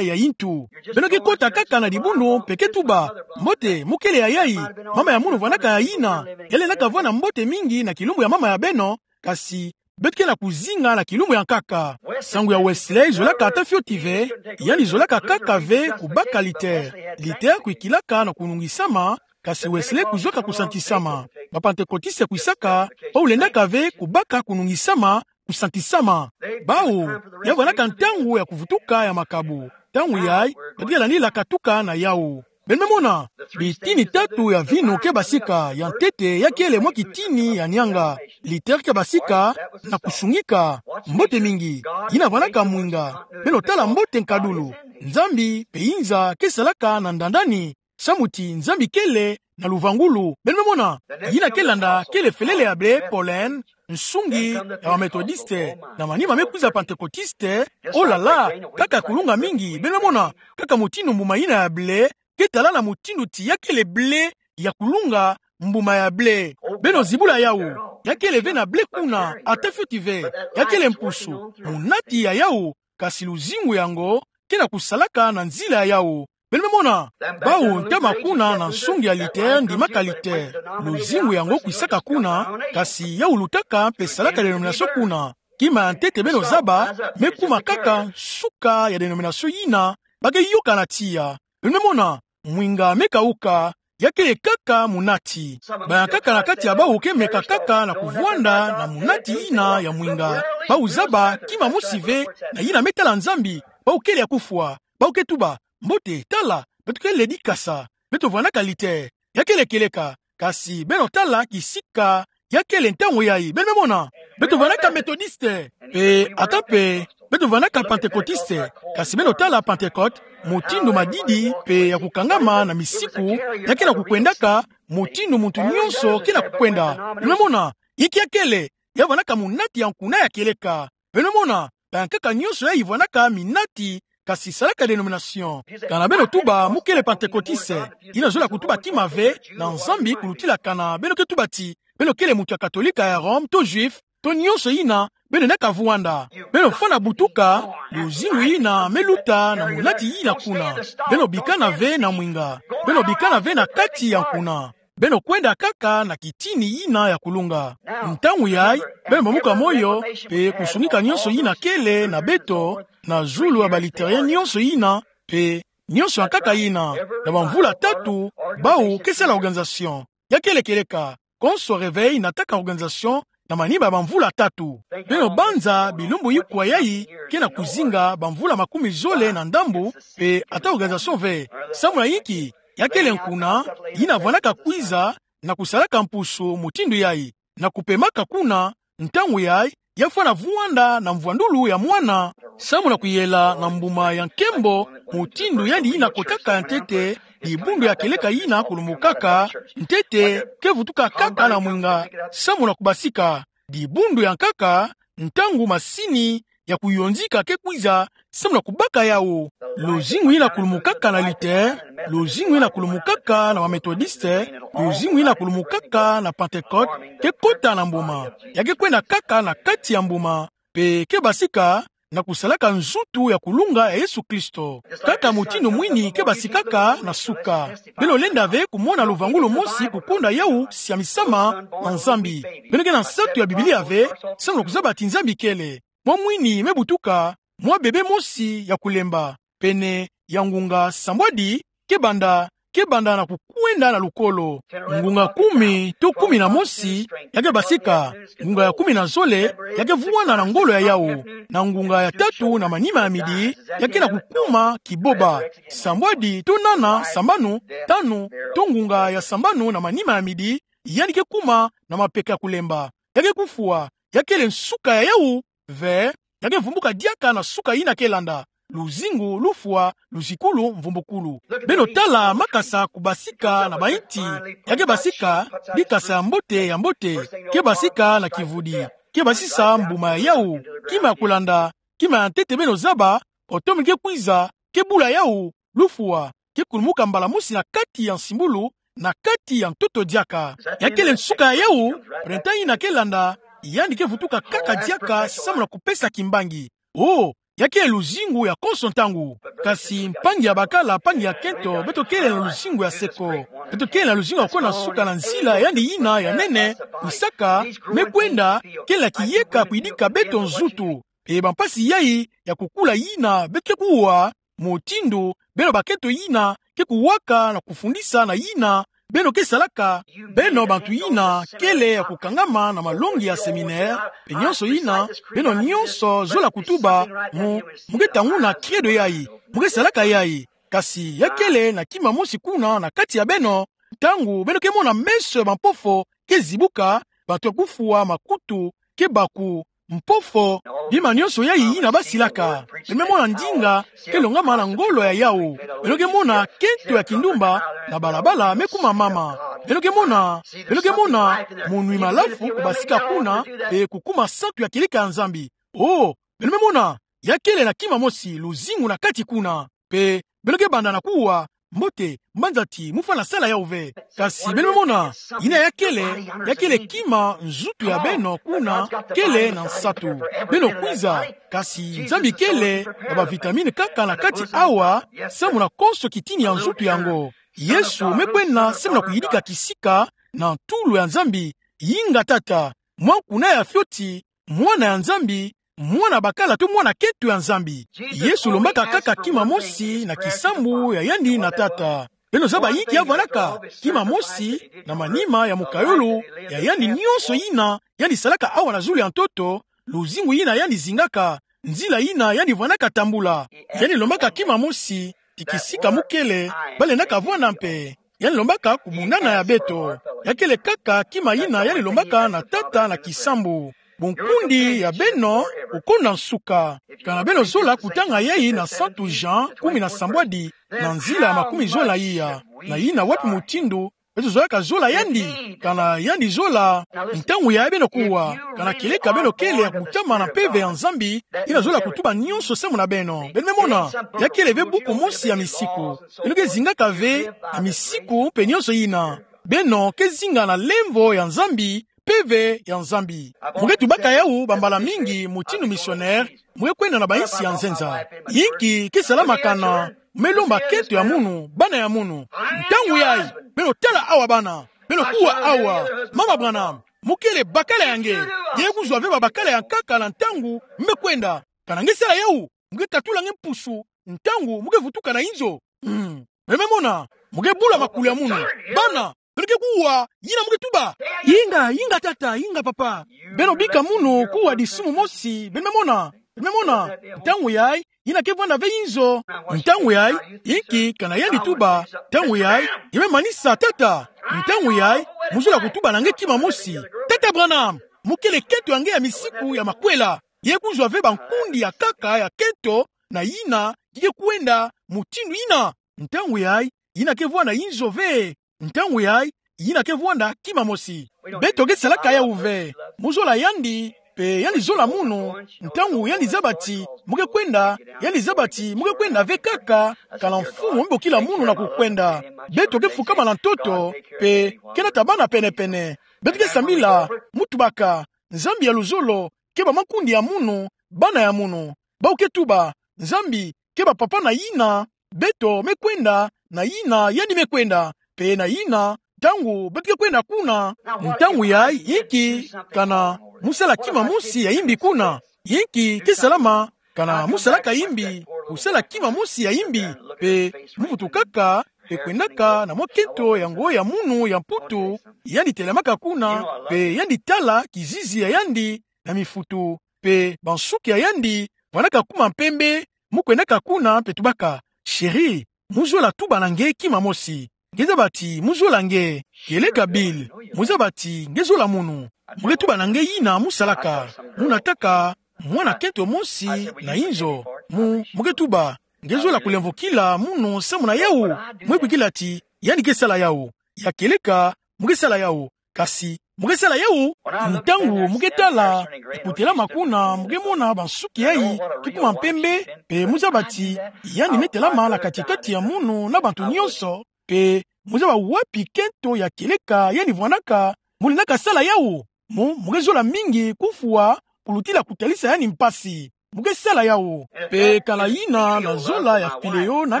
ya intu. Beno ke kota kaka na dibundu mpe ke tuba, mbote, mu kele ya yai? Mama ya munu vwanaka ya yina. Ya lendaka vwanda mbote mingi na kilumbu ya mama ya beno, kasi beto ke na kuzinga na kilumbu ya nkaka. Sangu ya Wesley zolaka ata fioti ve, yandi zolaka kaka ve kubaka Luther. Luther kuikilaka na kunungisama, kasi Wesley kuzwaka kusantisama. Ba Pantekotiste kuisaka, bau lendaka ve kubaka kunungisama, kusantisama. Bau, ya vwanaka ntangu ya kuvutuka ya makabu. Ntangu yai, beto ke landila katuka na yawu. Beno me mona, bitini tatu ya vinu ke basika, ya ntete ya kele mwa kitini ya nianga. Luther ke basika na kusungika. Mbote mingi. Yina vwanaka mwinga. Beno tala mbote nkadulu. Nzambi mpe inza ke salaka na ndandani. Samu ti Nzambi kele na luvangulu. Beno me mona, yina ke landa kele felele ya ble, pollen, nsungi ya ba Methodiste, na manima me kwiza Pantekotiste. Oh là là, kaka kulunga mingi. Beno me mona, kaka mutindu mbuma yina ya ble ke tala na mutindu ti ya kele ble ya kulunga, mbuma ya ble. Beno zibula yawu, ya kele ve na ble kuna, ata fioti ve. Ya kele mpusu, munati ya yawu, kasi luzingu yango ke na kusalaka na nzila ya yawu. Beno me mona, bau ntama kuna na nsungi ya Luther, ndimaka Luther. Luzingu yango kwisaka kuna, kasi ya wulutaka mpe salaka denomination kuna. Kima ya ntete beno zaba, me kuma kaka nsuka ya denomination yina ba ke yoka na tiya. Beno me mona, mwinga me kauka, ya kele kaka munati. Bayankaka na kati ya bau ke meka kaka na kuvwanda na munati yina ya mwinga. Bau zaba kima mosi ve na yina me tala Nzambi, bau kele ya kufwa. Bau ke tuba, mbote, tala, beto kele dikasa. Beto vwanaka Luther. Ya kele kieleka, kasi beno tala kisika ya kele ntangu yai. Beno me mona, beto vwanaka Methodiste, mpe ata mpe beto vwanaka Pantekotiste. Kasi beno tala Pantekote, mutindu madidi mpe ya kukangama na misiku, ya ke na kukwendaka mutindu muntu nionso ke na kukwenda. Beno me mona, inki ya kele? Ya vwanaka munati ya nkuna ya kieleka. Beno me mona, bayankaka nionso yai vwanaka minati, kasi salaka denomination. Kana beno tuba mu kele Pantekotiste, yina zola kutuba kima ve na Nzambi kulutilakana, beno ke tuba ti beno kele muntu ya Katolika ya Rome, to Juif, to nionso yina beno lendaka vwanda. Beno fwana butuka, luzingu yina me luta na munati yina kuna. Beno bikana ve na mwinga. Beno bikana ve na kati ya nkuna. Beno kwenda kaka na kitini yina ya kulunga. Ntangu yai, beno bamuka moyo, mpe kusungika nionso yina kele na beto, na zulu ya ba Lutherien nionso yina, mpe nionso ya nkaka yina, na bamvula tatu, bau ke sala organisation. Ya kele kieleka, konso Réveil nataka organisation na manima ya bamvula tatu. Beno banza bilumbu ikwa yai ke na kuzinga bamvula makumi zole na ndambu, mpe ata organisation ve. Samu na inki? Ya kele nkuna yina vwanaka kwiza na kusalaka mpusu mutindu yai, na kupemaka kuna, ntangu yayi, ya fwana vwanda na mvwandulu ya mwana, samu na kuyela na mbuma ya nkembo, mutindu yandi yina kotaka ya ntete, dibundu ya kieleka yina kulumukaka, ntete, ke vutuka kaka na mwinga, samu na kubasika, dibundu ya nkaka, ntangu masini ya kuyonzika ke kwiza, samu na kubaka yawu. Luzingu yina kulumukaka na Luther, luzingu yina kulumukaka na ba Methodiste, luzingu yina kulumukaka na Pentecôte, ke kota na mbuma. Ya ke kwenda kaka na kati ya mbuma, mpe ke basika na kusalaka nzutu ya kulunga ya Yesu Kristo. Kaka mutindu mwini ke basikaka na suka. Beno lenda ve kumona luvangulu mosi kukonda yawu siamisama na Nzambi. Beno ke na nsatu ya Biblia ve, samu na kuzaba ti Nzambi kele. Mwa mwini me butuka, mwa bebe mosi ya kulemba. Pene ya ngunga sambwadi, ke banda, ke banda na kukwenda na lukolo. Ngunga kumi, to kumi na mosi, ya ke basika. Ngunga ya kumi na zole, ya ke vwanda na ngolo ya yawu. Na ngunga ya tatu na manima ya midi, ya ke na kukuma kiboba. Sambwadi, to nana, sambanu, tanu, to ngunga ya sambanu na manima ya midi, yandi ke kuma na mapeka kulemba. Ya ke kufwa, ya kele nsuka ya yawu, ve, ya ke vumbuka diaka na suka yina ke landa. Luzingu, lufwa, luzikulu, mvumbukulu. Beno tala makasa kubasika na bainti. Ya ke basika, dikasa ya mbote, ya mbote. Ke basika na kivudi. Ke basisa mbuma ya yawu. Kima ya kulanda, kima ya ntete beno zaba, otomi ke kwiza, ke bula yawu, lufwa, ke kulumuka mbala mosi na kati ya nsimbulu, na kati ya ntoto diaka. Ya kele nsuka ya yawu, printemps yina ke landa, yandi ke vutuka kaka diaka samu na kupesa kimbangi. Oh, ya kele luzingu ya konso ntangu. Kasi mpangi ya bakala, mpangi ya kento, beto kele na luzingu ya seko. Beto kele na luzingu ya kona suka na nzila yandi yina ya nene, nsaka, me kwenda, kele na kiyeka kuyidika beto nzutu. Mpe bampasi yayi ya kukula yina beto ke kuwa, mutindu, beno bakento yina, ke kuwaka na kufundisa na yina, beno ke salaka, beno bantu yina, kele ya kukangama na malongi ya séminaire, mpe nyonso yina, beno nyonso zola kutuba, mu, mu ke tanguna credo yayi, mu ke salaka yayi, kasi ya kele na kima mosi kuna na kati ya beno, ntangu beno ke mona meso ya bampofo ke zibuka, bantu ya kufwa makutu ke baku, mpofo, bima nyonso yayi yina basilaka. Beno me mona ndinga ke longama na ngolo ya yawu. Beno ke mona kento ya kindumba na balabala me kuma mama. Beno ke mona, beno ke mona monwi malafu kubasika kuna, mpe kukuma santu ya kieleka ya Nzambi. Oh, beno me mona, ya kele na kima mosi, luzingu na kati kuna. Mpe beno ke banda na kuwa, mbote, mbanzati, mu fwana sala yawu ve. Kasi beno me mona, yina ya kele, ya kele kima nzutu ya beno kuna, kele na nsatu. Beno kwiza, kasi Nzambi kele na bavitamine kaka na kati awa, samu na konso kitini ya nzutu yango. Yesu me kwenda samu na kuyidika kisika na ntulu ya Nzambi, Inga Tata, mwa nkuna ya fioti, Mwana ya Nzambi, mwana bakala to mwana kento ya Nzambi. Yesu lombaka kaka kima mosi na kisambu ya yandi na Tata. Beno zaba inki ya vwandaka, kima mosi na manima ya mokayulu ya yandi nyonso yina yandi salaka awa na zulu ya ntoto, luzingu yina yandi zingaka, nzila yina yandi vwandaka tambula. Yandi lombaka kima mosi, ti kisika mu kele, ba lendaka vwanda mpe. Yandi lombaka kubundana ya beto. Ya kele kaka kima yina yandi lombaka na Tata na kisambu. Bunkundi ya beno, kukonda nsuka. Kana beno zola kutanga yayi na Santu Jean, kumi na sambwadi, na nzila ya makumi zola iya. Na yina wapi mutindu, beto zolaka zola yandi, kana yandi zola, ntangu yayi beno kuwa, kana kieleka beno kele ya kutama na mpeve ya Nzambi, yina zola kutuba nyonso samu na beno. Beno me mona, ya kele ve buku mosi ya misiku. Beno ke zingaka ve, ya misiku, mpe nyonso yina. Beno ke zinga na lemvo ya Nzambi, mpeve ya Nzambi. Mu ke tubaka yawu bambala mingi mutindu missionnaire, mu ke kwenda na bainsi ya nzenza. Inki ke salama kana mu me lomba kento ya munu, bana ya munu. Ntangu yayi, beno tala awa bana, beno kuwa awa, Mama Branham, mu kele bakala ya nge, nge kuzwa ve babakala ya nkaka na ntangu mu me kwenda. Kana nge sala yawu, mu ke katula nge mpusu, ntangu mu ke vutuka na inzo. Hmm. Beno me mona, mu ke bula makulu ya munu. Bana, beno ke kuwa, yina mu ke tuba. Inga, inga tata, inga papa. Beno bika munu kuwa disumu mosi, beno me mona. Beno me mona, ntangu yayi, yina ke vwanda ve inzo. Ntangu yayi, inki kana yandi tuba, ntangu yayi, nge me manisa tata. Ntangu yayi, mu zola kutuba na nge kima mosi. Tata Branham, mu kele kento ya nge ya misiku ya makwela. Ye kuzwa ve bankundi ya nkaka ya kento, na yina, ye kwenda, mutindu yina. Ntangu yayi, yina ke vwanda inzo ve. Ntangu yayi, yina ke vwanda kima mosi. Beto ke salaka yawu ve. Mu zola yandi, mpe yandi zola munu. Ntangu yandi zaba ti, mu ke kwenda, yandi zaba ti, mu ke kwenda ve nkaka, kana mfumu mbokila munu na kukwenda. Beto ke fukama na ntoto, mpe ke nata bana pene-pene. Beto ke sambila, mu tubaka, Nzambi ya luzolo, keba makundi ya munu, bana ya munu. Bawu ke tuba, Nzambi, keba papa na yina, beto me kwenda, na yina, yandi me kwenda, mpe na yina, ntangu, beto ke kwenda kuna, ntangu yayi, inki, kana, mu sala kima mosi ya yimbi kuna, inki, ke salama, kana, mu salaka yimbi, kusala kima mosi ya yimbi, mpe, mu vutukaka, mpe kwendaka, na mwa kento ya ngo ya munu ya Mputu, yandi telamaka kuna, mpe yandi tala, kizizi ya yandi, na mifutu, mpe bansuki ya yandi, vwandaka kuma mpembe, mu kwendaka kuna, mpe tubaka, chéri, mu zola tuba na nge kima mosi. Nge zaba ti, mu zola nge, kieleka Bill, mu zaba ti, nge zola munu. Mu ke tuba na nge yina mu salaka, mu nataka, mwana kento mosi, na inzo, mu, mu ke tuba, nge zola kulemvokila munu samu na yawu, mu kwikila ti, yandi ke sala yawu, ya kieleka, mu ke sala yawu, kasi, mu ke sala yawu, ntangu, mu ke tala, kutelama kuna, mu ke mona bansuki yayi, ke kuma mpembe, mpe mu zaba ti, yandi me telama na kati-kati ya munu na bantu nyonso, mpe, mu zaba wapi kento ya kieleka, yandi vwandaka, mu lendaka sala yawu, mu, mu ke zola mingi, kufwa, kulutila kutalisa yandi mpasi. Mu ke sala yawu. Mpe kana yina na zola ya fileyo na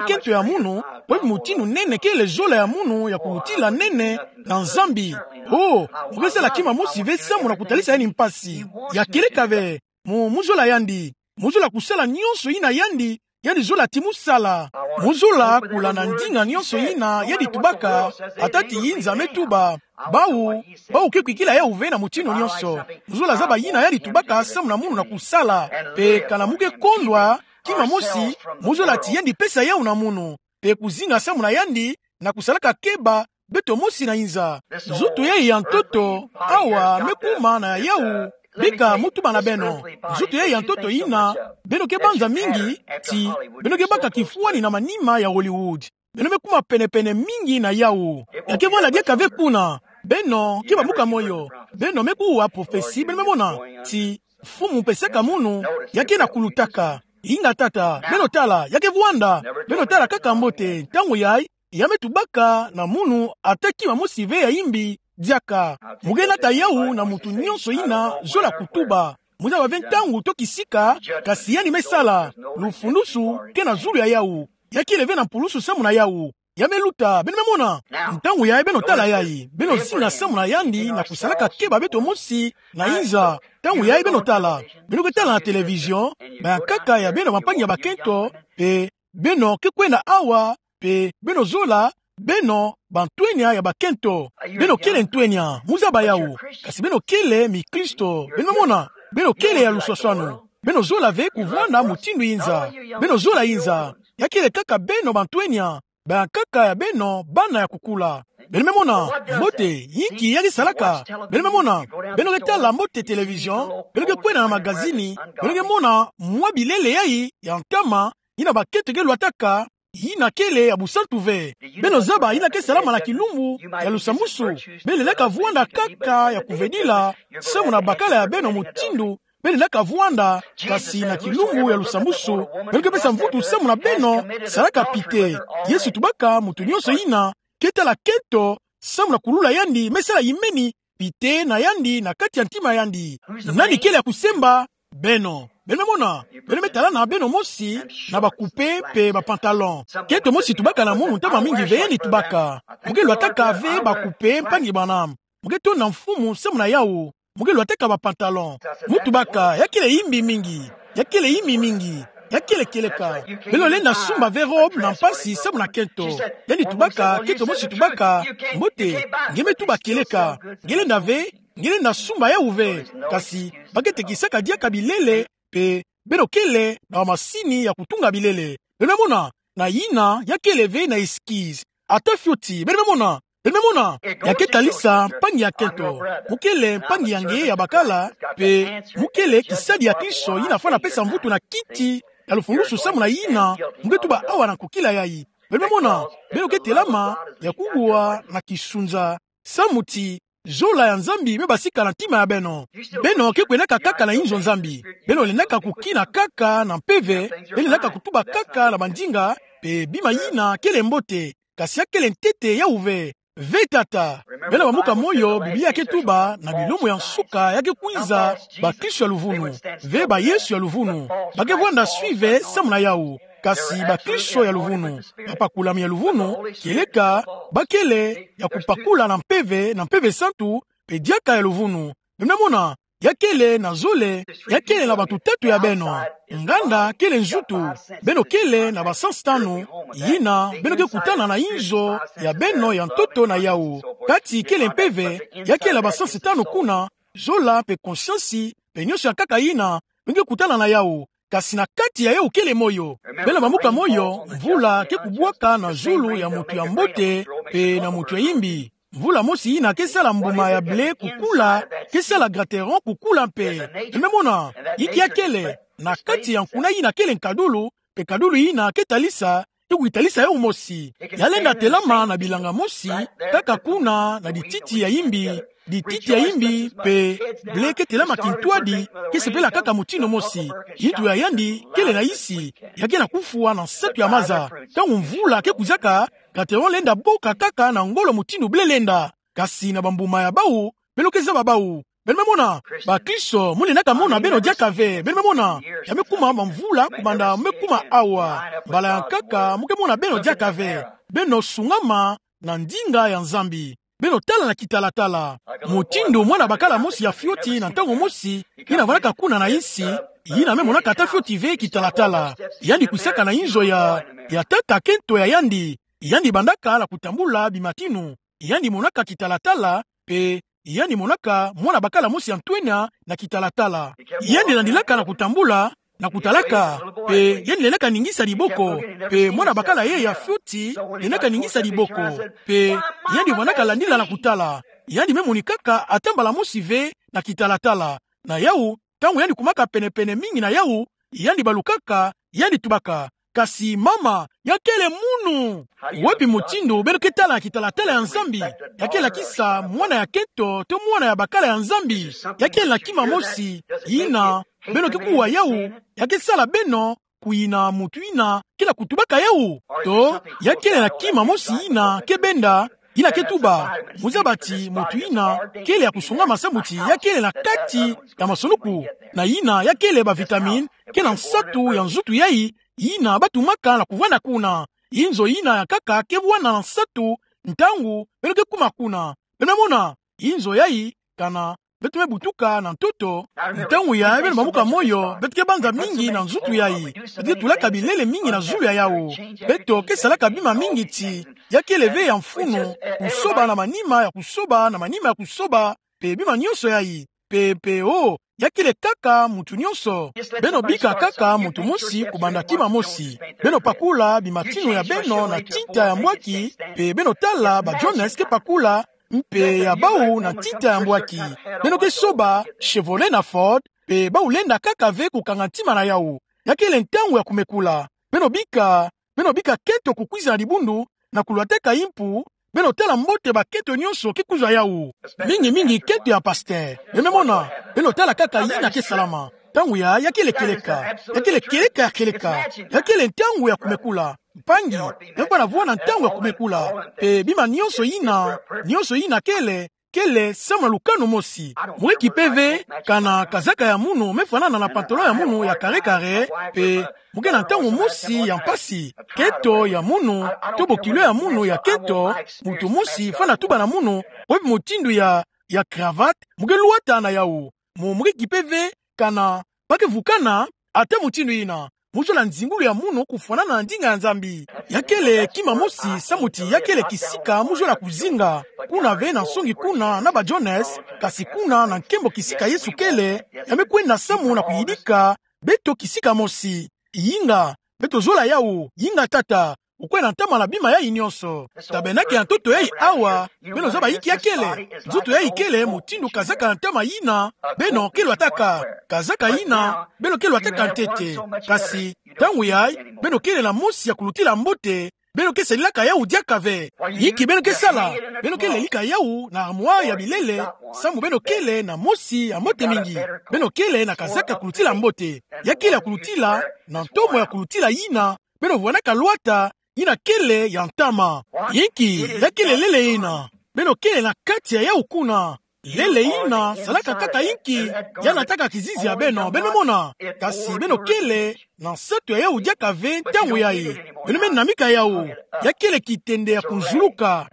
kento ya munu, wapi mutindu nene kele zola ya munu ya kulutila nene na Nzambi. Oh, mu ke sala kima mosi ve samu na kutalisa yandi mpasi. Ya kieleka ve, mu, mu zola yandi. Mu zola kusala nyonso yina yandi, yandi zola ti mu sala. Mu zola kulanda ndinga nyonso yina yandi tubaka, ata ti yinza me tuba. Bawu, bawu ke kwikila yawu ve na mutindu nyonso. Mu zola zaba yina yandi tubaka samu na munu na kusala. Mpe kana mu ke kondwa, kima mosi, mu zola ti yandi pesa yawu na munu. Mpe kuzinga samu na yandi, na kusalaka keba, beto mosi na yinza. Nzoto yayi ya ntoto, awa, me kuma na yawu, bika mu tuba na beno. Nzoto yayi ya ntoto yina, beno ke banza mingi, ti, beno ke baka kifwani na manima ya Hollywood. Beno me kuma pene-pene mingi na yawu. Ya ke vwala diaka ve kuna. Beno, ke bamuka moyo. Beno me kuwa prophetie, beno me mona. Ti, mfumu pesaka munu, ya ke na kulutaka. Inga tata, beno tala, ya ke vwanda. Beno tala kaka mbote, ntangu yayi, ya me tubaka na munu ata kima mosi ve ya yimbi, diaka. Mu ke nata yawu na muntu nyonso yina zola kutuba. Mu zaba ve ntangu to kisika, kasi yandi me sala, lufundusu, ke na zulu ya yawu. Ya kele ve na mpulusu samu na yawu. Ya me luta, beno me mona. Ntangu yayi beno tala yayi, beno zinga samu na yandi na kusalaka keba beto mosi, na yinza. Ntangu yayi beno tala. Beno ke tala na télévision, bayankaka ya beno bampangi ya bakento, mpe, beno ke kwenda awa, mpe, beno zola, beno, bantwenya ya bakento. Beno kele ntwenya, mu zaba yawu. Kasi beno kele mikristo, beno me mona. Beno kele ya luswaswanu. Beno zola ve kuvwanda mutindu yinza. Beno zola yinza. Ya kele kaka beno bantwenya. Bayankaka ya beno, bana ya kukula. Beno me mona, mbote, yinki ya ke salaka. Beno me mona, beno ke tala mbote télévision, beno ke kwenda na magazini, beno ke mona mwa bilele yayi, ya ntama, yina bakento ke lwataka, yina kele ya busantu ve. Beno zaba yina ke salama na kilumbu ya lusambwasu. Beno lendaka vwanda kaka ya kuvedila, samu na bakala ya beno mutindu beno lendaka vwanda, kasi na kilumbu ya lusambwasu, beno ke pesa mvutu samu na beno salaka pite. Yesu tubaka muntu nyonso yina ke tala kento, samu na kulula yandi, me sala yimeni pite na yandi na kati ya ntima yandi. Nani kele ya kusemba? Beno. Beno me mona, beno me tala na beno mosi, na bakupe mpe bapantalon. Kento mosi tubaka na munu ntama mingi ve yandi tubaka. Mu ke lwataka ve bakupe, mpangi bana. Mu ke tonda Mfumu samu na yawu. Mu ke lwataka bapantalon. Mu tubaka, ya kele yimbi mingi. Ya kele yimbi mingi. Ya kele kieleka. Beno lenda sumba ve robe na mpasi samu na kento. Yandi tubaka, kento mosi tubaka, mbote, nge me tuba kieleka. Nge lenda ve, nge lenda sumba yawu ve. Kasi, ba ke tekisaka diaka bilele, mpe, beno kele na bamasini ya kutunga bilele. Beno me mona, na yina, ya kele ve na esquisse. Ata fioti, beno me mona, Beno me mona, ya ke talisa mpangi ya kento. Mo kele mpangi ya nge ya bakala, pe mo kele kisadi ya Kristo, yina fwana pesa mvutu na kiti ya lufulusu samu na yina mo ke tuba awa na nkokila yayi. Beno me mona, beno ke telama ya kuwa na kisunza samu ti zola ya Nzambi me basika na ntima ya beno. Beno ke kwenaka kaka na inzo Nzambi. Beno lendaka kukina kaka na mpeve, beno lendaka kutuba kaka na bandinga, pe bima yina kele mbote, kasi ya kele ntete yawu ve. Ve tata. Beno bambuka moyo, Biblia ke tuba na bilumu ya nsuka ya ke kwiza bakristo ya luvunu, ve ba Yesu ya luvunu. Ba ke vwanda suive samu na yawu. Kasi bakristo ya luvunu, bapakulami ya luvunu, kieleka ba kele ya kupakula na mpeve, na Mpeve Santu, pe diaka ya luvunu. Beno me mona, ya kele na zole, ya kele na bantu tatu ya beno. Nganda kele nzutu. Beno kele na basansi tanu, yina beno ke kutana na inzo ya beno ya ntoto na yawu. Kati kele mpeve, ya kele na basansi tanu kuna, zola pe konsiansi, pe nionso ya nkaka yina beno ke kutana na yawu. Kasi na kati ya yawu kele moyo. Beno bambuka moyo, mvula ke kubwaka na zulu ya mutu ya mbote pe na mutu ya yimbi. Mvula mosi yina ke sala mbuma ya blé kukula, ke sala grateron kukula mpe. Beno me mona, inki ya kele na kati ya nkuna yina kele nkadulu, pe nkadulu yina ke talisa, ke kutalisa yawu mosi. Ya lenda telama na bilanga mosi, kaka kuna na dititi ya yimbi, dititi ya yimbi, pe blé ke telama kintwadi, ke sepela kaka mutindu mosi. Nitu ya yandi kele na isi, ya ke na kufwa na nsatu ya maza. Ntangu mvula ke kwizaka, grateron lenda boka kaka na ngolo mutindu blé lenda. Kasi na bambuma ya bawu, beno ke zaba bawu. Beno me mona, bakristo, mo lendaka mona beno diaka ve. Beno me mona, ya me kuma bamvula, kubanda me kuma awa. Mbala ya nkaka mo ke mona beno diaka ve. Beno sungama na ndinga ya Nzambi. Beno tala na kitalatala. Mutindu mwana bakala mosi ya fioti na ntangu mosi, yina vandaka kuna na isi, yina me monaka ata fioti ve kitalatala. Yandi kwisaka na inzo ya, ya tata kento ya yandi. Yandi bandaka na kutambula bimatinu. Yandi monaka kitalatala, pe yandi monaka mwana bakala mosi ya ntwenya na kitalatala. Yandi landilaka na kutambula, na kutalaka, pe yandi lendaka ningisa diboko, pe mwana bakala ye ya fioti lendaka ningisa diboko, pe yandi vandaka landila na kutala. Yandi me monikaka ata mbala mosi ve na kitalatala. Na yawu, ntangu yandi kumaka pene-pene mingi na yawu, yandi balukaka, yandi tubaka: Kasi mama, ya kele munu! Wapi mutindu beno ke tala na kitalatala ya Nzambi? Ya ke lakisa mwana ya kento to mwana ya bakala ya Nzambi. Ya kele na kima mosi yina beno ke kuwa yawu, ya ke sala beno kuyina mutu yina ke na kutubaka yawu? To ya kele na kima mosi yina ke benda, yina ke tuba, mu zaba ti mutu yina kele ya kusungama samu ti ya kele na kati ya masonuku, na yina ya kele bavitamine ke na nsatu ya nzutu yayi, yina ba tumaka na kuvwanda kuna. Inzo yina ya nkaka ke vwanda na nsatu ntangu beno ke kuma kuna. Beno me mona, inzo yayi, kana beto me butuka na ntoto, ntangu yayi beno bambuka moyo, beto ke banza mingi na nzutu yayi. Beto ke tulaka bilele mingi na zulu ya yawu. Beto ke salaka bima mingi ti ya kele ve ya mfunu, kusoba na manima ya kusoba na manima ya kusoba, pe bima nionso yayi. Pe, pe, oh, ya kele kaka mutu nionso. Beno bika kaka mutu mosi kubanda kima mosi. Beno pakula bimatinu ya beno na ntita ya mbwaki, pe beno tala ba Jones ke pakula mpe ya bawu na ntita ya mbwaki. Beno ke soba Chevrolet na Ford, pe bawu lenda kaka ve kukanga ntima na yawu. Ya kele ntangu ya kumekula. Beno bika, beno bika kento kukwiza na dibundu, na kulwataka impu, beno tala mbote bakento nionso ke kuzwa yawu. Mingi mingi kento ya pasteur. Beno me mona, beno tala kaka yina ke salama. Ntangu yayi ya kele kieleka. Ya kele kieleka ya kieleka. Ya kele ntangu ya kumekula. Mpangi, beno banda vwanda ntangu ya kumekula. Pe bima nionso yina, nionso yina kele, kele samu na lukanu mosi. Mo ke kipe ve, kana kazaka ya munu me fwanana na pantalon ya munu ya kare-kare, pe mo ke na ntangu mosi ya mpasi. Kento ya munu, to bokilo ya munu ya kento, mutu mosi fwana tuba na munu wapi mutindu ya, ya cravate mo ke lwata na yawu. Mo, mo ke kipe ve, kana ba ke vukana ata mutindu yina. Mo zola nzingulu ya munu kufwanana na ndinga ya Nzambi. Ya kele kima mosi samu ti ya kele kisika mo zola kuzinga. Kuna ve na nsongi kuna na ba Jones, kasi kuna na nkembo kisika Yesu kele, ya me kwenda samu na kuyidika beto kisika mosi. Yinga, beto zola yawu, yinga tata. kukwenda ntama na bima yayi nionso. Tabenake ya ntoto yayi awa, beno zaba inki ya kele. Nzutu yayi kele mutindu kazaka ya ntama yina beno kelwataka. Kazaka yina beno kelwataka ntete. Kasi, ntangu yayi, beno kele na mosi ya kulutila mbote, beno ke salilaka yawu diaka ve. Inki beno ke sala? Beno ke lelika yawu na armoire ya bilele, samu beno kele na mosi ya mbote mingi. Beno kele na kazaka ya kulutila mbote. Ya kele ya kulutila, na ntomo ya kulutila yina beno vwanaka lwata, yina kele ya ntama. Inki ya kele lele yina? Beno kele na kati ya yawu kuna. Lele yina salaka kaka inki? Ya nataka kizizi ya beno, beno mona. Kasi beno kele na nsatu ya yawu diaka ve ntangu yayi. Beno me namika yawu. Ya kele kitende ya kunzuluka.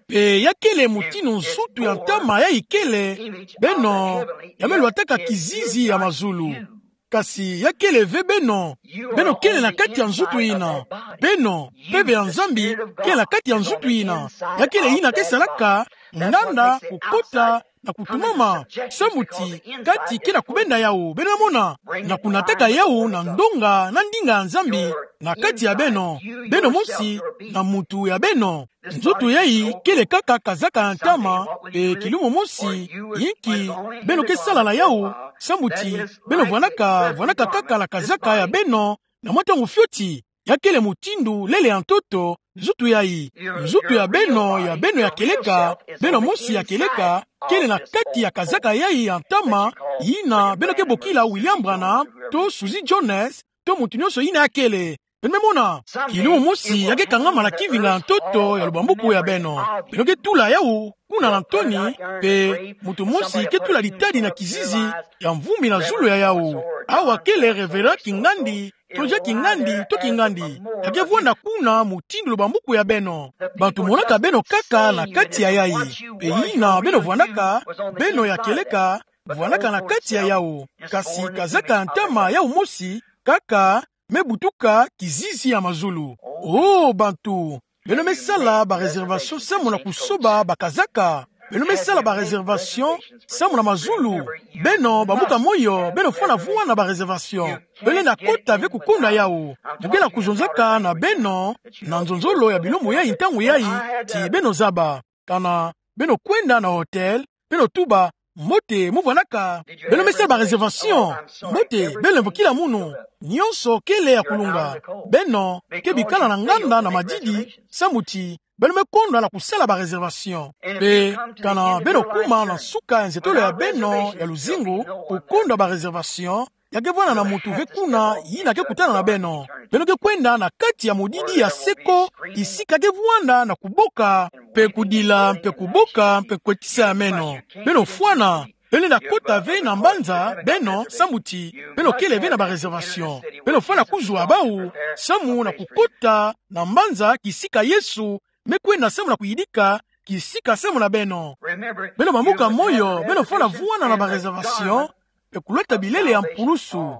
Pe ya kele mutindu nzutu ya ntama yayi kele. Beno, ya me lwataka kizizi ya mazulu. Kasi ya kele ve beno. Beno kele na kati ya nzutu yina. Beno, mpeve ya Nzambi kele na kati ya nzutu yina. Ya kele yina ke salaka nganda kukota na kutumama, samu ti kati ke na kubenda yawu. Beno mona, na kunataka yawu na ndonga na ndinga ya Nzambi na kati ya beno. Beno mosi na muntu ya beno. Nzutu yayi kele kaka kazaka ya ntama, pe kilumu mosi, inki beno ke sala na yawu, samu ti beno vwanaka, vwanaka kaka na kazaka ya beno na mwa ntangu fioti. Ya kele mutindu lele ya ntoto, nzutu yayi. Nzutu ya beno, ya beno ya kieleka, beno mosi ya kieleka, kele na kati ya kazaka yayi ya ntama, yina beno ke bokila William Branham, to Susie Jones, to muntu nionso yina ya kele. Beno me mona, kilumu mosi ya ke kangama na kivinga ya ntoto ya lubambuku ya beno. Beno ke tula yawu kuna na ntoni, pe muntu mosi ke tula litadi na kizizi ya mvumbi na zulu ya yawu. Awa kele Reverend Kingandi, to Jacques Kingandi, to Kingandi. Ya ke vwanda kuna mutindu lubambuku ya beno. Bantu monaka beno kaka na kati ya yayi. Pe yina beno vwanaka, beno ya kieleka, vwanaka na kati ya yawu. Kasi kazaka ya ntama yawu mosi kaka me butuka kizizi ya mazulu. Oh, bantu, beno me sala ba réservation samu na kusoba bakazaka. Beno me sala ba réservation samu na mazulu. Beno, bambuka moyo, beno fwana vwanda ba réservation. Beno lenda kota ve kukondwa yawu. Mu ke na kuzonzaka na beno na nzonzolo ya bilumbu yayi ntangu yayi, ti beno zaba. Kana beno kwenda na hôtel, beno tuba: Mbote, mu vwanaka? Beno me sala ba réservation? Mbote, beno lemvokila munu. Nionso kele ya kulunga. Beno ke bikala na nganda na madidi, samu ti beno me kondwa na kusala ba réservation. Pe kana beno kuma na nsuka ya nzetolo ya beno ya luzingu, kukondwa ba réservation, ya ke vwanda na muntu ve kuna yina ke kutana na beno. Beno ke kwenda na kati ya modidi ya seko, kisika ke vwanda na kuboka, pe kudila, pe kuboka, pe kwetisa ya meno. Beno fwana, beno lenda kota ve na mbanza, beno, samu ti beno kele ve na ba réservation. Beno fwana kuzwa bawu, samu na kukota na mbanza kisika Yesu me kwenda samu na kuyidika kisika samu na beno. Beno bambuka moyo, beno fwana vwanda na ba réservation, pe kulwata bilele ya mpulusu.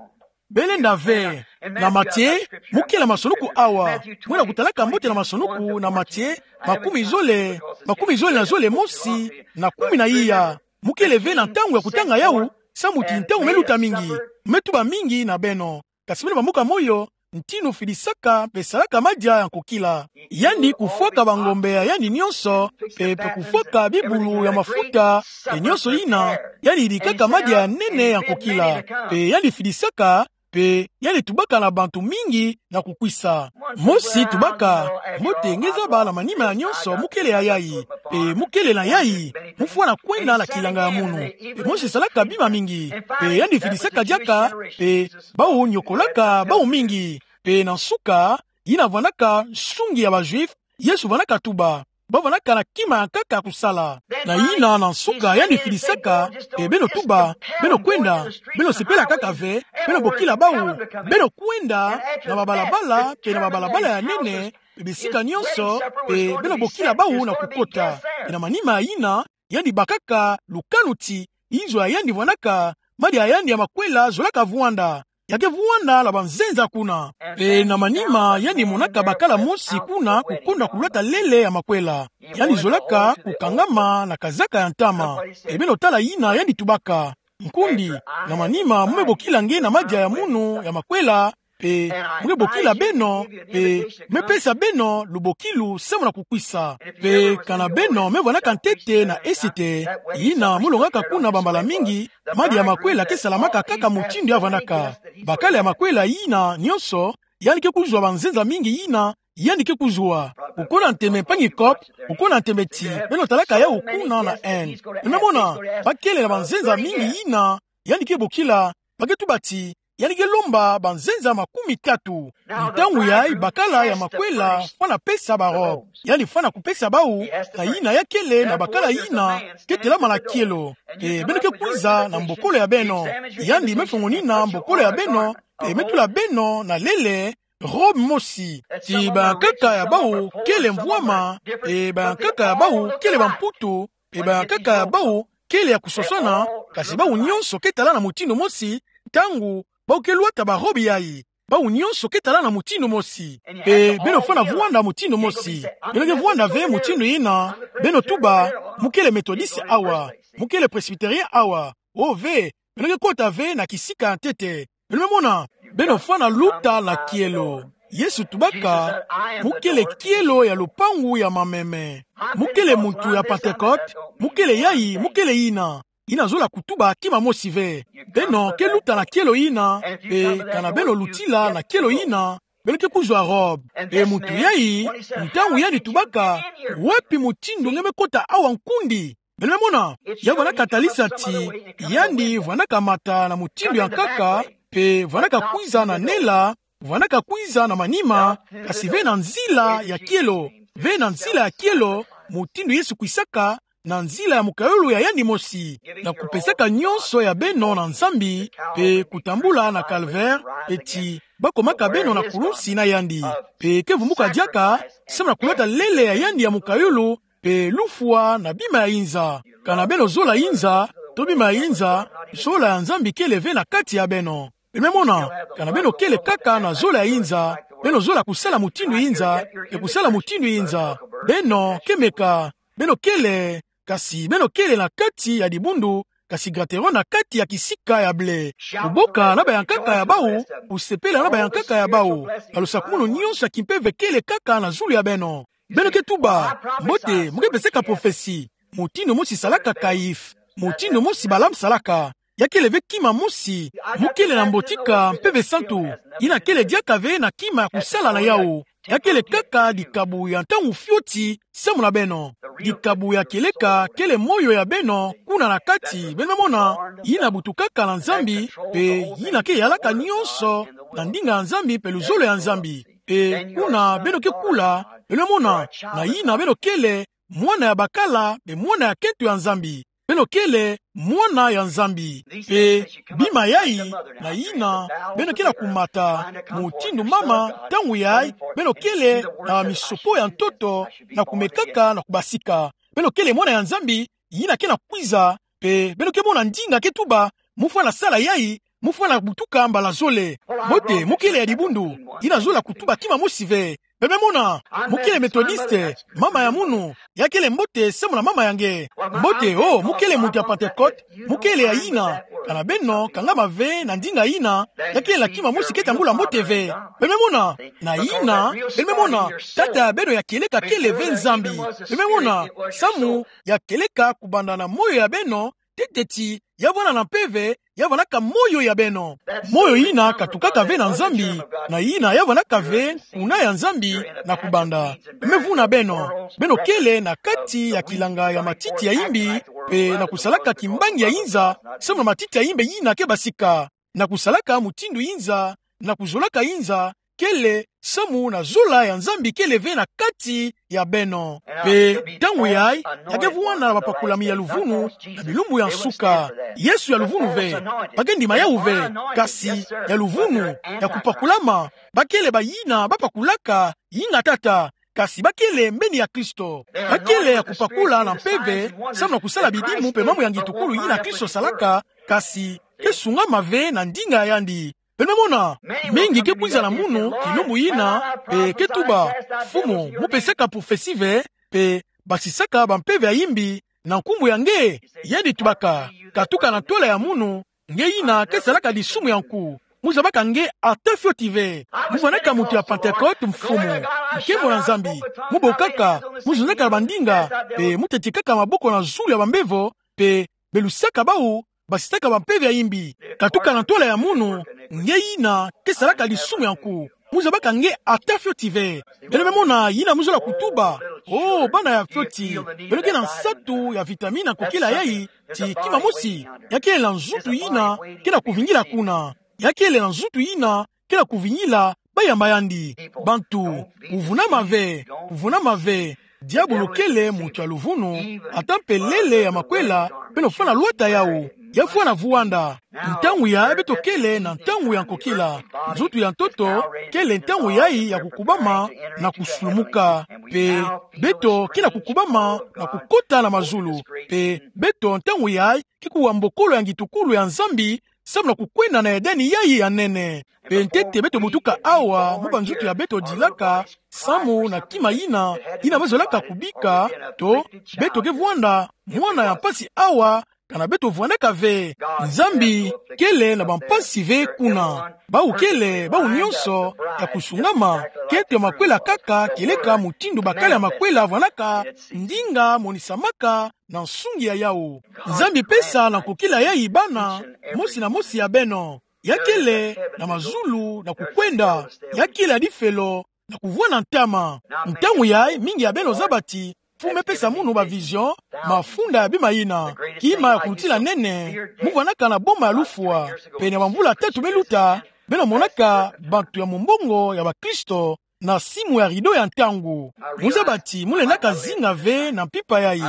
Beno lenda ve, na Matie, mu kele masonuku awa. Mwina kutalaka mbote na masonuku na Matie, makumi zole, makumi zole na zole mosi, na kumi na iya. Mu kele ve na ntangu ya kutanga yawu, samu ti ntangu me luta mingi. Me tuba mingi na beno. Kasi beno bambuka moyo, ntinu fidisaka pe salaka madia ya nkokila. Yandi kufwaka bangombe ya yandi nionso, pe, pe kufwaka bibulu ya mafuta, pe nionso yina, yandi yidikaka madia ya nene ya nkokila. Pe yandi fidisaka, pe yandi tubaka na bantu mingi na kukwisa. Mosi tubaka: Mbote, nge zaba na manima ya nionso mu kele ya yayi, pe mu kele na yayi, mu fwana kwenda na kilanga ya munu. Pe mosi salaka bima mingi, pe yandi fidisaka diaka, pe bawu niokolaka bawu mingi. Pe na nsuka, yina vwandaka nsungi ya ba Juifs, Yesu vwandaka tuba: Ba vwandaka na kima ya nkaka kusala. Na yina na nsuka yandi fidisaka, pe beno tuba, beno kwenda, beno sepela kaka ve, beno bokila bawu, beno kwenda na babalabala, pe na babalabala ya nene, pe bisika nionso, pe beno bokila bawu na kukota. Pe na manima yina, yandi bakaka lukanu ti inzo ya yandi vwandaka, madia ya yandi ya makwela zolaka vwanda. Ya ke vwanda na banzenza kuna. Pe na manima yandi monaka bakala mosi kuna kukondwa kulwata lele ya makwela. Yandi zolaka kukangama na kazaka ya ntama. Pe beno tala yina yandi tubaka: Nkundi, na manima mu me bokila nge na madia ya munu ya makwela, pe mo ke bokila beno, pe me pesa beno lubokilu samu na kukwisa. Pe kana beno me vwanaka ntete na esete, ina mo longaka kuna bambala mingi, madi ya makwela ke salamaka kaka mutindu ya vwanaka. Bakala ya makwela ina nionso, yandi ke kuzwa banzenza mingi ina yandi ke kuzwa. Kukuna nteme mpangi Cope, kukuna nteme ti, beno talaka yawu kuna na Inde. Beno mona, bakele na banzenza mingi ina yandi ke bokila, ba ke tuba ti yandi ke lomba banzenza makumi tatu. Ntangu yayi bakala ya makwela fwana pesa barobe. Yandi fwana kupesa bawu, na ina ya kele na bakala ina ke telama na kielo. E beno ke kwiza na mbokolo ya beno. Yandi me fongonina mbokolo ya beno, e me tula beno na lele robe mosi. Ti bayankaka ya bawu kele mvwama, e bayankaka ya bawu kele bamputu, e bayankaka ya bawu kele ya kusosana, kasi bawu nionso ke tala na mutindu mosi, ntangu bawu ke lwata barobe yayi. Bawu nionso ke tala na mutindu mosi. Pe beno fwana vwanda mutindu mosi. Beno ke vwanda ve mutindu ina, beno tuba, mo kele Methodiste awa, mo kele Presbytérien awa. O ve, beno ke kota ve na kisika ya ntete. Beno me mona, beno fwana luta na kielo. Yesu tubaka, mo kele kielo ya lupangu ya mameme. Mo kele muntu ya Pentecôte, mo kele yayi, mo kele ina. Ina zola kutuba kima mosi ve. Beno ke luta na kielo ina, pe kana beno lutila na kielo ina, beno ke kuzwa robe. Pe muntu yayi, ntangu yandi tubaka, wapi mutindu nge me kota awa nkundi? Beno me mona, ya vwanaka talisa ti, yandi vwanaka mata na mutindu ya nkaka, pe vwanaka kwiza na nela, vwanaka kwiza na manima, kasi ve na nzila ya kielo, ve na nzila ya kielo, mutindu Yesu kwisaka, na nzila ya mokayulu ya yandi mosi, na kupesaka nionso ya beno na Nzambi, pe kutambula na calvaire, pe ti bakomaka beno na kulusi na yandi, pe ke vumbuka diaka, samu na kulwata lele ya yandi ya mokayulu, pe lufwa na bima ya inza. Kana beno zola inza, to bima ya inza, zola ya Nzambi kele ve na kati ya beno. Beno me mona, kana beno kele kaka na zola ya inza, beno zola kusala mutindu inza, e kusala mutindu inza. Beno ke meka, beno kele, kasi beno kele na kati ya dibundu, kasi grateron na kati ya kisika ya ble. Kuboka na bayankaka ya bawu, kusepela na bayankaka ya bawu. Balosakumunu nionso ya kimpeve kele kaka na zulu ya beno. Beno ke tuba, mbote, mo ke pesaka prophetie. Mutindu mosi salaka Caïphe. Mutindu mosi Balaam salaka. Ya kele ve kima mosi, mo kele na mbotika Mpeve Santu. Ina kele diaka ve na kima ya kusala na yawu. Ya kele kaka dikabu ya ntangu fioti, samu na beno. Dikabu ya kieleka kele moyo ya beno, kuna na kati, beno me mona, ina butukaka na Nzambi, pe ina ke yalaka nionso na ndinga ya Nzambi, pe luzolo ya Nzambi. Pe kuna beno ke kula, beno me mona, na ina beno kele mwana ya bakala, pe mwana ya kento ya Nzambi. Beno kele mwana ya Nzambi. Pe bima yayi, na ina beno ke na kumata, mutindu mama, ntangu yayi, beno kele na misopo ya ntoto, na kumekaka, na kubasika. Beno kele mwana ya Nzambi, ina ke na kwiza, pe beno ke mona ndinga ke tuba, mo fwana sala yayi, mo fwana butuka mbala zole. Mbote, mo kele ya dibundu, ina zola kutuba kima mosi ve. Beno me mona, mo kele Methodiste, mama ya munu, ya kele mbote samu na mama ya nge. Mbote, o, mo kele muntu ya Pentecôte, mo kele ya ina, kana beno kangama ve na ndinga ina, ya kele na kima mosi ke tambula mbote ve. Beno me mona, na ina, beno me mona, tata ya beno ya kieleka kele ve Nzambi. Beno me mona, samu ya kieleka kubanda na moyo ya beno, ntete ti, ya vwanda na mpeve, ya vwandaka moyo ya beno. Moyo ina katukaka ve na Nzambi, na ina ya vwandaka ve kuna ya Nzambi na kubanda. Me vuna beno, beno kele na kati ya kilanga ya matiti ya imbi, pe na kusalaka kimbangi ya inza, samu na matiti ya imbi ina ke basika. Na kusalaka mutindu inza, na kuzolaka inza, kele, samu na zola ya Nzambi kele ve na kati ya beno. Pe, ntangu yayi, ya ke vwanda na bapakulami ya luvunu, na bilumbu ya nsuka. Yesu ya luvunu ve, ba ke ndima yawu ve, kasi, ya luvunu, ya kupakulama, ba kele bayina bapakulaka, inga tata, kasi ba kele mbeni ya Kristo. Ba kele ya kupakula na mpeve, samu na kusala bidimu pe mambu ya ngitukulu yina Kristo salaka, kasi, ke sungama ve na ndinga ya yandi. Beno me mona, mingi ke kwiza na munu, kilumbu yina, pe ke tuba, Mfumu, mo pesaka prophetie ve, pe basisaka bampeve ya imbi, na nkumbu ya nge, yandi tubaka, katuka na ntwala ya munu, nge yina ke salaka disumu ya nku. mu zabaka nge ata fioti ve. Mu vwanaka muntu ya Pantekote, mfumu, nkembo na Nzambi. Mu bokaka, mu zonzaka na bandinga, mpe mu tetekaka maboko na zulu ya bambevo, mpe belusaka bawu basisaka bampeve ya imbi. Katuka na ntwala ya munu, nge yina ke salaka lisumu ya nku. Mu zabaka nge ata fioti ve. Beno me mona yina mu zola kutuba. Oh, bana ya fioti, beno ke na nsatu ya vitamine ya nkokila yayi, ti kima mosi, ya kele na nzutu yina ke na kuvingila kuna. Ya kele na nzutu yina ke na kuvingila bayamba yandi. Bantu, kuvunama ve, kuvunama ve. Diabulu kele muntu ya luvunu, ata mpe lele ya makwela, beno fwana lwata yawu. Ya fwana vuwanda. Ntangu yayi beto kele na ntangu ya nkokila. Nzutu ya ntoto kele ntangu yayi ya kukubama na kusulumuka. Mpe beto ke na kukubama na kukota na mazulu. Mpe beto ntangu yayi ke kuwa mbokolo ya ngitukulu ya Nzambi, samu na kukwenda na Edeni yayi ya nene. Mpe ntete beto butuka awa mu banzutu ya beto dilaka, samu na kima yina, yina bazolaka kubika, to, beto ke vwanda mwana ya mpasi awa, kana beto vwandaka ve. Nzambi kele na bampasi ve kuna. Bawu kele, bawu nyonso, ya kusungama, kento ya makwela kaka kieleka mutindu bakala ya makwela vwandaka, ndinga monisamaka na nsungi ya yawu. Nzambi pesa na nkokila yayi bana, mosi na mosi ya beno. Ya kele na mazulu na kukwenda, ya kele ya difelo na kuvwanda ntama. Ntangu yayi mingi ya beno zaba ti, Mfumu me pesa munu ba vision, mafunda ya bima yina, kima ya kulutila nene, mu vwandaka na boma ya lufwa, pene ya bamvula tatu me luta, beno monaka bantu ya mumbongo ya bakristo, na simu ya rideau ya ntangu. Mu zaba ti, mu lendaka zinga ve na mpimpa yayi.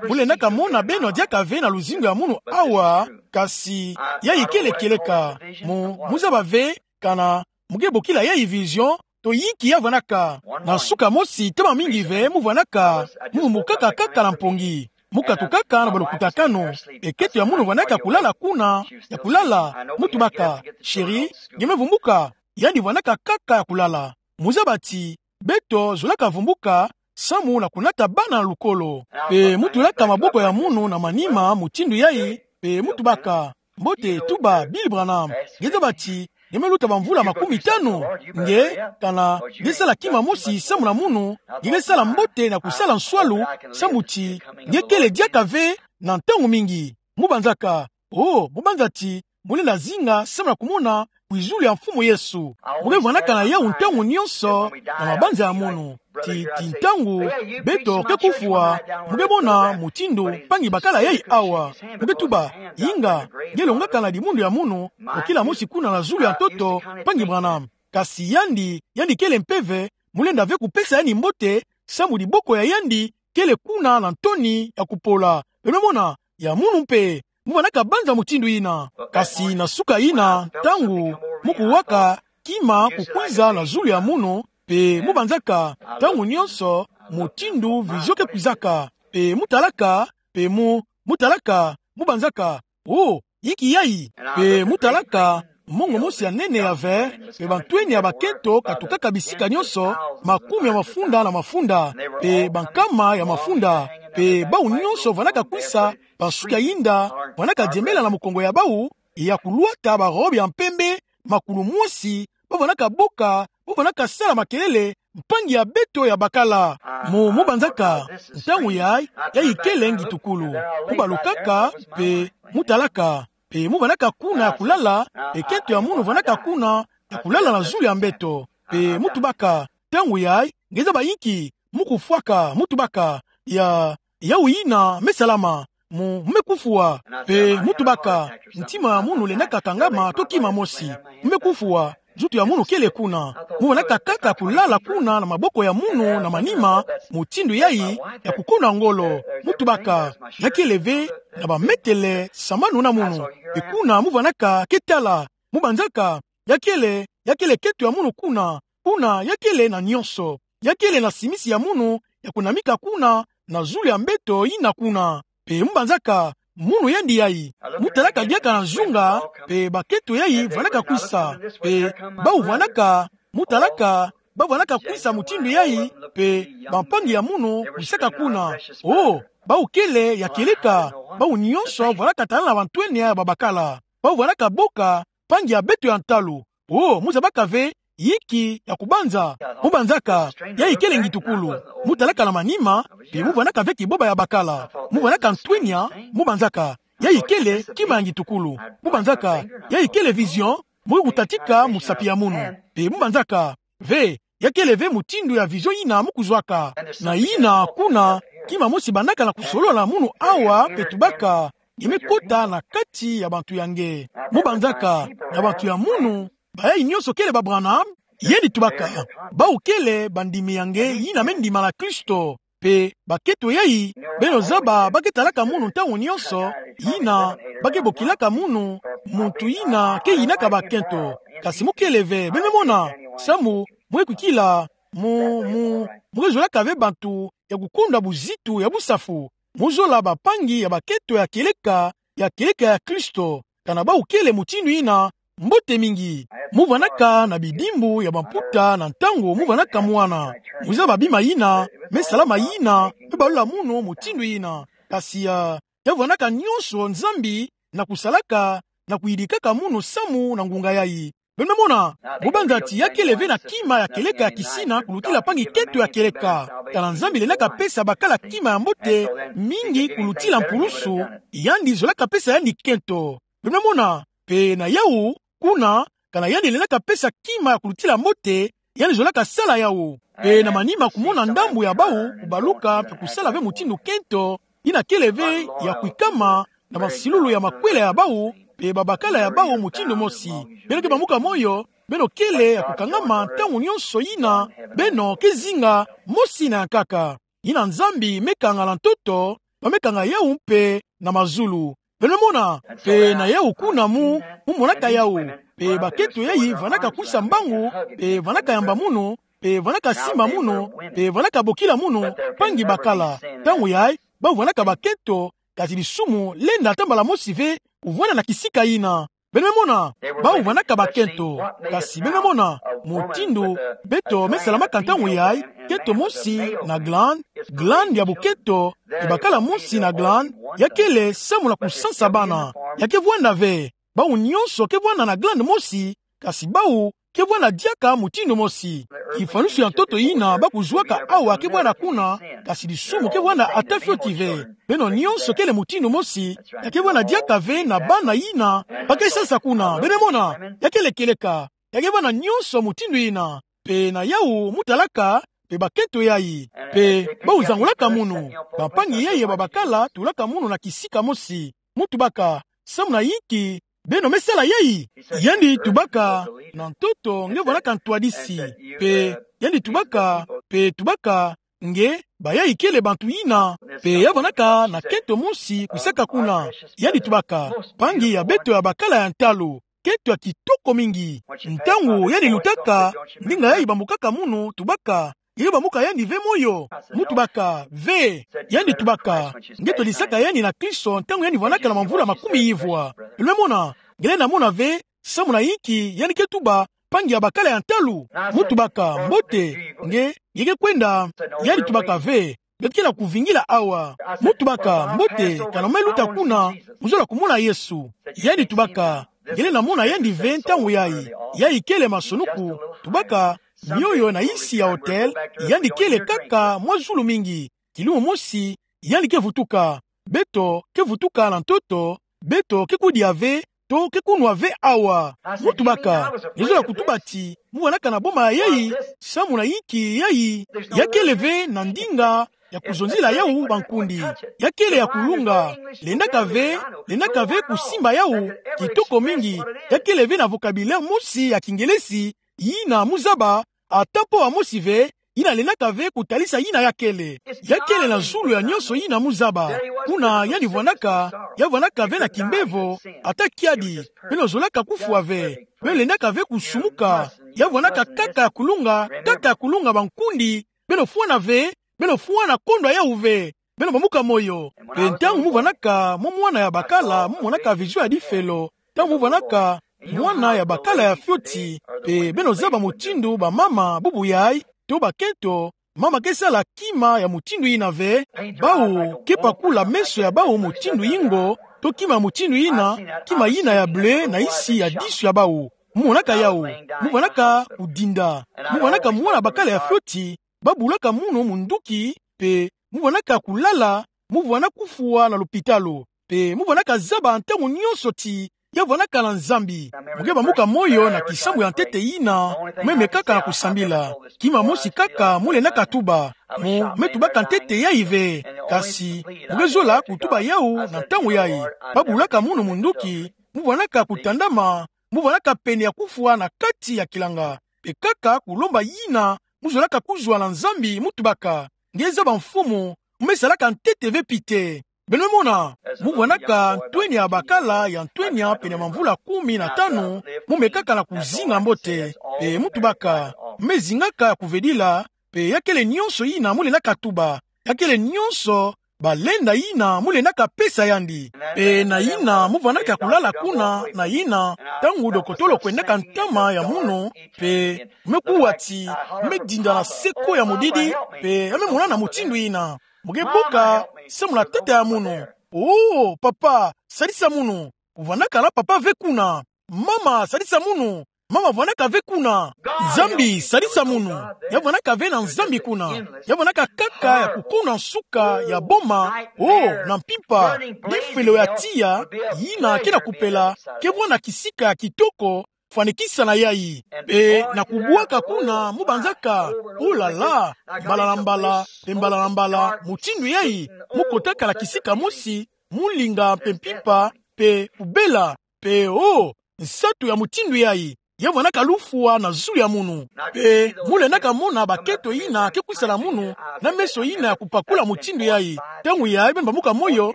Mu lendaka mona beno diaka ve na luzingu ya munu awa, kasi, yayi kele kieleka. Mu, mu zaba ve, kana, mu ke bokila yayi vision, to yinki ya vwandaka. Na suka mosi, ntama mingi ve, mu vwandaka, mu vumbukaka kaka na mpongi. Mu katukaka na balukutakanu. Mpe kento ya munu vwandaka kulala kuna, ya kulala, mu tubaka, chérie, nge me vumbuka, yandi vwandaka kaka ya kulala. Mu zaba ti, beto zolaka vumbuka, samu na kunata bana na lukolo. Mpe mu tulaka maboko ya munu na manima mutindu yayi, mpe mu tubaka, mbote, tuba, Billy Branham. Nge zaba ti, nge me luta bamvula makumitanu, nge, kana, nge sala kima mosi samu na munu, nge ke sala mbote na kusala nswalu, samu ti, nge kele diaka ve na ntangu mingi. Mu banzaka, oh, mu banza ti, mu lenda zinga samu na kumona kwizulu ya Mfumu Yesu. Mu ke vwandaka na yawu ntangu nyonso, na mabanza ya munu. Ti, ti ntangu beto ke kufwa, mu ke mona mutindu mpangi bakala yayi awa. Mu ke tuba, inga, nge longaka na dimundu ya munu, okila mosi kuna na zulu ya ntoto, mpangi Branham. Kasi yandi, yandi kele mpeve, mu lenda ve kupesa yandi mbote, samu diboko ya yandi kele kuna na ntoni ya kupola. Beno mona, ya munu mpe, mu vwandaka banza mutindu yina. Kasi na suka yina, ntangu, mu kuwaka, kima kukwiza na zulu ya munu, mpe mu banzaka, ntangu nyonso, mutindu vision ke kwizaka. Mpe mu talaka, mpe mu, mu talaka, mu banzaka, oh, yinki yayi? Mpe mu talaka, mongo mosi ya nene ya vert, mpe bantwenia ya bakento katukaka bisika nyonso, makumi ya mafunda na mafunda, mpe bankama ya mafunda, mpe bawu nyonso vwandaka kwisa, bansuki ya yinda, vwandaka diembela na mukongo ya bawu, ya kulwata barobe ya mpembe, makulu mosi, ba vwandaka boka, ba vwandaka sala makelele, mpangi ya beto ya bakala. Mu, mu banzaka, ntangu yayi, yayi kele ngitukulu. Mu balukaka, mpe mu talaka, mpe mu vwandaka kuna ya kulala, mpe kento ya munu vwandaka kuna ya kulala na zulu ya mbeto. Mpe mu tubaka, ntangu yayi, nge zaba yinki, mu kufwaka, mu tubaka, ya, yawu yina me salama. Mu, mu me kufwa, mpe mu tubaka, ntima ya munu lendaka kangama to kima mosi. Mu me kufwa, nzutu ya munu kele kuna. Mu vwandaka kaka kulala kuna na maboko ya munu na manima, mutindu yayi, ya kukona ngolo. Mu tubaka, ya kele ve, na bametele sambanu na munu. Mpe kuna mu vwandaka ke tala, mu banzaka, ya kele, ya kele kento ya munu kuna, kuna ya kele na nyonso. Ya kele na simisi ya munu, ya kunamika kuna, na zulu ya mbeto yina kuna. Mpe mu banzaka, munu yandi yayi. Mu talaka diaka na nzunga, mpe bakento yayi vwandaka kwisa. Mpe bawu vwandaka, mu talaka, ba vwandaka kwisa mutindu yayi, mpe bampangi ya munu kwisaka kuna. Oh, bawu kele ya kieleka, bawu nyonso vwandaka tala na bantwenia ya babakala. Bawu vwandaka boka, mpangi ya beto ya ntalu. O, mu zabaka ve yinki ya kubanza. Mu banzaka, yayi kele ngitukulu. Mu talaka na manima, pe mu vwanaka ve kiboba ya bakala. Mu vwanaka ntwenya, mu banzaka, yayi kele kima ya ngitukulu. Mu banzaka, yayi kele vision, mu kutatika musapi ya munu. Pe mu banzaka ve, ya kele ve mutindu ya vision yina mu kuzwaka. Na yina kuna, kima mosi bandaka na kusolola na munu awa, pe tubaka, nge me kota na kati ya bantu ya nge. Mu banzaka, na bantu ya munu, bayayi nyonso kele ba Branham, yandi tubaka, bawu kele bandimi ya nge yina me ndimana Kristo. Pe bakento yayi, beno zaba ba ke talaka munu ntangu nyonso, yina ba ke bokilaka munu muntu yina ke yinaka bakento. Kasi mu kele ve, beno mona, samu mu ke kwikila, mu, mu, mu ke zolaka ve bantu ya kukondwa buzitu ya busafu. Mu zola bampangi ya bakento ya kieleka, ya kieleka ya Kristo. Kana bawu kele mutindu yina, mbote mingi. Mu vwanaka na bidimbu ya bamputa na ntangu mu vwanaka mwana. Mu zaba bima yina me salama yina me balula munu mutindu yina. Kasi ya, ya vwanaka nyonso Nzambi na kusalaka, na kuyidikaka munu samu na ngunga yayi. Beno me mona, mu banza ti ya kele ve na kima ya kieleka ya kisina kulutila mpangi kento ya kieleka. Kana Nzambi lendaka pesa bakala kima ya mbote mingi kulutila mpulusu, yandi zolaka pesa yandi kento. Beno me mona, pe na yawu, kuna, kana yandi lendaka pesa kima ya kulutila mbote, yandi zolaka sala yawu. Pe na manima kumona ndambu ya bawu kubaluka pe kusala ve mutindu kento, yina kele ve ya kwikama na masilulu ya makwela ya bawu, pe babakala ya bawu mutindu mosi. Beno ke bamuka moyo, beno kele ya kukangama ntangu nyonso yina beno ke zinga mosi na ya nkaka. Yina Nzambi me kanga na ntoto, ba me kanga yawu mpe na mazulu. Beno me mona, pe na yawu kuna mu, mu monaka yawu. Pe bakento yayi vwanaka kwisa mbangu, pe vwanaka yamba munu, pe vwanaka simba munu, pe vwanaka bokila munu, mpangi bakala. Ntangu yayi, bawu vwanaka bakento, kasi disumu lenda ata mbala mosi ve kuvwanda na kisika yina. Beno me mona, bawu vwanaka bakento. Kasi beno me mona, mutindu beto me salamaka ntangu yayi, kento mosi na glande, glande ya bukento, pe bakala mosi na glande, ya kele samu na kusansa bana. Ya ke vwanda ve, bawu nyonso ke vwanda na glande mosi, kasi bawu ke vwanda diaka mutindu mosi. Kifwanusu ya ntoto yina ba kuzwaka awa ke vwanda kuna, kasi disumu ke vwanda ata fioti ve. Beno nyonso kele mutindu mosi, ya ke vwanda diaka ve na bana yina ba ke sansa kuna. Beno me mona, ya kele kieleka, ya ke vwanda nyonso mutindu yina. Pe na yawu mu talaka, pe bakento yayi. Pe bawu zangulaka munu, bampangi yayi ya babakala tulaka munu na kisika mosi. Mu tubaka, samu na yinki beno me sala yayi? Yandi tubaka, na ntoto nge vwanaka ntwadisi. Pe yandi tubaka, pe tubaka, nge, bayayi kele bantu yina, pe ya vwanaka na kento mosi kwisaka kuna. Yandi tubaka, mpangi ya beto ya bakala ya ntalu, kento ya kitoko mingi. Ntangu yandi lutaka, ndinga yayi bambukaka munu, tubaka, nge ke bambuka yandi ve moyo? Mu tubaka, ve. Yandi tubaka, nge twadisaka yandi na Kristo ntangu yandi vwanaka na mamvula makumi yivwa. Beno me mona, nge lenda mona ve, samu na yinki yandi ke tuba mpangi ya bakala ya ntalu? Mu tubaka, mbote, nge, nge ke kwenda? Yandi tubaka, ve, beto ke na kuvingila awa. Mu tubaka, mbote, kana mu me luta kuna, mu zola kumona Yesu. Yandi tubaka, nge lenda mona yandi ve ntangu yayi? Yayi kele masonuku, tubaka, mioyo na yisi ya hotel, yandi kele kaka mwa zulu mingi. Kilumu mosi, yandi ke vutuka. Beto ke vutuka na ntoto, beto ke kudia ve, to ke kunwa ve awa. Mu tubaka, nge zola kutuba ti, mu vwanaka na boma yayi, samu na yinki yayi? Ya kele ve na ndinga ya kuzonzila yawu bankundi. Ya kele ya kulunga. Lendaka ve, lendaka ve kusimba yawu, kitoko mingi. Ya kele ve na vocabulaire mosi ya Kingelesi, yina mu zaba, ata mpo wa mosi ve, yina lendaka ve kutalisa yina ya kele. Ya kele na zulu ya nyonso yina mu zaba. Kuna yandi vwanaka, ya vwanaka ve na kimbevo, ata kiadi, beno zolaka kufwa ve. Beno lendaka ve kusumuka. Ya vwanaka kaka ya kulunga, kaka ya kulunga bankundi, beno fwana ve, beno fwana kondwa yawu ve. Beno bambuka moyo. Pe ntangu mu vwanaka mwa mwana ya bakala, mu monaka vision ya difelo. Ntangu mu vwanaka mwana ya bakala ya fioti, pe beno zaba mutindu bamama bubu yayi, to bakento, mama ke sala kima ya mutindu yina ve, bawu ke pakula meso ya bawu mutindu yingo, To kima mutindu yina, kima yina ya bleu na nsi ya disu ya bawu. Mu monaka yawu. Mu vanaka kudinda. Mu vanaka mwana bakala ya fioti, ba bulaka munu munduki, mpe mu vanaka kulala, mu vana kufwa na lopitalo. Mpe mu vanaka zaba ntangu nyonso ti ya vanaka na Nzambi. Mu ke bambuka moyo na kisambu ya ntete yina, me me kaka na kusambila. Kima mosi kaka mu lendaka tuba. Mu me tubaka ntete yayi ve. Kasi mu ke zola kutuba yawu na ntangu yayi. Ba bulaka munu munduki, mu vanaka kutandama, mu vanaka pene ya kufwa na kati ya kilanga. Mpe kaka kulomba yina mu zolaka kuzwa na Nzambi, mu tubaka: Nge zaba, Mfumu, mu me salaka ntete ve pite. Beno me mona, mu vanaka ntwenya ya bakala ya ntwenya pene ya bamvula kumi na tanu, mu me kaka na kuzinga mbote, mpe mu tubaka: Mu me zingaka ya kuvedila, mpe ya kele nyonso yina mu lendaka tuba, ya kele nyonso balenda yina mu lendaka pesa yandi. Mpe na yina mu vanaka ya kulala kuna, na yina, ntangu dokotolo kwendaka ntama ya munu, mpe mu me kuwa ti mu me dinda na seko ya mudidi, mpe ya me mona na mutindu yina. Mu ke boka samu na tata ya munu: Oh, papa, sadisa munu. Ku vanaka na papa ve kuna. Mama, sadisa munu. Mama vanaka ve kuna. Nzambi, sadisa munu. Ya vanaka ve na Nzambi kuna. Ya vanaka kaka ya kukuna nsuka ya boma. Oh, na mpimpa, difelo ya tiya, yina ke na kupela, ke vwanda kisika ya kitoko fwanikisa na yayi. Mpe na kubwaka kuna mu banzaka, oh là là, mbala na mbala, mpe mbala na mbala, mutindu yayi, mu kotaka na kisika mosi, mu linga mpe mpimpa, mpe kubela, mpe, oh, nsatu ya mutindu yayi. Ya vwandaka lufwa na zulu ya munu. Mpe mu lendaka mona bakento yina ke kwisa na munu, na meso yina ya kupakula mutindu yayi. Ntangu yayi beno bambuka moyo,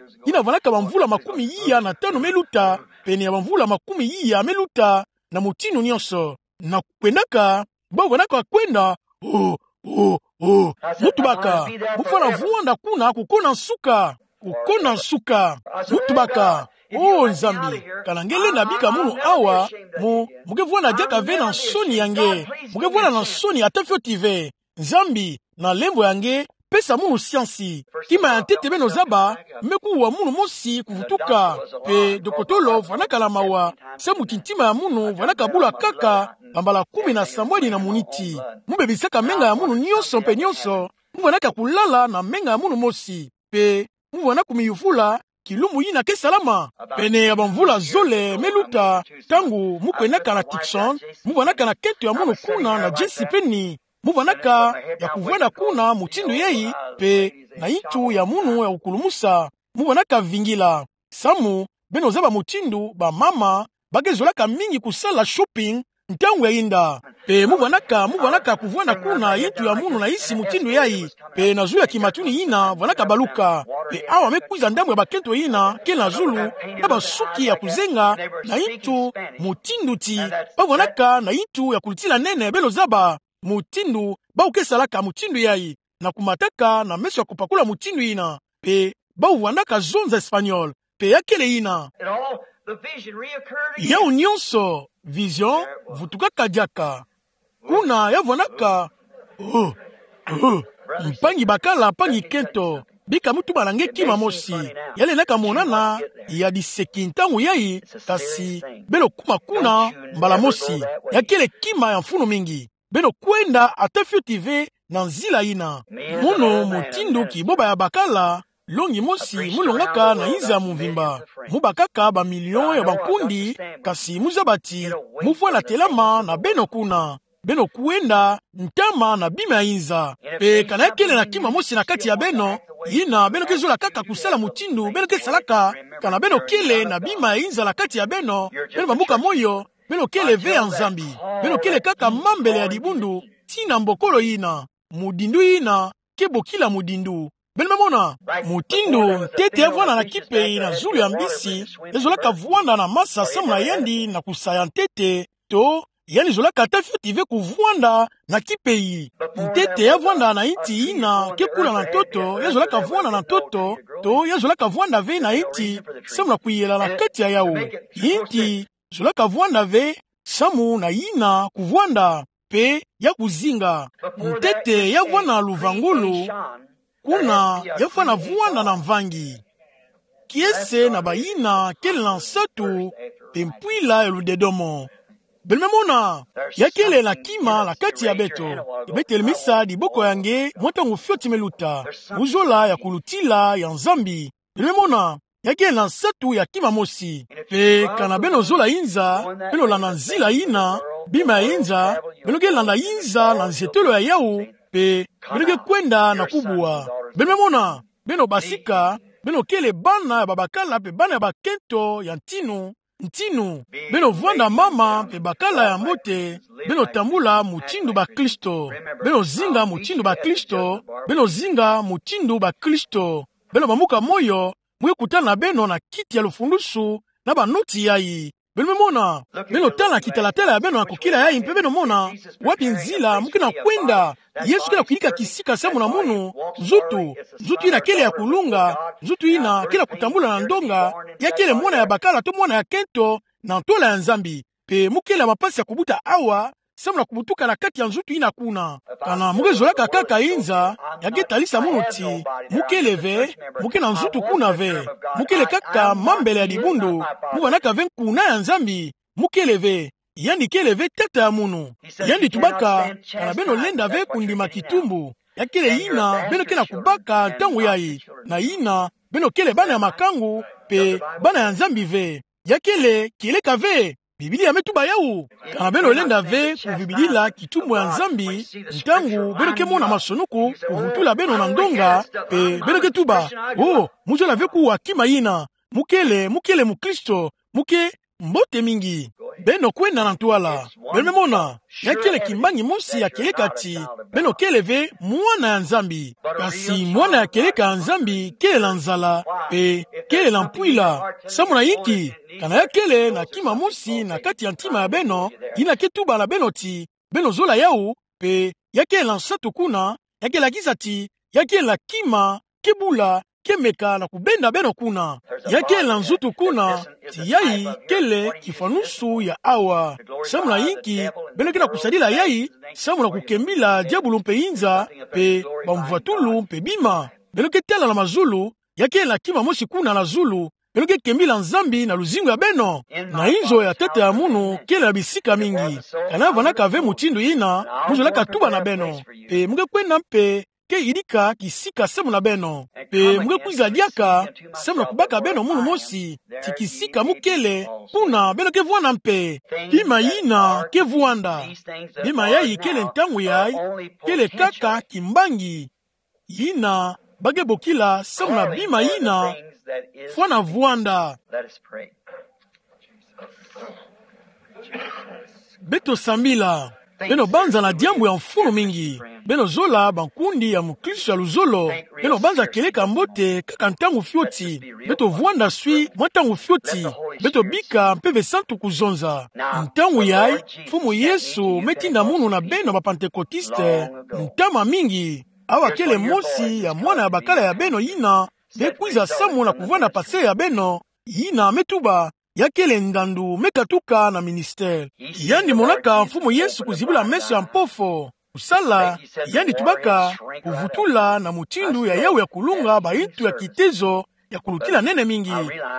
yina vwandaka bamvula makumi iya na tanu me luta, pene ya bamvula makumi iya me luta, na mutindu nyonso. Na kwendaka, bau vwandaka kwenda, oh, oh, oh. Mu tubaka: Mu fwana vwanda kuna kukuna nsuka. Kukuna nsuka. Mu tubaka: Oh Nzambi, kana nge lenda bika munu awa, mu, mu ke vwanda diaka ve na nsoni ya nge. Mu ke vwanda na nsoni ata fioti ve. Nzambi, na lemvo ya nge, pesa munu siansi. Kima ya ntete beno zaba, me kuwa munu mosi kuvutuka. Mpe dokotolo vwandaka na mawa, samu ti ntima ya munu vwandaka bula kaka bambala kumi na sambwadi na muniti. Mu bebisaka menga ya munu nyonso mpe nyonso, mu vwandaka kulala na menga ya munu mosi. Mpe mu vwanda kumiyuvula, kilumbu yina ke salama. Pene ya bamvula zole me luta, ntangu mu kwendaka na Tucson, mu vwandaka na kento ya munu kuna na J C Penney. Mu vwandaka ya kuvwanda kuna mutindu yayi, mpe na yintu ya munu ya kukulumusa. Mu vwandaka vingila. Samu, beno zaba mutindu bamama ba ke zolaka mingi kusala shopping ntangu ya yinda. Mpe mu vwandaka, mu vwandaka kuvwanda kuna yintu ya munu na nsi mutindu yayi. Mpe na zulu ya kimatuni yina vwandaka baluka. Mpe awa me kwiza ndambu ya bakento yina ke na zulu, na bansuki ya kuzenga, na yintu mutindu ti ba vwandaka na yintu ya kulutila nene, beno zaba mutindu bau ke salaka mutindu yayi, na kumataka na meso ya kupakula mutindu yina. Mpe bau vwandaka zonza Espagnol. Mpe ya kele yina. It all, the vision reoccurred again. Yau nyonso, vision vutukaka diaka. Kuna ya vwandaka, oh, oh, mpangi bakala, mpangi kento, bika mu tuba na nge kima mosi. Ya lendaka monana ya diseki ntangu yayi, kasi beno kuma kuna mbala mosi. Ya kele kima ya mfunu mingi. Beno kwenda ata fioti ve na nzila yina. Munu mutindu kiboba ya bakala, longi mosi mu longaka na inza ya mvimba. Mu bakaka bamilio ya bankundi, kasi mu zaba ti mu vwanda telama na beno kuna. Beno kwenda ntama na bima ya inza. Mpe kana ya kele na kima mosi na kati ya beno yina beno ke zola kaka kusala mutindu beno ke salaka, kana beno kele na bima ya inza na kati ya beno, beno bambuka moyo, beno kele ve ya Nzambi. Beno kele kaka mambele ya dibundu, tii na mbokolo yina. Mudindu yina ke bokila mudindu. Beno me mona, mutindu ntete ya vwanda na kipeyi na zulu ya mbisi, ezolaka vwanda na masa samu na yandi na kusa ya ntete, to yandi zolaka ata fioti ve kuvwanda na kipeyi. Ntete ya vwanda na inti yina ke kula na ntoto, ya zolaka vwanda na ntoto, to ya zolaka vwanda ve na inti samu na kuyela na kati ya yau. Inti zolaka vwanda ve samu na yina kuvwanda mpe ya kuzinga. Ntete ya vwanda na luvangulu, kuna ya fwana vwanda na mvangi. kiese na bayina kele na nsatu, mpe mpwila ya ludedomo. Beno me mona, ya kele na kima na kati ya beto. Ke be telemisa diboko ya nge mwa ntangu fioti me luta. Muzola ya kulutila ya Nzambi. Beno me mona, ya kele na nsatu ya kima mosi. Mpe kana beno zola inza, beno landa nzila yina, bima ya inza, beno ke landa inza na nzietelo ya yawu, mpe beno ke kwenda na kubwa. Beno me mona, beno basika, beno kele bana ya babakala mpe bana ya bakento ya ntinu, ntinu. Beno vwanda mama mpe bakala ya mbote, beno tambula mutindu bakristo. Beno zinga mutindu bakristo, beno zinga mutindu bakristo. Beno bamuka moyo, mu ke kutana beno na kiti ya lufulusu na banoti yayi. Beno me mona, beno tala kitalatala ya beno na kokila yayi mpe beno mona wapi nzila mu ke na kwenda. Yesu ke na kuyidika kisika samu na munu, nzutu, nzutu yina kele ya kulunga, nzutu yina ke na kutambula na ndonga, ya kele mwana ya bakala to mwana ya kento na ntwala ya Nzambi. Mpe mu kele na mapasi ya kubuta awa, samu na kubutuka na kati ya nzutu yina kuna. Kana mu ke zolaka kaka inza, ya ke talisa munu ti, mu kele ve, mu ke na nzutu kuna ve. Mu kele kaka mambele ya dibundu, mu vanaka ve nkuna ya Nzambi, mu kele ve, yandi kele ve tata ya munu. Yandi tubaka, kana beno lenda ve kundima kitumbu. Ya kele yina beno ke na kubaka ntangu yayi, na yina beno kele bana ya makangu, mpe bana ya Nzambi ve. Ya kele kieleka ve. Biblia me tuba yawu. Kana beno lenda ve kuvibidila kitumbu ya Nzambi, ntangu beno ke mona masonoko kuvutula beno na ndonga, mpe beno ke tuba: "Oh, mu zola ve kuwa kima yina. Mu kele, mu kele mukristo, mu ke mbote mingi." Beno kwenda na ntwala. Beno me mona, ya kele kimbangi mosi ya kieleka ti, beno kele ve mwana ya Nzambi. Kasi mwana ya kieleka ya Nzambi kele na nzala, mpe kele na mpwila. Samu na inki? Kana ya kele na kima mosi na kati ya ntima ya beno, yina ke tuba na beno ti beno zola yawu, mpe ya kele na nsatu kuna, ya ke lakisa ti ya kele na kima ke bula, ke meka na kubenda beno kuna. Ya kele na nzutu kuna, ti yayi kele kifwanusu ya awa. Samu na inki beno ke na kusadila yayi? Samu na kukembila diabulu mpe inza, mpe bamvwatulu mpe bima. Beno ke tala na mazulu, ya kele na kima mosi kuna na zulu, beno ke kembila Nzambi na luzingu ya beno. Na inzo ya tata ya munu kele na bisika mingi. Kana ya vwandaka ve mutindu yina, mu zolaka tuba na beno. Mpe mu ke kwenda mpe ke yidika kisika samu na beno. Mpe mu ke kwiza diaka samu na kubaka beno munu mosi ti kisika mu kele, kuna beno ke vwanda mpe. Bima yina ke vwanda. Bima yayi kele ntangu yayi, kele kaka kimbangi. Yina ba ke bokila samu na bima yina fwana vwanda. Beto sambila. Beno banza na diambu ya mfunu mingi. Beno zola bankundi ya mukristo ya luzolo. Beno banza kieleka mbote kaka ntangu fioti. Beto vwanda swi mwa ntangu fioti. Beto bika Mpeve Santu kuzonza. Ntangu yayi, Mfumu Yesu me tinda munu na beno ba Pantekotiste, ntama mingi. Awa kele mosi ya mwana ya bakala ya beno yina me kwiza samu na kuvwanda pasteur ya beno, yina me tuba, ya kele ndandu me katuka na ministère. Yandi monaka Mfumu Yesu kuzibula meso ya mpofo, kusala, yandi tubaka, kuvutula na mutindu ya yawu ya kulunga bayintu ya kitezo ya kulutila nene mingi.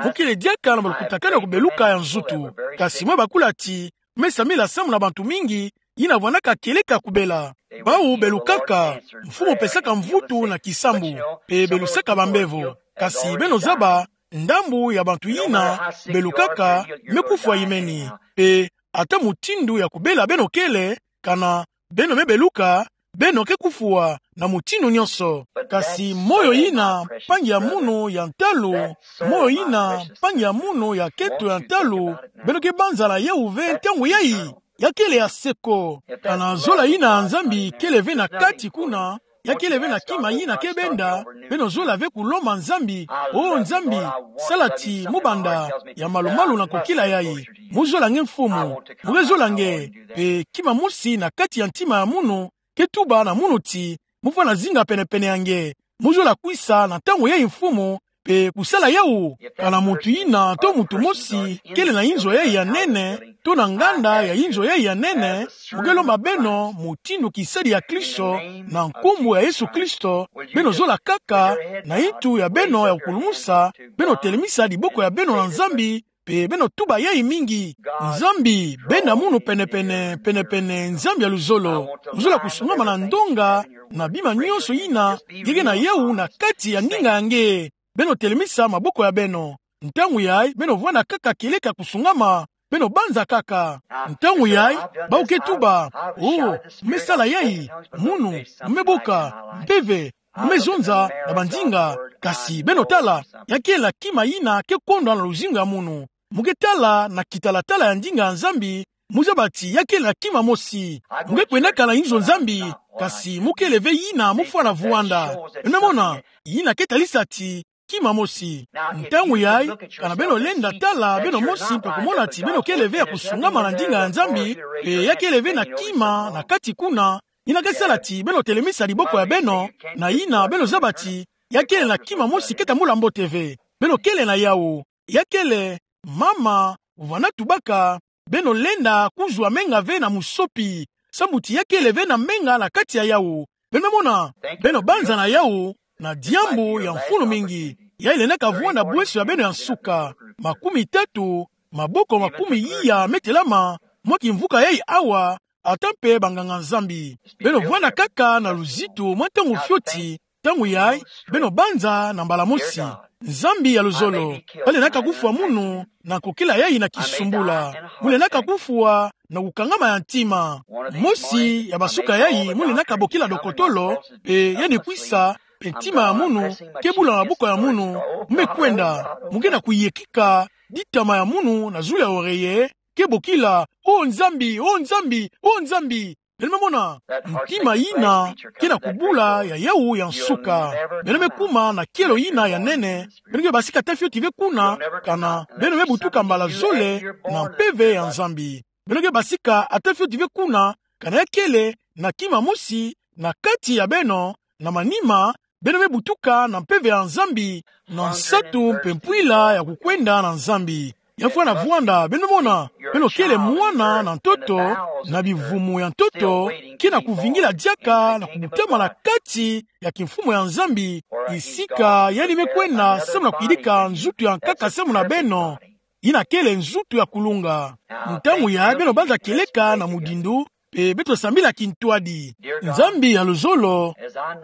Mu kele diaka na malukutakanu ya kubeluka ya nzutu. Kasi mu me bakula ti, me sambila samu na bantu mingi, yina vwandaka kieleka kubela. Bawu belukaka, mfumu pesaka mvutu na kisambu, mpe belusaka bambevo. Kasi beno zaba, ndambu ya bantu yina belukaka me kufwa imeni. Mpe ata mutindu ya kubela beno kele, kana beno me beluka, beno ke kufwa na mutindu nyonso. Kasi moyo yina mpangi ya munu ya ntalu, moyo yina mpangi ya munu ya kento ya ntalu, beno ke banza na yawu ve ntangu yayi. Ya kele ya seko. Kana zola yina ya Nzambi kele ve na kati kuna, ya kele ve na kima yina ke benda, beno zola ve kulomba Nzambi: "O Nzambi, sala ti mu banda ya malumalu na kokila yayi. Mu zola nge Mfumu, mu ke zola nge." Mpe kima mosi na kati ya ntima ya munu ke tuba na munu ti, mu fwana zinga penepene ya nge. Mu zola kwisa na ntangu yayi Mfumu, Pe kusala yawu, kana muntu yina to muntu mosi kele na inzo yayi ya nene, to na nganda ya inzo yayi ya nene, mu ke lomba beno mutindu kisadi ya Kristo, na nkumbu ya Yesu Kristo, beno zola kaka, na intu ya beno ya kukulumusa, beno telemisa diboko ya beno na Nzambi, pe beno tuba yayi mingi: Nzambi, benda munu penepene, penepene, Nzambi ya luzolo. Luzola kusungama na ndonga, na bima nyonso yina, nge ke na yawu na kati ya ndinga ya nge. Beno telemisa maboko ya beno. Ntangu yayi, beno vwanda kaka kieleka kusungama, beno banza kaka. Ntangu yayi, bawu ke tuba: Oh, mu me sala yayi, munu, mu me boka, mpeve, mu me zonza na bandinga. Kasi beno tala, ya kele na kima yina ke kondwa na luzingu ya munu. Mu ke tala na kitalatala ya ndinga ya Nzambi, mu zaba ti ya kele na kima mosi. Mu ke kwendaka na inzo Nzambi, kasi mu kele ve yina mu fwana vwanda. Beno mona, yina ke talisa ti kima mosi. Ntangu yayi, kana beno lenda tala beno mosi mpe kumona ti beno kele ve ya kusungama na ndinga ya Nzambi, pe ya kele ve na kima na kati kuna, yina ke sala ti beno telemisa diboko ya beno, na yina beno zaba ti ya kele na kima mosi ke tambula mbote ve. Beno kele na yawu. Ya kele, mama, vwanda tubaka, beno lenda kuzwa menga ve na musopi, sambu ti ya kele ve na menga na kati ya yawu. Beno mona, beno banza na yawu, na diambu ya mfunu mingi. Yayi lendaka vwanda bweso ya beno ya nsuka. Makumi tatu, maboko makumi iya me telama, mwa kimvuka yayi awa, ata mpe banganga-Nzambi. Beno vwanda kaka na luzitu mwa ntangu fioti, ntangu yayi, beno banza na mbala mosi: Nzambi ya luzolo, ba lendaka kufwa munu, na kokela yayi na kisumbula. Mu lendaka kufwa na kukangama ya ntima. Mosi ya bansuka yayi mu lendaka bokila dokotolo, pe ya ni kwisa, pe ntima ya munu ke bula na maboko ya munu, mu me kwenda, mu ke na kuyekika, ditama ya munu na zulu ya oreye ke bokila: Oh Nzambi, oh Nzambi, oh Nzambi. Beno me mona, ntima yina ke na kubula ya yawu ya nsuka. Beno me kuma na kielo yina ya nene, beno ke basika ata fioti ve kuna, kana beno me butuka mbala zole na mpeve ya Nzambi. Beno ke basika ata fioti ve kuna, kana ya kele na kima mosi na kati ya beno, na manima, beno me butuka na mpeve ya Nzambi, na nsatu mpe mpwila ya kukwenda na Nzambi. Ya fwana vwanda, beno mona, beno kele mwana na ntoto, na bivumu ya ntoto, ke na kuvingila diaka na kubutama na kati ya kimfumu ya Nzambi, bisika yandi me kwenda samu na kuyidika nzutu ya nkaka samu na beno, yina kele nzutu ya kulunga. Ntangu yayi beno banza kieleka na mudindo, pe beto sambila kintwadi. Nzambi ya luzolo,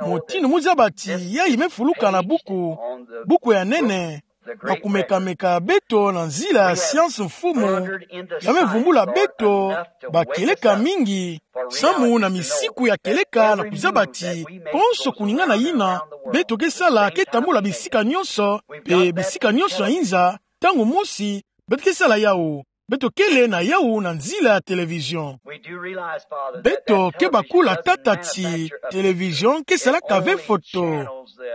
mutindu mu zaba ti yayi me fuluka na buku, buku ya nene, bakumeka-meka beto na nzila ya siansi Mfumu, ya me vumbula beto bakieleka mingi, samu na misiku ya kieleka na kuzaba ti konso kuningana yina beto ke sala ke tambula bisika nyonso, pe bisika nyonso ya inza, ntangu mosi beto ke sala yawu. Beto kele na yawu na nzila ya télévision. Beto ke bakula tata ti télévision ke salaka ve foto.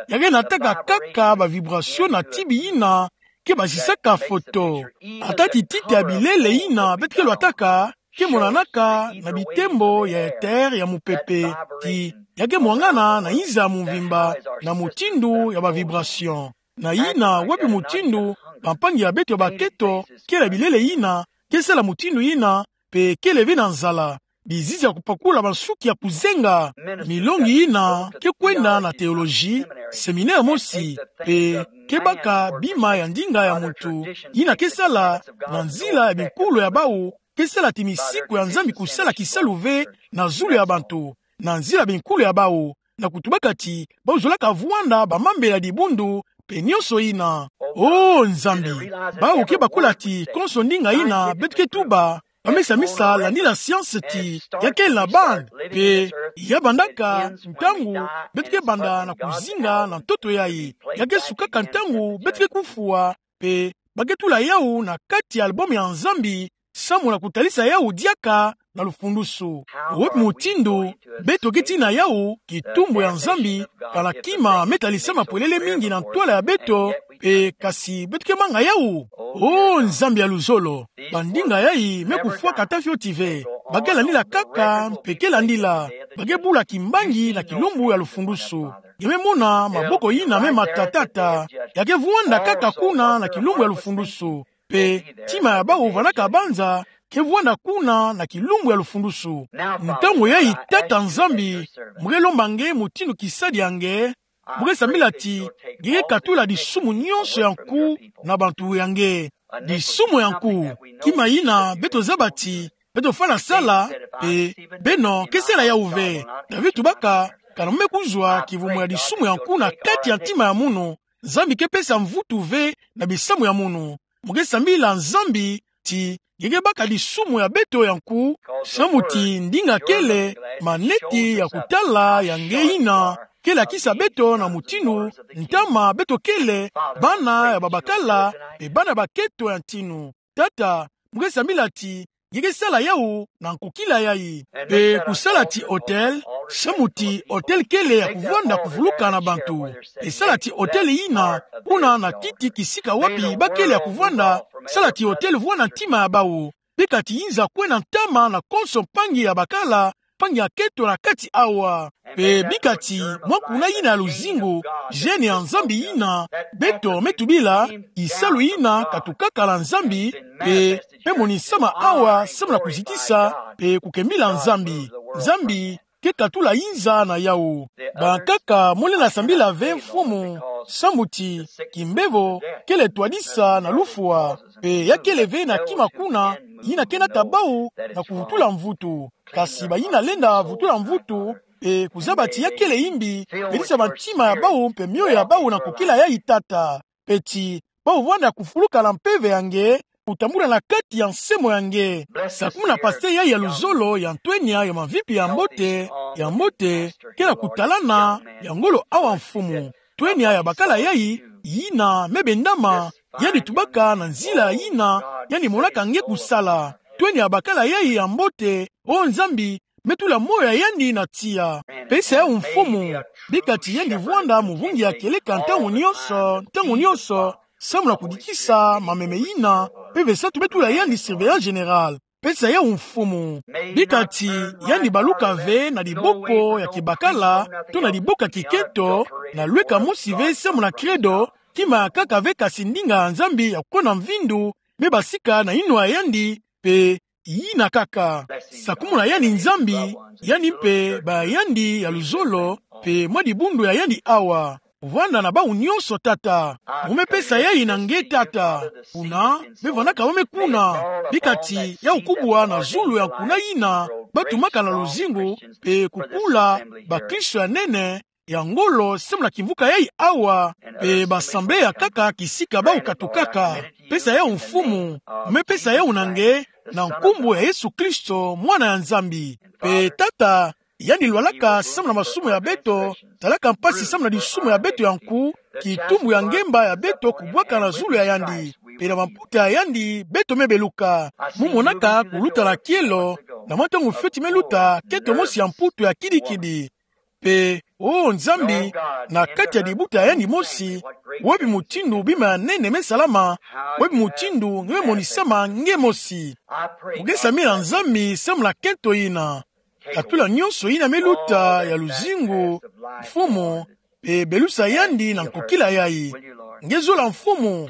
Ya ke nataka kaka ba vibration na tibi yina ke bazisaka foto. Ata ti tite ya bilele yina beto ke lwataka ke monanaka na bitembo ya éther ya mupepe. Ti ya ke mwangana na inza ya mvimba na mutindu ya ba vibration. Na yina, wapi mutindu bampangi ya beto ya baketo, kele bilele yina, ke sala mutindu yina, pe kele ve na nzala? Bizizi ya kupakula bansuki ya kuzenga. Milongi yina ke kwenda na théologie, séminaire mosi, pe ke baka bima ya ndinga ya muntu, yina ke sala na nzila ya binkulu ya bawu, ke sala ti misiku ya Nzambi kusala kisalu ve na zulu ya bantu, na nzila ya binkulu ya bawu, na kutubaka ti bawu zolaka vwanda bamambela dibundu, pe nyonso yina. Oh Nzambi, bawu ke bakula ti konso ndinga yina beto ke tuba, ba me samisa landila siansi ti ya kele na bande, pe ya bandaka ntangu beto ke banda na kuzinga na ntoto yayi. Ya ke sukaka ntangu beto ke kufwa, pe ba ke tula yawu na kati ya album ya Nzambi, samu na kutalisa yawu diaka na lufundusu. Wapi mutindu beto ke tina yawu kitumbu ya Nzambi, kana kima me talisama polele mingi na ntwala ya beto, pe kasi beto ke manga yawu? Oh Nzambi ya luzolo, bandinga yayi me kufwaka ata fioti ve. Ba ke landila kaka, mpe ke landila. Ba ke bula kimbangi na kilumbu ya lufundusu. ya me mona maboko yina me matata. Ya ke vwanda kaka kuna na kilumbu ya lufundusu. Pe ntima ya bawu vwanaka banza ke vwanda kuna na kilumbu ya lufundusu. Ntangu yayi, Tata Nzambi, mu ke lomba nge mutindu kisalu ya nge, mu ke sambila ti nge ke katula disumu nyonso ya nku na bantu ya nge. Disumu ya nku, kima yina beto zaba ti beto fwana sala, pe beno ke sala yawu ve. David tubaka: Kana mu me kuzwa kivumu ya disumu ya nku na kati ya ntima ya munu, Nzambi ke pesa mvutu ve na bisamu ya munu. Mu ke sambila Nzambi ti nge ke baka disumu ya beto ya nku, samu ti ndinga kele maneti ya kutala ya nge yina ke lakisa beto na mutindu ntama beto kele, bana ya babakala, pe bana bakento ya ntinu. Tata, mu ke sambila ti nge ke sala yawu na nkokila yayi. Pe kusala ti autel, samu ti autel kele ya kuvwanda kuvuluka na bantu. Pe sala ti autel yina, kuna na titi kisika wapi ba kele ya kuvwanda, sala ti autel vwanda ntima ya bawu. Bika ti yinza kwena ntama na konso mpangi ya bakala, mpangi ya kento na kati awa. Pe bika ti mwa kuna yina ya luzingu, gène ya Nzambi yina beto me tubila, kisalu yina katukaka na Nzambi, pe me monisama awa samu na kuzitisa pe kukembila Nzambi. Nzambi ke katula yinza na yawu. Bankaka, mu lenda sambila ve Mfumu, samu ti kimbevo kele twadisa na lufwa, pe ya kele ve na kima kuna yina ke nata bawu na kuvutula mvutu. Kasi bayina lenda vutula mvutu, pe kuzaba ti ya kele yimbi, pelisa bantima ya bawu pe mioyo ya bawu na nkokila yayi, Tata. Pe ti bawu vwanda kufuluka na mpeve ya nge, kutambula na kati ya nsemo ya nge. Sakumuna pasteur yayi ya luzolo ya ntwenya ya mavimpi ya mbote, ya mbote, kele kutalana ya ngolo awa Mfumu. Ntwenya ya bakala yayi yina me bendama, yandi tubaka na nzila yina yandi monaka nge kusala. Ntwenya ya bakala yayi ya mbote, o Nzambi, me tula moyo ya yandi na tiya. Pesa yawu Mfumu, bika ti yandi vwanda muvungi ya kieleka ntangu nyonso, ntangu nyonso, samu na kudikisa mameme yina, mpeve satu me tula yandi surveillant général. Pesa yawu Mfumu, bika ti yandi baluka ve na diboko ya kibakala, to na diboko ya kikento, na lweka mosi ve samu na credo, kima ya nkaka ve kasi ndinga ya Nzambi ya kukona mvindu, me basika na yinwa ya yandi, pe yina nkaka. Sakumuna yandi Nzambi, yandi mpe ba yandi ya luzolo, pe mwa dibundu ya yandi awa. Vwanda na bawu nyonso, Tata. Mu me pesa yayi na nge, Tata. Kuna me vwandaka wome kuna, bika ti yawu kubwa na zulu ya nkuna yina ba tumaka na luzingu, pe kukula bakristo ya nene, ya ngolo samu na kimvuka yayi awa, pe ba assemblée ya nkaka kisika bawu katukaka. Pesa yawu Mfumu, mu me pesa yawu na nge, na nkumbu ya Yesu Kristo, Mwana ya Nzambi. Pe Tata, yandi lwalaka samu na masumu ya beto, salaka mpasi samu na disumu ya beto ya nku, kitumbu ya ngemba ya beto kubwaka na zulu ya yandi. Pe na mamputa ya yandi beto me beluka. Mu monaka kuluta na kielo, na mwa ntangu fioti me luta, kento mosi ya mputu ya kidikidi. Pe, o Nzambi, na kati ya dibuta ya yandi mosi, wapi mutindu bima ya nene me salama, wapi mutindu nge me monisama nge mosi. Mu ke sambila Nzambi samu na kento yina. Katula nyonso yina me luta ya luzingu, Mfumu, pe belusa yandi na nkokila yayi. Nge zola, Mfumu,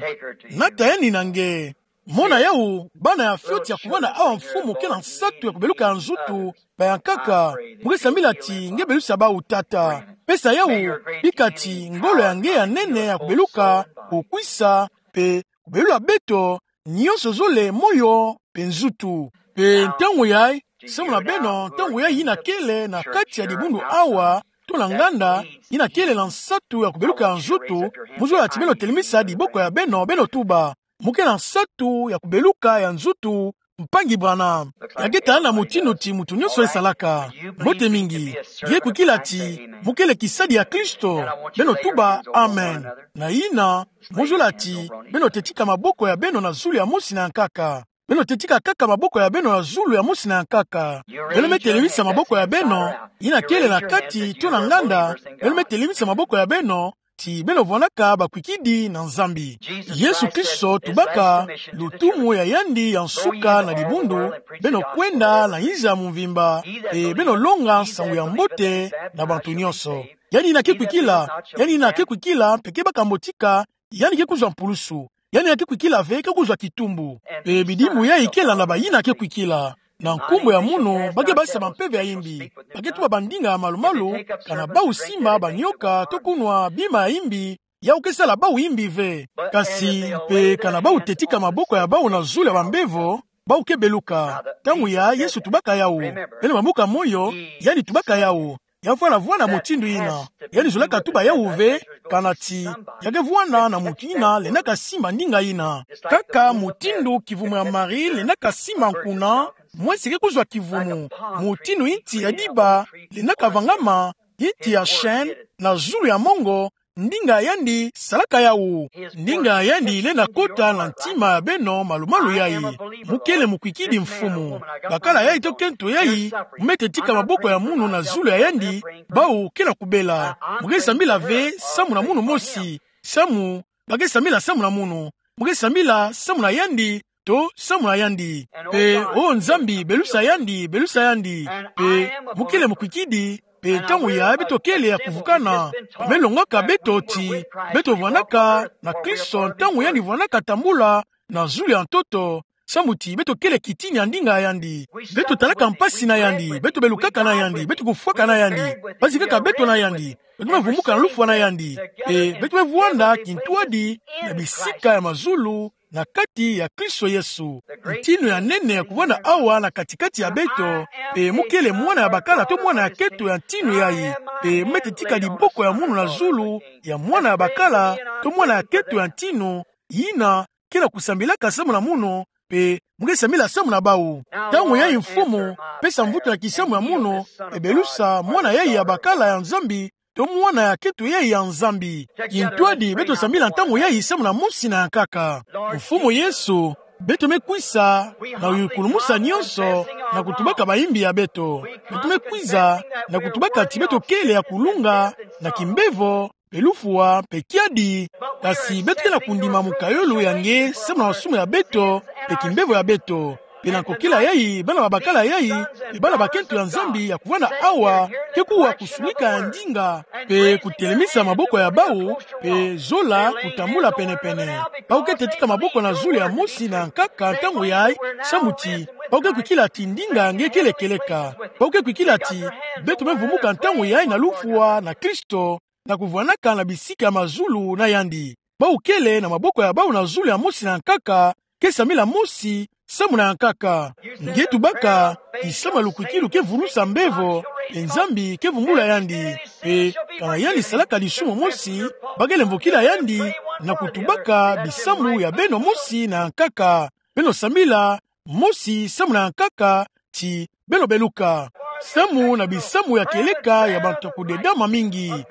nata yandi na nge. Mona yawu, bana ya fioti ya kuvanda awa, Mfumu, ke na nsatu ya kubeluka ya nzutu, ba ya nkaka. Mu ke sambila ti nge belusa bawu, Tata. Pesa yawu, bika ti ngolo ya nge ya nene ya kubeluka, kukwisa, pe kubelula beto nyonso zole, moyo pe nzutu. Pe ntangu yayi, samu na beno, ntangu yayi yina kele na kati ya dibundu awa, to na nganda, yina kele na nsatu ya kubeluka ya nzutu, mu zola ti beno telemisa diboko ya beno, beno tuba. Mu ke na nsatu ya kubeluka ya nzutu, mpangi Branham. Ya ke talana mutindu ti mutu nyonso e salaka. Mbote mingi. Nge kwikila ti mu kele kisadi ya Kristo. Beno tuba amen. Na yina, mu zola ti beno teti kaka maboko ya beno na zulu ya mosi na ya nkaka. Beno teti kaka maboko ya beno na zulu ya mosi na ya nkaka. Beno me telemisa maboko ya beno, yina kele na kati to na nganda, beno me telemisa maboko ya beno, ti beno vwandaka bakwikidi na Nzambi. Yesu Kristo tubaka lutumu ya yandi ya nsuka na dibundu, beno kwenda na inzo ya mvimba, e beno longa nsangu ya mbote na bantu nyonso. Yandi ina ke kwikila, yandi ina ke kwikila, mpe ke baka mbotika, yandi ke kuzwa mpulsu. Yandi ina ke kwikila ve, ke kuzwa kitumbu. Mpe bidimu yayi ke landa bayina ke kwikila. Na nkumbu ya munu, ba ke basa bampeve ya imbi. Ba ke tuba bandinga ya malumalu, kana bau simba banioka, to kunwa bima ya imbi, yau ke sala bau imbi ve. Kasi, mpe kana bau tetika maboko ya bau na zulu ya bambevo, bau ke beluka. Ntangu yayi Yesu tubaka yau. Beno bambuka moyo, yandi tubaka yau. Ya vwala vwanda mutindu yina. Yandi zolaka tuba yau ve, kana ti, ya ke vwanda na muntu yina lenda kasimba ndinga yina. Kaka mutindu kivumu ya Marie lenda kasimba nkuna, mwese ke kuzwa kivumu. Mutindu nti ya diba lenda kavangama, nti ya chaîne, na zulu ya mongo, ndinga ya yandi salaka yau. Ndinga ya yandi lenda kota na ntima ya beno malumalu yayi. Mu kele mukwikidi mfumu. Bakala yayi to kento yayi, mu me tetika maboko ya munu na zulu ya yandi, bau ke na kubela. Mu ke sambila ve samu na munu mosi. Samu, ba ke sambila samu na munu. Mu ke sambila samu na yandi, to samu na yandi. Mpe, o Nzambi, belusa yandi, belusa yandi. Mpe, mu kele mukwikidi, mpe ntangu yayi beto kele ya kuvukana. Ba me longwaka beto ti, beto vwandaka na Kristo ntangu yandi vwandaka tambula na zulu ya ntoto, samu ti beto kele kitini ya ndinga ya yandi. Beto talaka mpasi na yandi, beto belukaka na yandi, beto kufwaka na yandi. Ba zikaka beto na yandi. Beto me vumuka na lufwa na yandi. Mpe beto me vwanda kintwadi na bisika ya mazulu, na kati ya Kristo Yesu. Ntinu ya nene ya kuvwanda awa na katikati ya beto, mpe mu kele mwana ya bakala to mwana ya keto ya ntinu yayi. Mpe mu me tetika diboko ya munu na zulu ya mwana ya bakala to mwana ya keto ya ntinu, yina ke na kusambilaka samu na munu, mpe mu ke sambila samu na bau. Ntangu yayi Mfumu, pesa mvutu na kisamu ya munu, mpe belusa mwana yayi ya bakala ya Nzambi, to mwana ya keto yayi ya Nzambi. Kintwadi beto sambila ntangu yayi samu na mosi na ya nkaka. Mfumu Yesu, beto me kwisa na ukulumusa nyonso na kutubaka bayimbi ya beto. Beto me kwisa na kutubaka ti beto kele ya kulunga na kimbevo, mpe lufwa, mpe kiadi. Kasi beto ke na kundima mukayulu ya nge samu na masumu ya beto, mpe kimbevo ya beto. Mpe na nkokila yayi, bana ba bakala yayi, mpe bana bakento ya Nzambi ya kuvwanda awa, ke kuwa kusunika ya ndinga, mpe kutelemisa maboko ya bau, mpe zola kutambula pene-pene. Bau ke tetika maboko na zulu ya mosi na ya nkaka ntangu yayi, samu ti bau ke kwikila ti ndinga nge kele kieleka. Bau ke kwikila ti beto me vumuka ntangu yayi na lufwa na Kristo, na kuvwandaka na bisika ya mazulu na yandi. Bau kele na maboko ya bau na zulu ya mosi na ya nkaka, ke sambila mosi samu na ya nkaka. Nge tubaka, kisamu ya lukwikilu ke vulusa mbevo, mpe Nzambi ke vumbula yandi. Mpe kana yandi salaka lisumu mosi, ba kele mvokila yandi na kutubaka bisamu ya beno mosi na ya nkaka. Beno sambila mosi samu na ya nkaka, ti beno beluka. Samu na bisamu ya kieleka ya bantu ya kudedama mingi.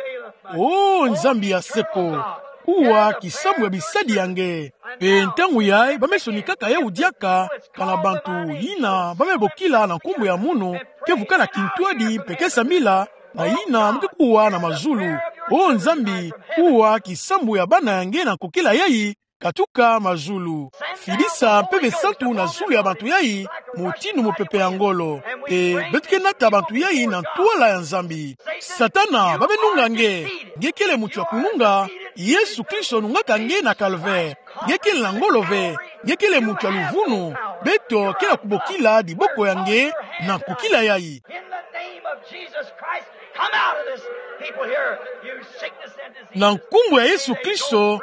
O Nzambi ya seko, kuwa kisamu ya bisadi ya nge. Mpe ntangu yayi, ba me sonikaka yau diaka, kana bantu yina ba me bokila na nkumbu ya munu, ke vukana kintwadi mpe ke sambila, na yina mu ke kuwa na mazulu. O Nzambi, kuwa kisamu ya bana ya nge na nkokila yayi, katuka mazulu. Fidisa Mpeve Santu na zulu ya bantu yayi, mutindu mupepe ya ngolo. Mpe beto ke nata bantu yayi na ntwala ya Nzambi. Satana, ba me nunga nge. Nge kele muntu ya kununga. Yesu Kristo nungaka nge na Calvaire. Nge kele na ngolo ve. Nge kele muntu ya luvunu. Beto ke na kubokila diboko ya nge na nkokila yayi. In the name of Jesus Christ, come out of this people here, you sickness and disease. Na nkumbu ya Yesu Kristo,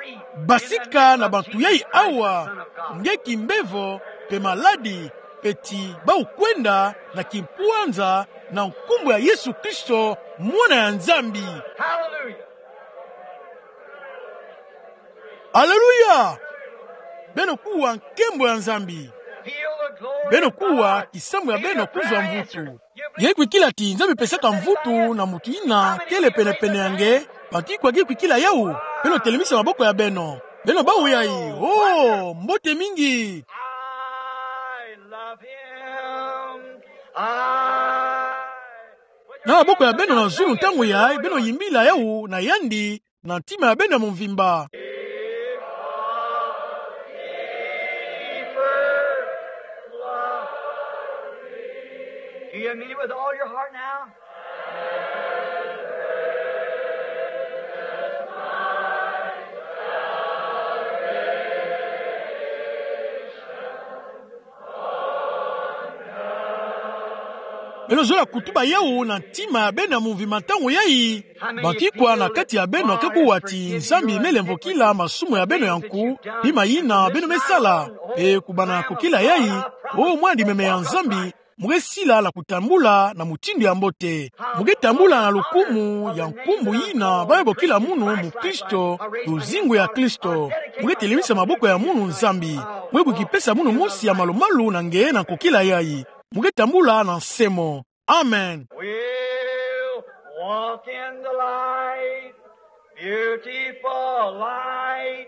basika na bantu yayi awa, nge kimbevo, mpe maladi, mpe ti bau kwenda na kimpwanza, na nkumbu ya Yesu Kristo, Mwana ya Nzambi. Hallelujah. Aleluya! Beno kuwa nkembo ya Nzambi. Beno kuwa kisamu ya beno kuzwa mvutu. Nge kwikila ti Nzambi pesaka mvutu na muntu yina kele pene-pene ya nge, bantu ikwa nge kwikila yau, beno telemisa maboko ya beno. Beno bau yayi, oh, mbote mingi. I love him. I Na maboko ya beno na zulu ntangu yayi, beno yimbila yau na yandi, na ntima ya beno ya mvimba. Do you mean it with all your heart now? Beno zola kutuba yawu na ntima ya beno ya mumvi ma ntangu yayi. Banki kwa na kati ya beno akekua ti Nzambi melemvokila masumu ya beno ya nku, bima yina beno mesala? E, kubana kukila yayi, o mwana limeme ya Nzambi, mu kesila na kutambula na mutindu ya mbote. Mu ketambula na lukumu ya nkumbu yina bayo bokila munu mu Kristo, luzingu ya Kristo. Mu ketelemisa maboko ya munu Nzambi. Mu kebwiki pesa munu mosi ya malumalu na nge na kukila yayi. Mu ketambula na nsemo. Amen. We'll walk in the light, beautiful light.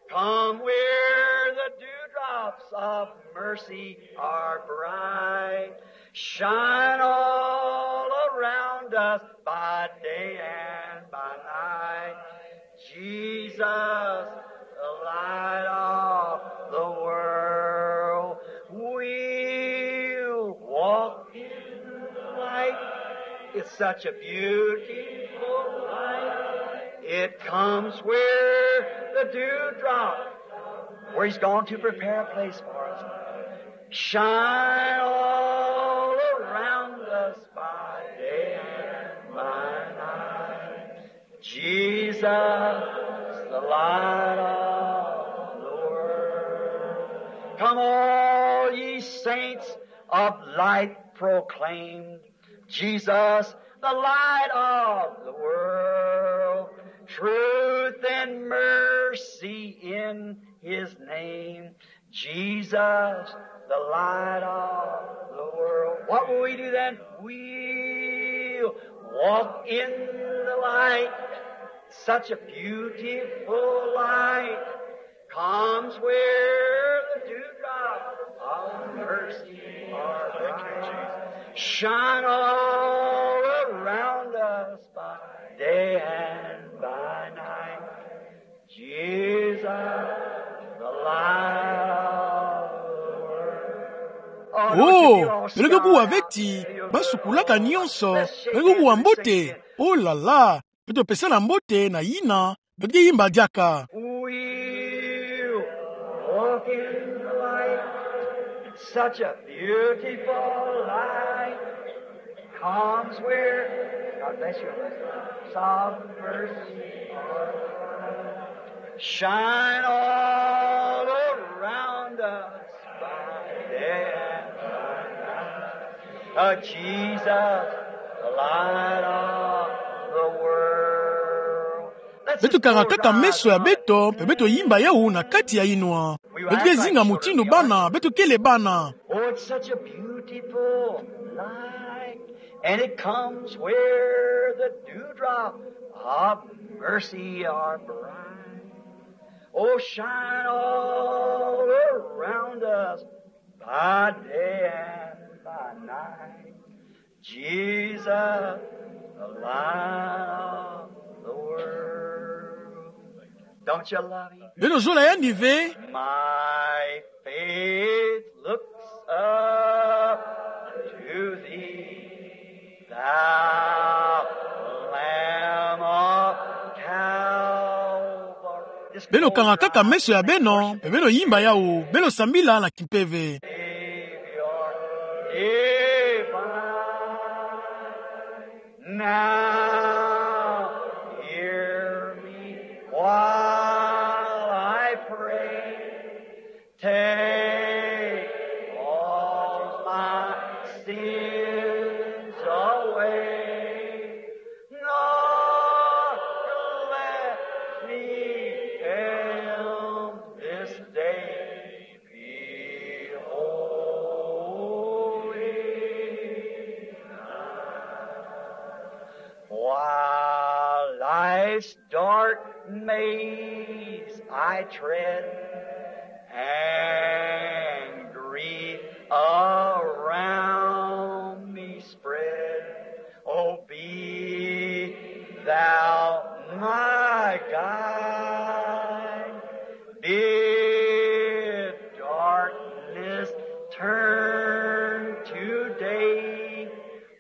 Come where the dewdrops of mercy are bright. Shine all around us by day and by night. Jesus, the light of the world. We'll walk in the light. It's such a beautiful light. It comes where the dewdrop, where he's gone to prepare a place for us. Shine all around us by day and by night. Jesus, the light of the world. Come, all ye saints of light proclaim, Jesus, the light of the world. Truth and mercy in his name. Jesus, the light of the world. What will we do then? We'll walk in the light. Such a beautiful light comes where the dewdrops of mercy are bright. Shine all around us by day and by night. Jesus, the light of the world. Oh, beno kekuwa veti, basukulaka nyonso, beno kekuwa mbote. Oh là là, beto pesana mbote na yina beto keyimba diaka. We'll walk in the light, such a beautiful light. Comes where, God bless you, some mercy. Shine all around us by day and by night. Oh, Jesus, the light of the world. Beto kangakaka meso ya beto, mpe beto yimba yawu na kati ya inwa. Beto kezinga mutindu bana beto kele bana. Oh, it's such a beautiful light, and it comes where the dewdrop of mercy are bright. Oh, shine all around us by day and by night. Jesus, the light of the world. Don't you love him? Beno zola yandi ve? My faith looks up to thee, thou Lamb of Calvary. Beno kangakaka meso ya beno, mpe beno yimba yawu, beno sambila na kimpeve. Savior divine, now hear me while I pray. Take all my sins away, nor let me fail this day. Be holy. While life's dark maze I tread, and grief around me spread, Oh, be thou my guide. Bid darkness turn to day.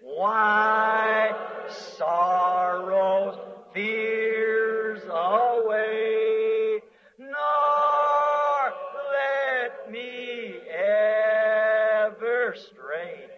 Wipe sorrows, fears away. Nor let me ever stray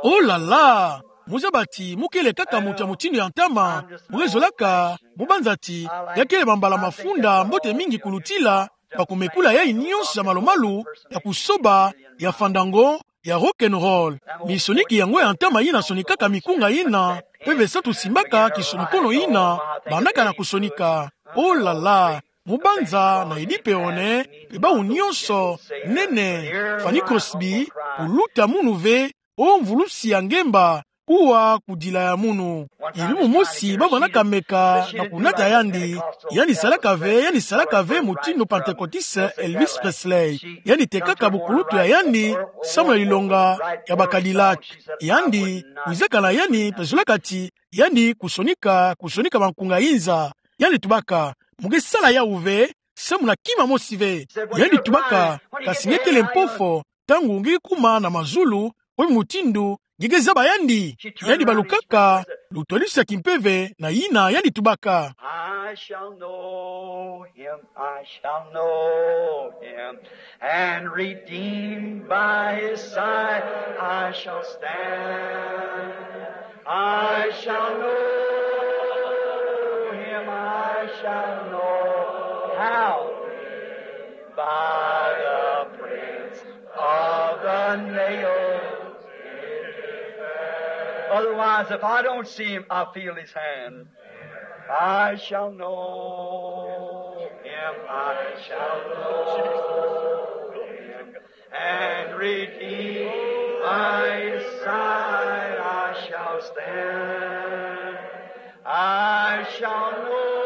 Oh là là! Muzabati, mukele kaka mutu ya mutindu ya ntama. Mukele zolaka, mubanzati, ya kele bambala mafunda mbote mingi kulutila, bakumekula yayi nionso ya malumalu, ya kusoba, ya fandango, ya rock and roll. Misoniki yango ya ntama yina sonikaka mikunga yina, mpeve santu simbaka kisonokono yina, bandaka na kusonika. Oh là là! Mubanza na Eddie Peron, pe bawu nionso, nene, Fanny Crosby, kuluta munu ve, o mvulusi ya ngemba, kuwa kudila ya munu. Ilumu mosi, bavandaka meka na kunata yandi, yandi salaka ve, yandi salaka ve mutindu Pantekotiste Elvis Presley. Yandi tekaka bukulutu ya yandi, samu na lilonga ya ba Cadillac. Yandi, kwizaka na yandi, pe zolaka ti, yandi kusonika, kusonika bankunga inza. Yandi tubaka, muke sala yawu ve, samu na kima mosi ve. Yandi tubaka, kasi nge kele mpofo, ntangu nge kuma na mazulu, obi mutindu, nge ke zaba yandi. Yandi balukaka, lutwadisi ya kimpeve, na yina yandi tubaka. I shall know him, I shall know him, and redeemed by his side I shall stand. I shall know him, I shall know. How? By the prints of the nails. Otherwise, if I don't see him, I feel his hand. I shall know him, I shall know him, and redeemed by his side I shall stand. I shall know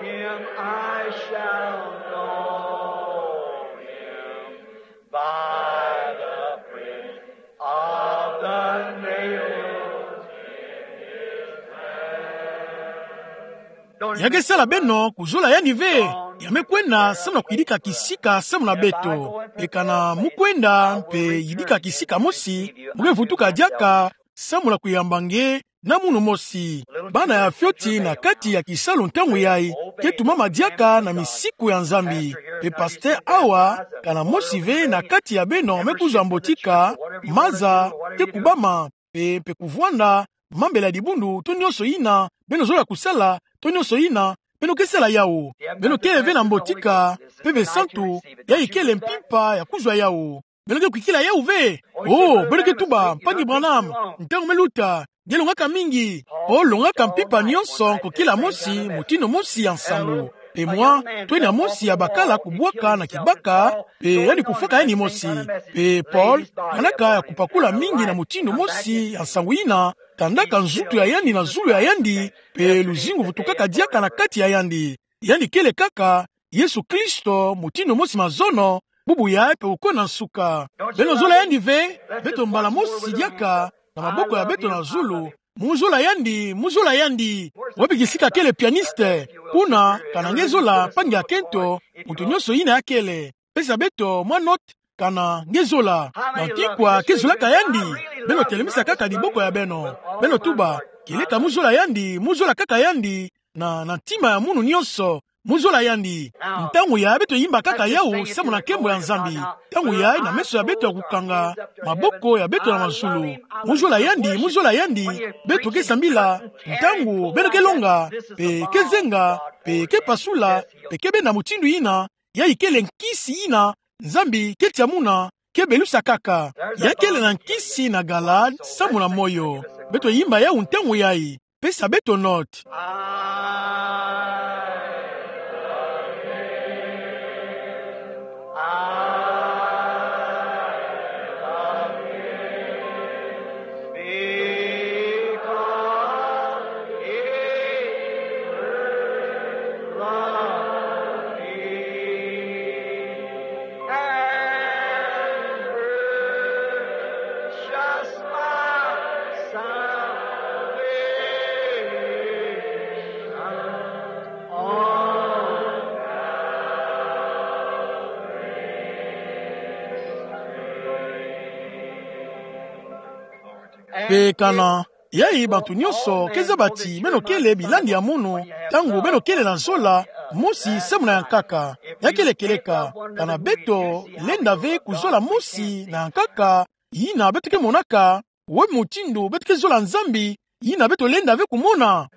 him, I shall know him, by the print of the nails in his hand. Ya ke sala beno kuzola yandi ve. Ya me kwenda samu na kuyidika kisika samu na beto. Pe kana mu kwenda mpe yidika kisika mosi, mu ke vutuka diaka samu na kuyamba nge na munu mosi. Bana ya fioti na kati ya kisalu ntangu yayi, ke tumama diaka na misiku ya Nzambi. Pe pasteur awa, kana mosi ve na kati ya beno me kuzwa mbotika, maza, ke kubama, pe, pe kuvwanda, mambela dibundu, to nionso yina beno zola kusala, to nionso yina beno ke sala yawu. Beno kele ve na mbotika, mpeve santu, yayi kele mpimpa ya kuzwa yawu. Beno ke kwikila yawu ve. Oh, beno ke tuba, Mpangi Branham, ntangu me luta, nge longaka mingi. Oh, longaka mpimpa nionso, kokila mosi, mutindu mosi ya nsangu. Pe mwa, twena mosi ya bakala kubwaka na kibaka, pe yandi kufwaka yandi mosi. Pe Paul, kanaka ya kupakula mingi na mutindu mosi ya nsangu yina, tandaka nzutu ya yandi na zulu ya yandi, pe luzingu vutukaka diaka na kati ya yandi. Yandi kele kaka Yesu Kristo, mutindu mosi mazono, bubu yayi pe uko na nsuka. Beno zola yandi ve, beto mbala mosi diaka, na maboko ya beto na zulu. Mu zola yandi, mu zola yandi. Wapi kisika kele pianiste? Kuna, kana nge zola, mpangi ya kento, mutu nionso yina ya kele. Pesa beto mwa note, kana nge zola. Na nki kwa ke zolaka yandi? Beno telemisa kaka diboko ya beno. Beno tuba, kieleka mu zola yandi, mu zola kaka yandi, na, na ntima ya munu nionso, mu zola yandi. Ntangu yayi beto yimba kaka yawu samu na nkembo ya Nzambi. Ntangu yayi na meso ya beto ya kukanga, maboko ya beto na mazulu. Mu zola yandi, mu zola yandi, beto ke sambila. Ntangu beno ke longa, pe ke zenga, pe ke pasula, pe ke benda mutindu yina, yayi kele nkisi yina Nzambi ke tia muna, ke belusa kaka. Ya kele na nkisi na Galaad, samu na moyo. Beto yimba yawu ntangu yayi. Pesa beto note. Pe kana, yayi bantu nionso ke zaba ti beno kele bilandi ya munu, ntangu beno kele na zola mosi samu na ya nkaka. Ya kele kieleka, kana beto lenda ve kuzola mosi na ya nkaka, yina beto ke monaka, wai motindo beto ke zola Nzambi, yina beto lenda ve kumona.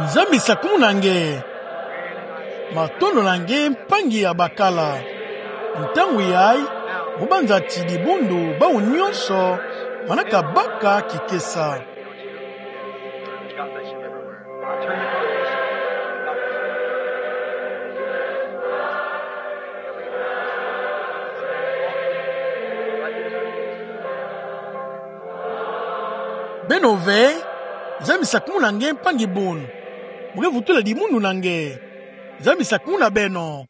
Nzambi sakumuna nge. Matondo na nge mpangi ya bakala. Ntangu yayi, mo banza ti dibundu bawu nyonso manaka baka kikesa. Beno ve, Nzambi sakumuna nge mpangi bunu. Mo ke vutula dibundu na nge. Nzambi sakumuna beno.